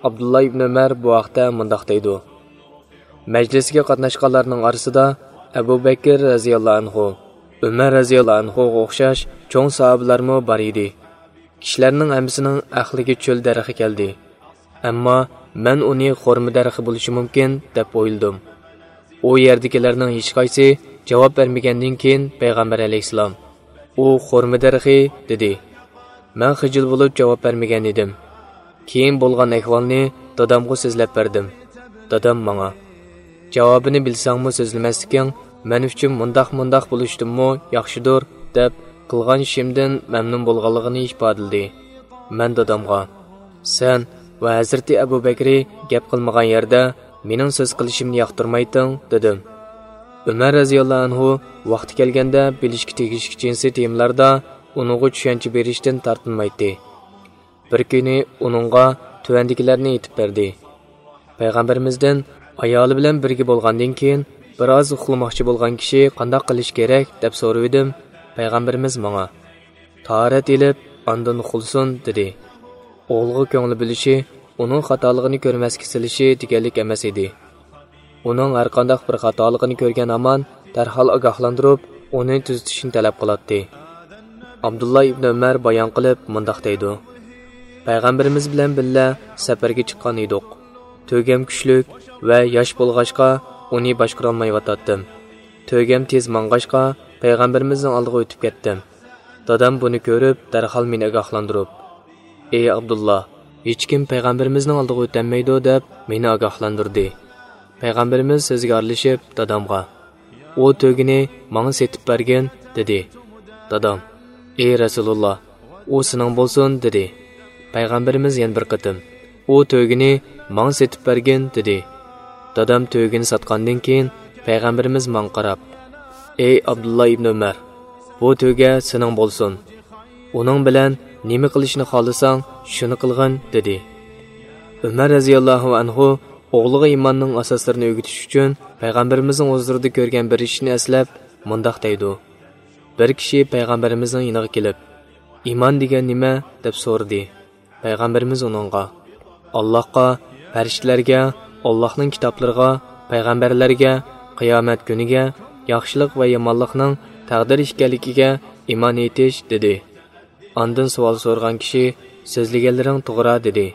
ئابدۇللا ئىبن ئۆمەر بۇ ھەقتە مۇنداق دەيدۇ: مەجلىسكە قاتناشقانلارنىڭ ئارىسىدا ئەبۇ بەكىر رەزىياللاھۇ ئەنھۇ، ئۆمەر رەزىياللاھۇ ئەنھۇغا ئوخشاش چوڭ ساھابىلەرمۇ بار ئىدى. كىشىلەرنىڭ ھەممىسىنىڭ ئەقلىگە چۆل دەرىخى كەلدى. ئەمما مەن ئۇنى خورما دەرىخى بولۇشى مۇمكىن، دەپ ئويلىدىم. ئۇ يەردىكىلەرنىڭ ھېچقايسى جاۋاب بەرمىگەندىن كېيىن پەيغەمبەر ئەلەيھىسسالام، «ئۇ خورما دەرىخى» دېدى. مەن خىجىل بولۇپ جاۋاب بەرمىگەن ئىدىم. كېيىن بولغان ئەھۋالنى دادامغا سۆزلەپ بەردىم. دادام ماڭا، «جاۋابىنى بىلسەڭمۇ سۆزلىمەسلىكىڭ مەن ئۈچۈن مۇنداق-مۇنداق بولۇشتىنمۇ ياخشىدۇر، دەپ قىلغان ئىشىمدىن مەمنۇن بولغانلىقىنى ئىپادىلىدى. مەن دادامغا، سەن ۋە ھەزرىتى ئەبۇ بەكرى گەپ قىلمىغان يەردە مېنىڭ سۆز قىلىشىمنى ياقتۇرمايتتىڭ، دېدىم. ئۆمەر رەزىياللاھۇ ئەنھۇ ۋاقتى كەلگەندە بىلىشكە تېگىشلىك جىنسىي تېمىلاردا ئۇنىڭغا چۈشەنچە بېرىشتىن تارتىنمايتتى. بىر كۈنى ئۇنىڭغا تۆۋەندىكىلەرنى ئېيتىپ بەردى. پەيغەمبىرىمىزدىن ئايالى بىلەن بىرگە بولغاندىن كېيىن بىر ئاز ئۇخلىماقچى بولغان كىشى قانداق قىلىش كېرەك دەپ سورىۋىدىم. پەيغەمبىرىمىز ماڭا، تاھارەت ئېلىپ، ئاندىن ئۇخلىسۇن، دېدى. ئوغلىغا كۆڭلى بۆلۈشى، ئۇنىڭ خاتالىقىنى كۆرمەسكە سېلىشى دېگەنلىك ئەمەس ئىدى. ئۇنىڭ ھەرقانداق بىر خاتالىقىنى كۆرگەن ھامان دەرھال ئاگاھلاندۇرۇپ، ئۇنى تۈزىتىشنى تەلەپ قىلاتتى. ئابدۇللا ئىبنى ئۆمەر بايان قىلىپ مۇنداق دەيدۇ: پەيغەمبىرىمىز بىلەن بىللە سەپەرگە چىققان ئىدۇق. تۆگەم كۈچلۈك ۋە ياش بولغاچقا، ئۇنى باشقۇرالمايۋاتاتتىم. تۆگەم تېز ماڭغاچقا، پەيغەمبىرىمىزنىڭ ئالدىغا ئۆتۈپ كەتتىم. دادام بۇنى كۆرۈپ، دەرھال مېنى ئاگاھلاندۇرۇپ، ئەي ئابدۇللا، ھېچكىم پەيغەمبىرىمىزنىڭ ئالدىغا ئۆتەلمەيدۇ، دەپ مېنى ئاگاھلاندۇردى. پەيغەمبىرىمىز سۆزگە ئارىلىشىپ دادامغا، ئۇ تۆگىنى ماڭا سېتىپ بەرگىن، دېدى. دادام، ئەي رەسۇلۇللا، ئۇ سېنىڭ بولسۇن، دېدى. پەيغەمبىرىمىز يەنە بىر قېتىم، ئۇ تۆگىنى ماڭا سېتىپ بەرگىن، دېدى. دادام تۆگىنى ساتقاندىن كېيىن، پەيغەمبىرىمىز ماڭا قاراپ، ئەي ئابدۇللا ئىبنى ئۆمەر، بۇ تۆگە سېنىڭ بولسۇن. ئۇنىڭ بىلەن نېمە قىلىشنى خالىساڭ، شۇنى قىلغىن، دېدى. ئۆمەر رەزىياللاھۇ ئەنھۇ ئوغلىغا ئىماننىڭ ئاساسلىرىنى ئۆگىتىش ئۈچۈن پەيغەمبىرىمىزنىڭ ھۇزۇرىدا كۆرگەن بىر ئىشنى ئەسلەپ مۇنداق دەيدۇ: بىر كىشى پەيغەمبىرىمىزنىڭ يېنىغا كېلىپ، ئىمان دېگەن نېمە؟ دەپ سورىدى. پەيغەمبىرىمىز ئۇنىڭغا، ئاللاھقا، پەرىشتىلەرگە، ئاللاھنىڭ كىتابلىرىغا، پەيغەمبەرلەرگە، قىيامەت كۈنىگە، ياخشىلىق ۋە يامانلىقنىڭ تەقدىر ئىكەنلىكىگە ئىمان ئېيتىش، دېدى. ئاندىن سوئال سورىغان كىشى، سۆزلىگەنلىرىڭ توغرا، دېدى.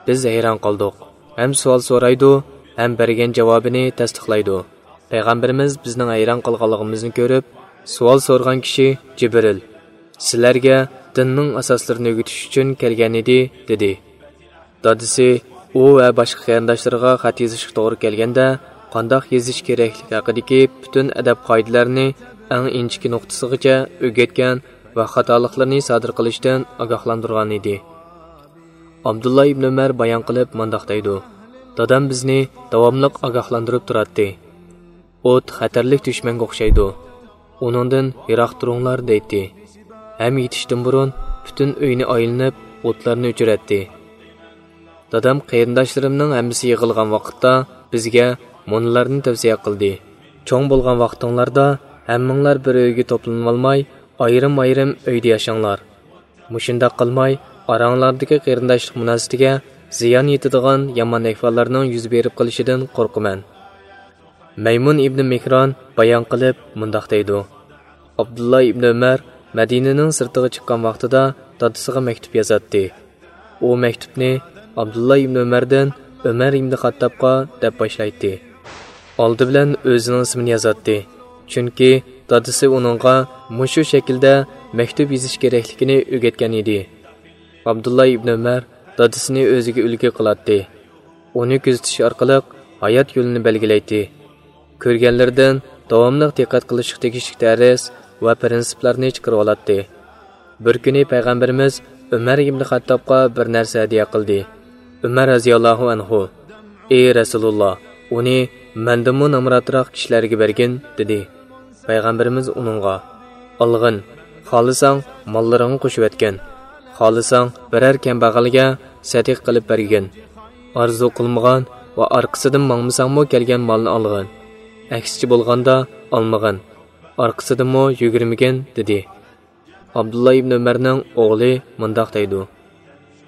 بىز ھەيران قالدۇق. ھەم سوئال سورايدۇ، ھەم بەرگەن جاۋابىنى تەستىقلايدۇ. پەيغەمبىرىمىز بىزنىڭ ھەيران قالغانلىقىمىزنى كۆرۈپ، سوئال سورىغان كىشى جىبرىل، سىلەرگە دىننىڭ ئاساسلىرىنى ئۆگىتىش ئۈچۈن كەلگەن ئىدى، دېدى. دادىسى ئۇ ۋە باشقا قېرىنداشلىرىغا خەت يېزىشقا توغرا كەلگەندە، قانداق يېزىش كېرەكلىكى ھەققىدىكى پۈتۈن ئەدەپ قائىدىلەرنى ئەڭ ئىنچىكە نۇقتىسىغىچە ئۆگەتكەن ۋە خاتالىقلىرىنى سادىر قىلىشتىن ئاگاھلاندۇرغان ئىدى. ئابدۇللا ئىبن ئۆمەر بايان قىلىپ مۇنداق دەيدۇ: دادام بىزنى داۋاملىق ئاگاھلاندۇرۇپ تۇراتتى. ئوت خەتەرلىك دۈشمەنگە ئوخشايدۇ. ئۇنىڭدىن يىراق تۇرۇڭلار، دەيتتى. ھەم يېتىشتىن بۇرۇن پۈتۈن ئۆينى ئايلىنىپ، ئوتلارنى ئۆچۈرەتتى. دادام قېرىنداشلىرىمنىڭ ھەممىسى يىغىلغان ۋاقىتتا بىزگە مۇنۇلارنى تەۋسىيە قىلدى: چوڭ بولغان ۋاقتىڭلاردا ھەممىڭلار بىر ئۆيگە توپلىنىۋالماي، ئايرىم-ئايرىم ئۆيدە ياشاڭلار. مۇشۇنداق قىلماي، ئاراڭلاردىكى قېرىنداشلىق مۇناسىۋىتىگە زىيان يېتىدىغان يامان ئەھۋاللارنىڭ يۈز بېرىپ قېلىشىدىن قورقىمەن. مەيمۇن ئىبنى مېھران بايان قىلىپ مۇنداق دەيدۇ: ئابدۇللا ئىبنى ئۆمەر مەدىنىنىڭ سىرتىغا چىققان ۋاقتىدا دادىسىغا مەكتۇپ يازاتتى. ئۇ مەكتۇپنى ئابدۇللا ئىبنى ئۆمەردىن ئۆمەر ئىبنى خاتتابقا دەپ باشلايتتى. ئالدى بىلەن ئۆزىنىڭ ئىسمىنى يازاتتى. چۈنكى دادىسى ئۇنىڭغا مۇشۇ شەكىلدە مەكتۇپ يېزىش كېرەكلىكىنى ئۆگەتكەن ئىدى. ئابدۇللا ئىبنى ئۆمەر دادىسىنى ئۆزىگە ئۈلگە قىلاتتى. ئۇنى كۆزىتىش ئارقىلىق ھايات يولىنى بەلگىلەيتتى. كۆرگەنلىرىدىن داۋاملىق دىققەت قىلىشقا تېگىشلىك دەرس ۋە پىرىنسىپلارنى چىقىرىۋالاتتى. بىر كۈنى پەيغەمبىرىمىز ئۆمەر ئىبنى خەتتابقا بىر نەرسە ھەدىيە قىلدى. ئۆمەر رەزىياللاھۇ ئەنھۇ، ئى رەسۇلۇللا، ئۇنى مەندىنمۇ نامراتراق كىشىلەرگە بەرگىن، دېدى. پەيغەمبىرىمىز ئۇنىڭغا، ئالغىن، خالىساڭ ماللىرىڭغا قوشۇۋەتكىن، خالىساڭ بىرەر كەمبەغەلگە سەدىقە قىلىپ بەرگىن. ئارزۇ قىلمىغان ۋە ئارقىسىدىن ماڭمىساڭمۇ كەلگەن مالنى ئالغىن. ئەكسىچە بولغاندا ئالمىغىن، ئارقىسىدىنمۇ يۈگۈرمىگىن، دېدى. ئابدۇللا ئىبن ئۆمەرنىڭ ئوغلى مۇنداق دەيدۇ: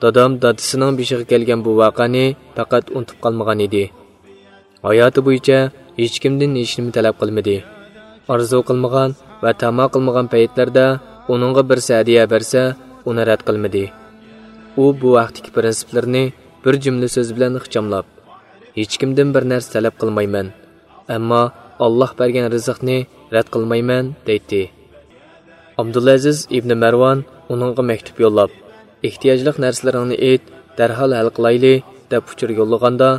دادام دادىسىنىڭ بېشىغا كەلگەن بۇ ۋەقەنى پەقەت ئۇنتۇپ قالمىغان ئىدى. ھاياتى بويىچە ھېچكىمدىن ھېچنېمە تەلەپ قىلمىدى. ئارزۇ قىلمىغان ۋە تەما قىلمىغان پەيتلەردە ئۇنىڭغا بىرسى ھەدىيە بەرسە، ئۇنى رەت قىلمىدى. ئۇ بۇ ھەقتىكى پىرىنسىپلىرىنى بىر جۈملە سۆز بىلەن ئىخچاملاپ، ھېچكىمدىن بىر نەرسە تەلەپ قىلمايمەن، ئەمما ئاللاھ بەرگەن رىزىقنى رەت قىلمايمەن، دەيتتى. ئابدۇلئەزىز ئىبنى مەرۋان ئۇنىڭغا مەكتۇپ يوللاپ، ئېھتىياجلىق نەرسىلىرىڭنى ئېيت، دەرھال ھەل قىلايلى، دەپ ئۇچۇر يوللىغاندا،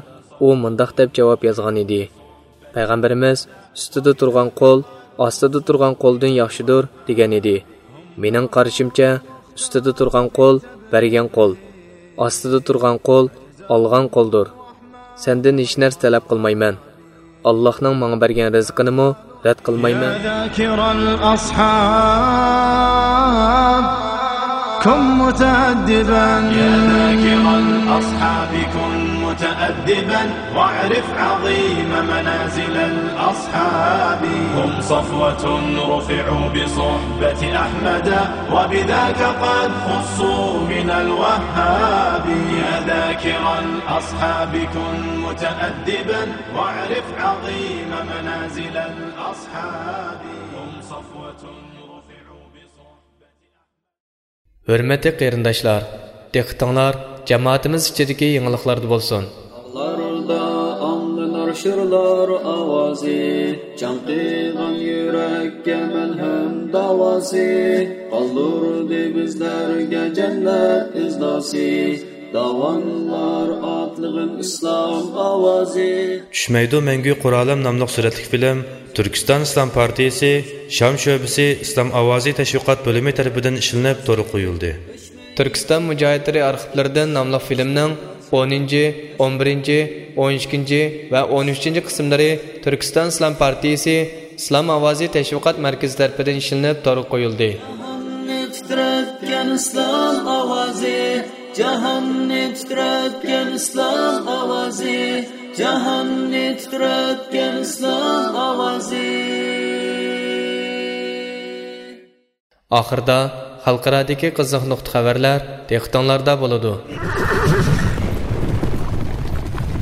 ئۇ مۇنداق دەپ جاۋاب يازغان ئىدى: پەيغەمبىرىمىز، «ئۈستىدە تۇرغان قول ئاستىدا تۇرغان قولدىن ياخشىدۇر» دېگەن ئىدى. مېنىڭ قارىشىمچە، ئۈستىدە تۇرغان قول بەرگەن قول، ئاستىدا تۇرغان قول ئالغان قولدۇر. سەندىن ھېچ نەرسە تەلەپ قىلمايمەن. ئاللاھنىڭ ماڭا بەرگەن رىزقىنىمۇ رەت قىلمايمەن. يا ذاكر الأصحاب، كن متأدبا. يا ذاكر الأصحاب، كن متأدبا، واعرف عظيم منازل الأصحاب. هم صفوة رفعوا بصحبة أحمد، وبذاك قد خصوا من الوهاب. يا ذاكر الأصحاب، كن متأدبا، واعرف عظيم منازل الأصحاب. هم صفوة رفعوا بصحبة. ھۆرمەتلىك قېرىنداشلار، دىققىتىڭلار جامائىتىمىز ئىچىدىكى يېڭىلىقلاردا بولسۇن. تاغلاردا ئاڭلىنار شىرلار ئاۋازى، چاڭقىغان يۈرەككە مەلھەم داۋاسى، قالدۇردى بىزلەرگە جەننەت ئىزناسى. داۋانلار ئاتلىغىن ئىسلام ئاۋازى. چۈشمەيدۇ مەڭگۈ قورالىم ناملىق سۈرەتلىك فىلىم تۈركىستان ئىسلام پارتىيىسى شام شۆبىسى ئىسلام ئاۋازى تەشۋىقات بۆلۈمى تەرىپىدىن ئىشلىنىپ تورغا قويۇلدى. تۈركىستان مۇجاھىدلىرى ئارخىپلىرىدىن ناملىق فىلىمنىڭ ئونىنچى، ئون بىرىنچى، ئون ئىككىنچى ۋە ئون ئۈچىنچى قىسىملىرى تۈركىستان ئىسلام پارتىيىسى ئىسلام ئاۋازى تەشۋىقات مەركىزى تەرىپىدىن ئىشلىنىپ تورغا قويۇلدى. جاھاننى تىترەتكەن ئىسلام ئاۋازى، جاھاننى تىترەتكەن ئىسلام ئاۋازى، جاھاننى تىترەتكەن ئىسلام ئاۋازى. ئاخىرىدا خەلقئارادىكى قىزىق نۇقتا خەۋەرلەر دىققىتىڭلاردا بولىدۇ.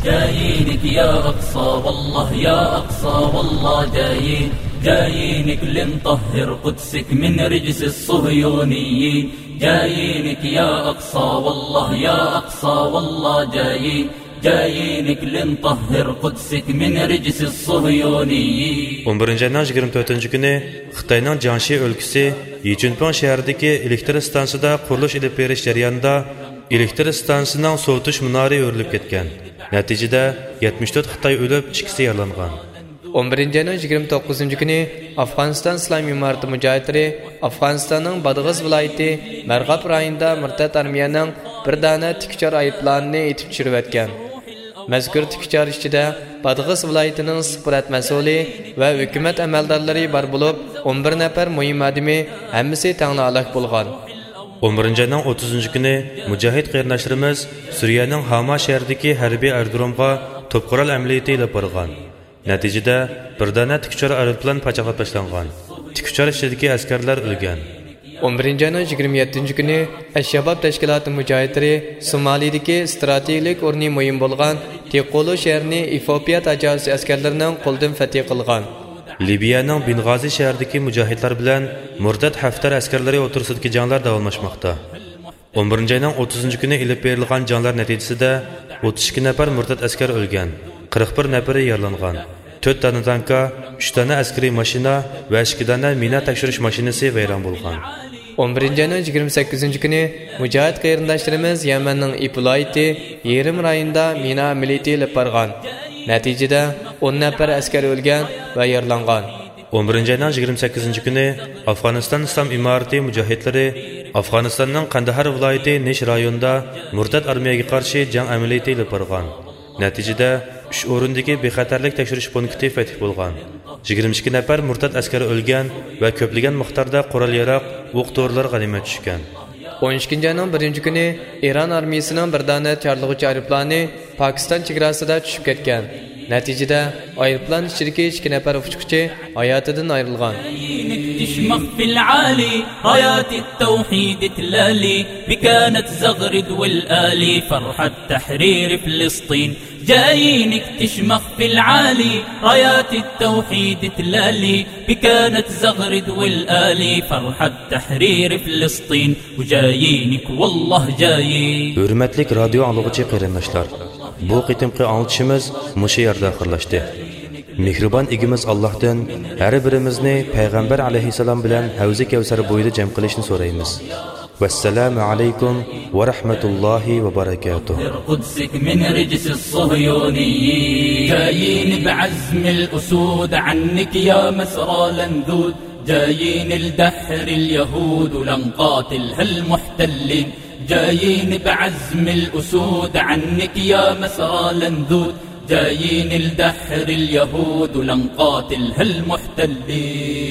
جايىنك يا أقصى والله، يا أقصى والله جايين، جايينك لنطهر قدسك من رجس الصهيونيين. جايينك يا أقصى والله، يا أقصى والله جايين، جايينك لنطهر قدسك من رجس الصهيونيين. ئون بىرىنچى ئاينىڭ يىگىرمە تۆتىنچى كۈنى خىتاينىڭ جياڭشى ئۆلكىسى يىچۈنپىڭ شەھىرىدىكى ئېلېكتر ئىستانسىسىدا قۇرۇلۇش ئېلىپ بېرىش جەريانىدا ئېلېكتر ئىستانسىسىنىڭ سوۋۇتۇش مۇنارى ئۆرۈلۈپ كەتكەن. نەتىجىدە يەتمىش تۆت خىتاي ئۆلۈپ، ئىككىسى يارىلانغان. ئون بىرىنچى ئاينىڭ يىگىرمە توققۇزىنچى كۈنى ئافغانىستان ئىسلام ئىمارىتى مۇجاھىدلىرى ئافغانىستاننىڭ بادغىس ۋىلايىتى مەرغاب رايونىدا مۇرتەت ئارمىيەنىڭ بىر دانە تىك ئۇچار ئايروپىلانىنى ئېتىپ چۈشۈرۈۋەتكەن. مەزكۇر تىك ئۇچار ئىچىدە بادغىس ۋىلايىتىنىڭ ئىسسىق پۇرات مەسئۇلى ۋە ھۆكۈمەت ئەمەلدارلىرى بار بولۇپ، ئون بىر نەپەر مۇھىم ئادىمى، ھەممىسى تەڭلا ھالاك بولغان. ئون بىرىنچى ئاينىڭ ئوتتۇزىنچى كۈنى مۇجاھىد قېرىنداشلىرىمىز سۈرىيەنىڭ ھاما شەھىرىدىكى ھەربىي ئايرودرومغا توپقورال ئەمەلىيىتى ئېلىپ بارغان. نەتىجىدە، بىر دانە تىك ئۇچار ئايروپىلان پاچاقلاپ تاشلانغان. تىك ئۇچار ئىچىدىكى ئەسكەرلەر ئۆلگەن. ئون بىرىنچى ئاينىڭ يىگىرمە يەتتىنچى كۈنى ئەش-شاباب تەشكىلاتى مۇجاھىدلىرى سومالىدىكى ئىستراتېگىيەلىك ئورنى مۇھىم بولغان تىقولۇ شەھىرىنى ئېفىئوپىيە تاجاۋۇزچى ئەسكەرلىرىنىڭ قولىدىن فەتھى قىلغان. لىبىيەنىڭ بېنغازى شەھىرىدىكى مۇجاھىدلار بىلەن مۇرتەت ھەفتەر ئەسكەرلىرى ئوتتۇرىسىدىكى جەڭلەر داۋاملاشماقتا. ئون بىرىنچى ئاينىڭ ئوتتۇزىنچى كۈنى ئېلىپ بېرىلغان جەڭلەر نەتىجىسىدە ئوتتۇز ئىككى نەپەر مۇرتەت ئەسكەر ئۆلگەن، قىرىق بىر نەپىرى يارىلانغان. تۆت دانە تانكا، ئۈچ دانە ئەسكىرىي ماشىنا ۋە ئىككى دانە مىنا تەكشۈرۈش ماشىنىسى ۋەيران بولغان. ئون بىرىنچى ئاينىڭ يىگىرمە سەككىزىنچى كۈنى مۇجاھىد قېرىنداشلىرىمىز يەمەننىڭ ئىپ ۋىلايىتى يېرىم رايونىدا مىنا ئەمەلىيىتى ئېلىپ بارغان. نەتىجىدە، ئون نەپەر ئەسكەر ئۆلگەن ۋە يارىلانغان. ئون بىرىنچى ئاينىڭ يىگىرمە سەككىزىنچى كۈنى ئافغانىستان ئىسلام ئىمارىتى مۇجاھىدلىرى ئافغانىستاننىڭ قەندىھار ۋىلايىتى نىش رايونىدا مۇرتەت ئارمىيەگە قارشى جەڭ ئەمەلىيىتى ئېلىپ بارغان. نەتىجىدە، ئۈچ ئورۇندىكى بىخەتەرلىك تەكشۈرۈش پونكىتى فەتھى بولغان. يىگىرمە ئىككى نەپەر مۇرتەت ئەسكەر ئۆلگەن ۋە كۆپلىگەن مىقداردا قورال-ياراغ، ئوق-دورىلار غەنىيمەت چۈشكەن. ئون ئىككىنچى ئاينىڭ بىرىنچى كۈنى ئىران ئارمىيىسىنىڭ بىر دانە چارلىغۇچى ئايروپىلانى پاكىستان چېگراسىدا چۈشۈپ كەتكەن. نەتىجىدە، ئايروپىلان ئىچىدىكى ئىككى نەپەر ئۇچقۇچى ھاياتىدىن ئايرىلغان. جايينك تشمخ في العالي، رايات التوحيد تلالي، بكانت زغرد والآلي، فرحة تحرير فلسطين. جايينك تشمخ في العالي، رايات التوحيد تلالي، بكانت زغرد والآلي، فرحة تحرير فلسطين. وجايينك والله جايين. ھۆرمەتلىك رادىيو ئاڭلىغۇچى قېرىنداشلار، بۇ قېتىمقى ئاڭلىتىشىمىز مۇشۇ يەردە ئاخىرلاشتى. مېھرىبان ئىگىمىز ئاللاھتىن ھەر بىرىمىزنى پەيغەمبەر ئەلەيھىسسالام بىلەن ھەۋزى كەۋسەر بويىدا جەم قىلىشنى سورايمىز. والسلام عليكم ورحمة الله وبركاته. قدسك من رجس الصهيونيين. جايين بعزم الأسود عنك يا مسرى لندود. جايين لدحر اليهود ولنقاتلها المحتلين. جايين بعزم الأسود عنك يا مسرى لندود. جايين لدحر اليهود ولنقاتلها المحتلين.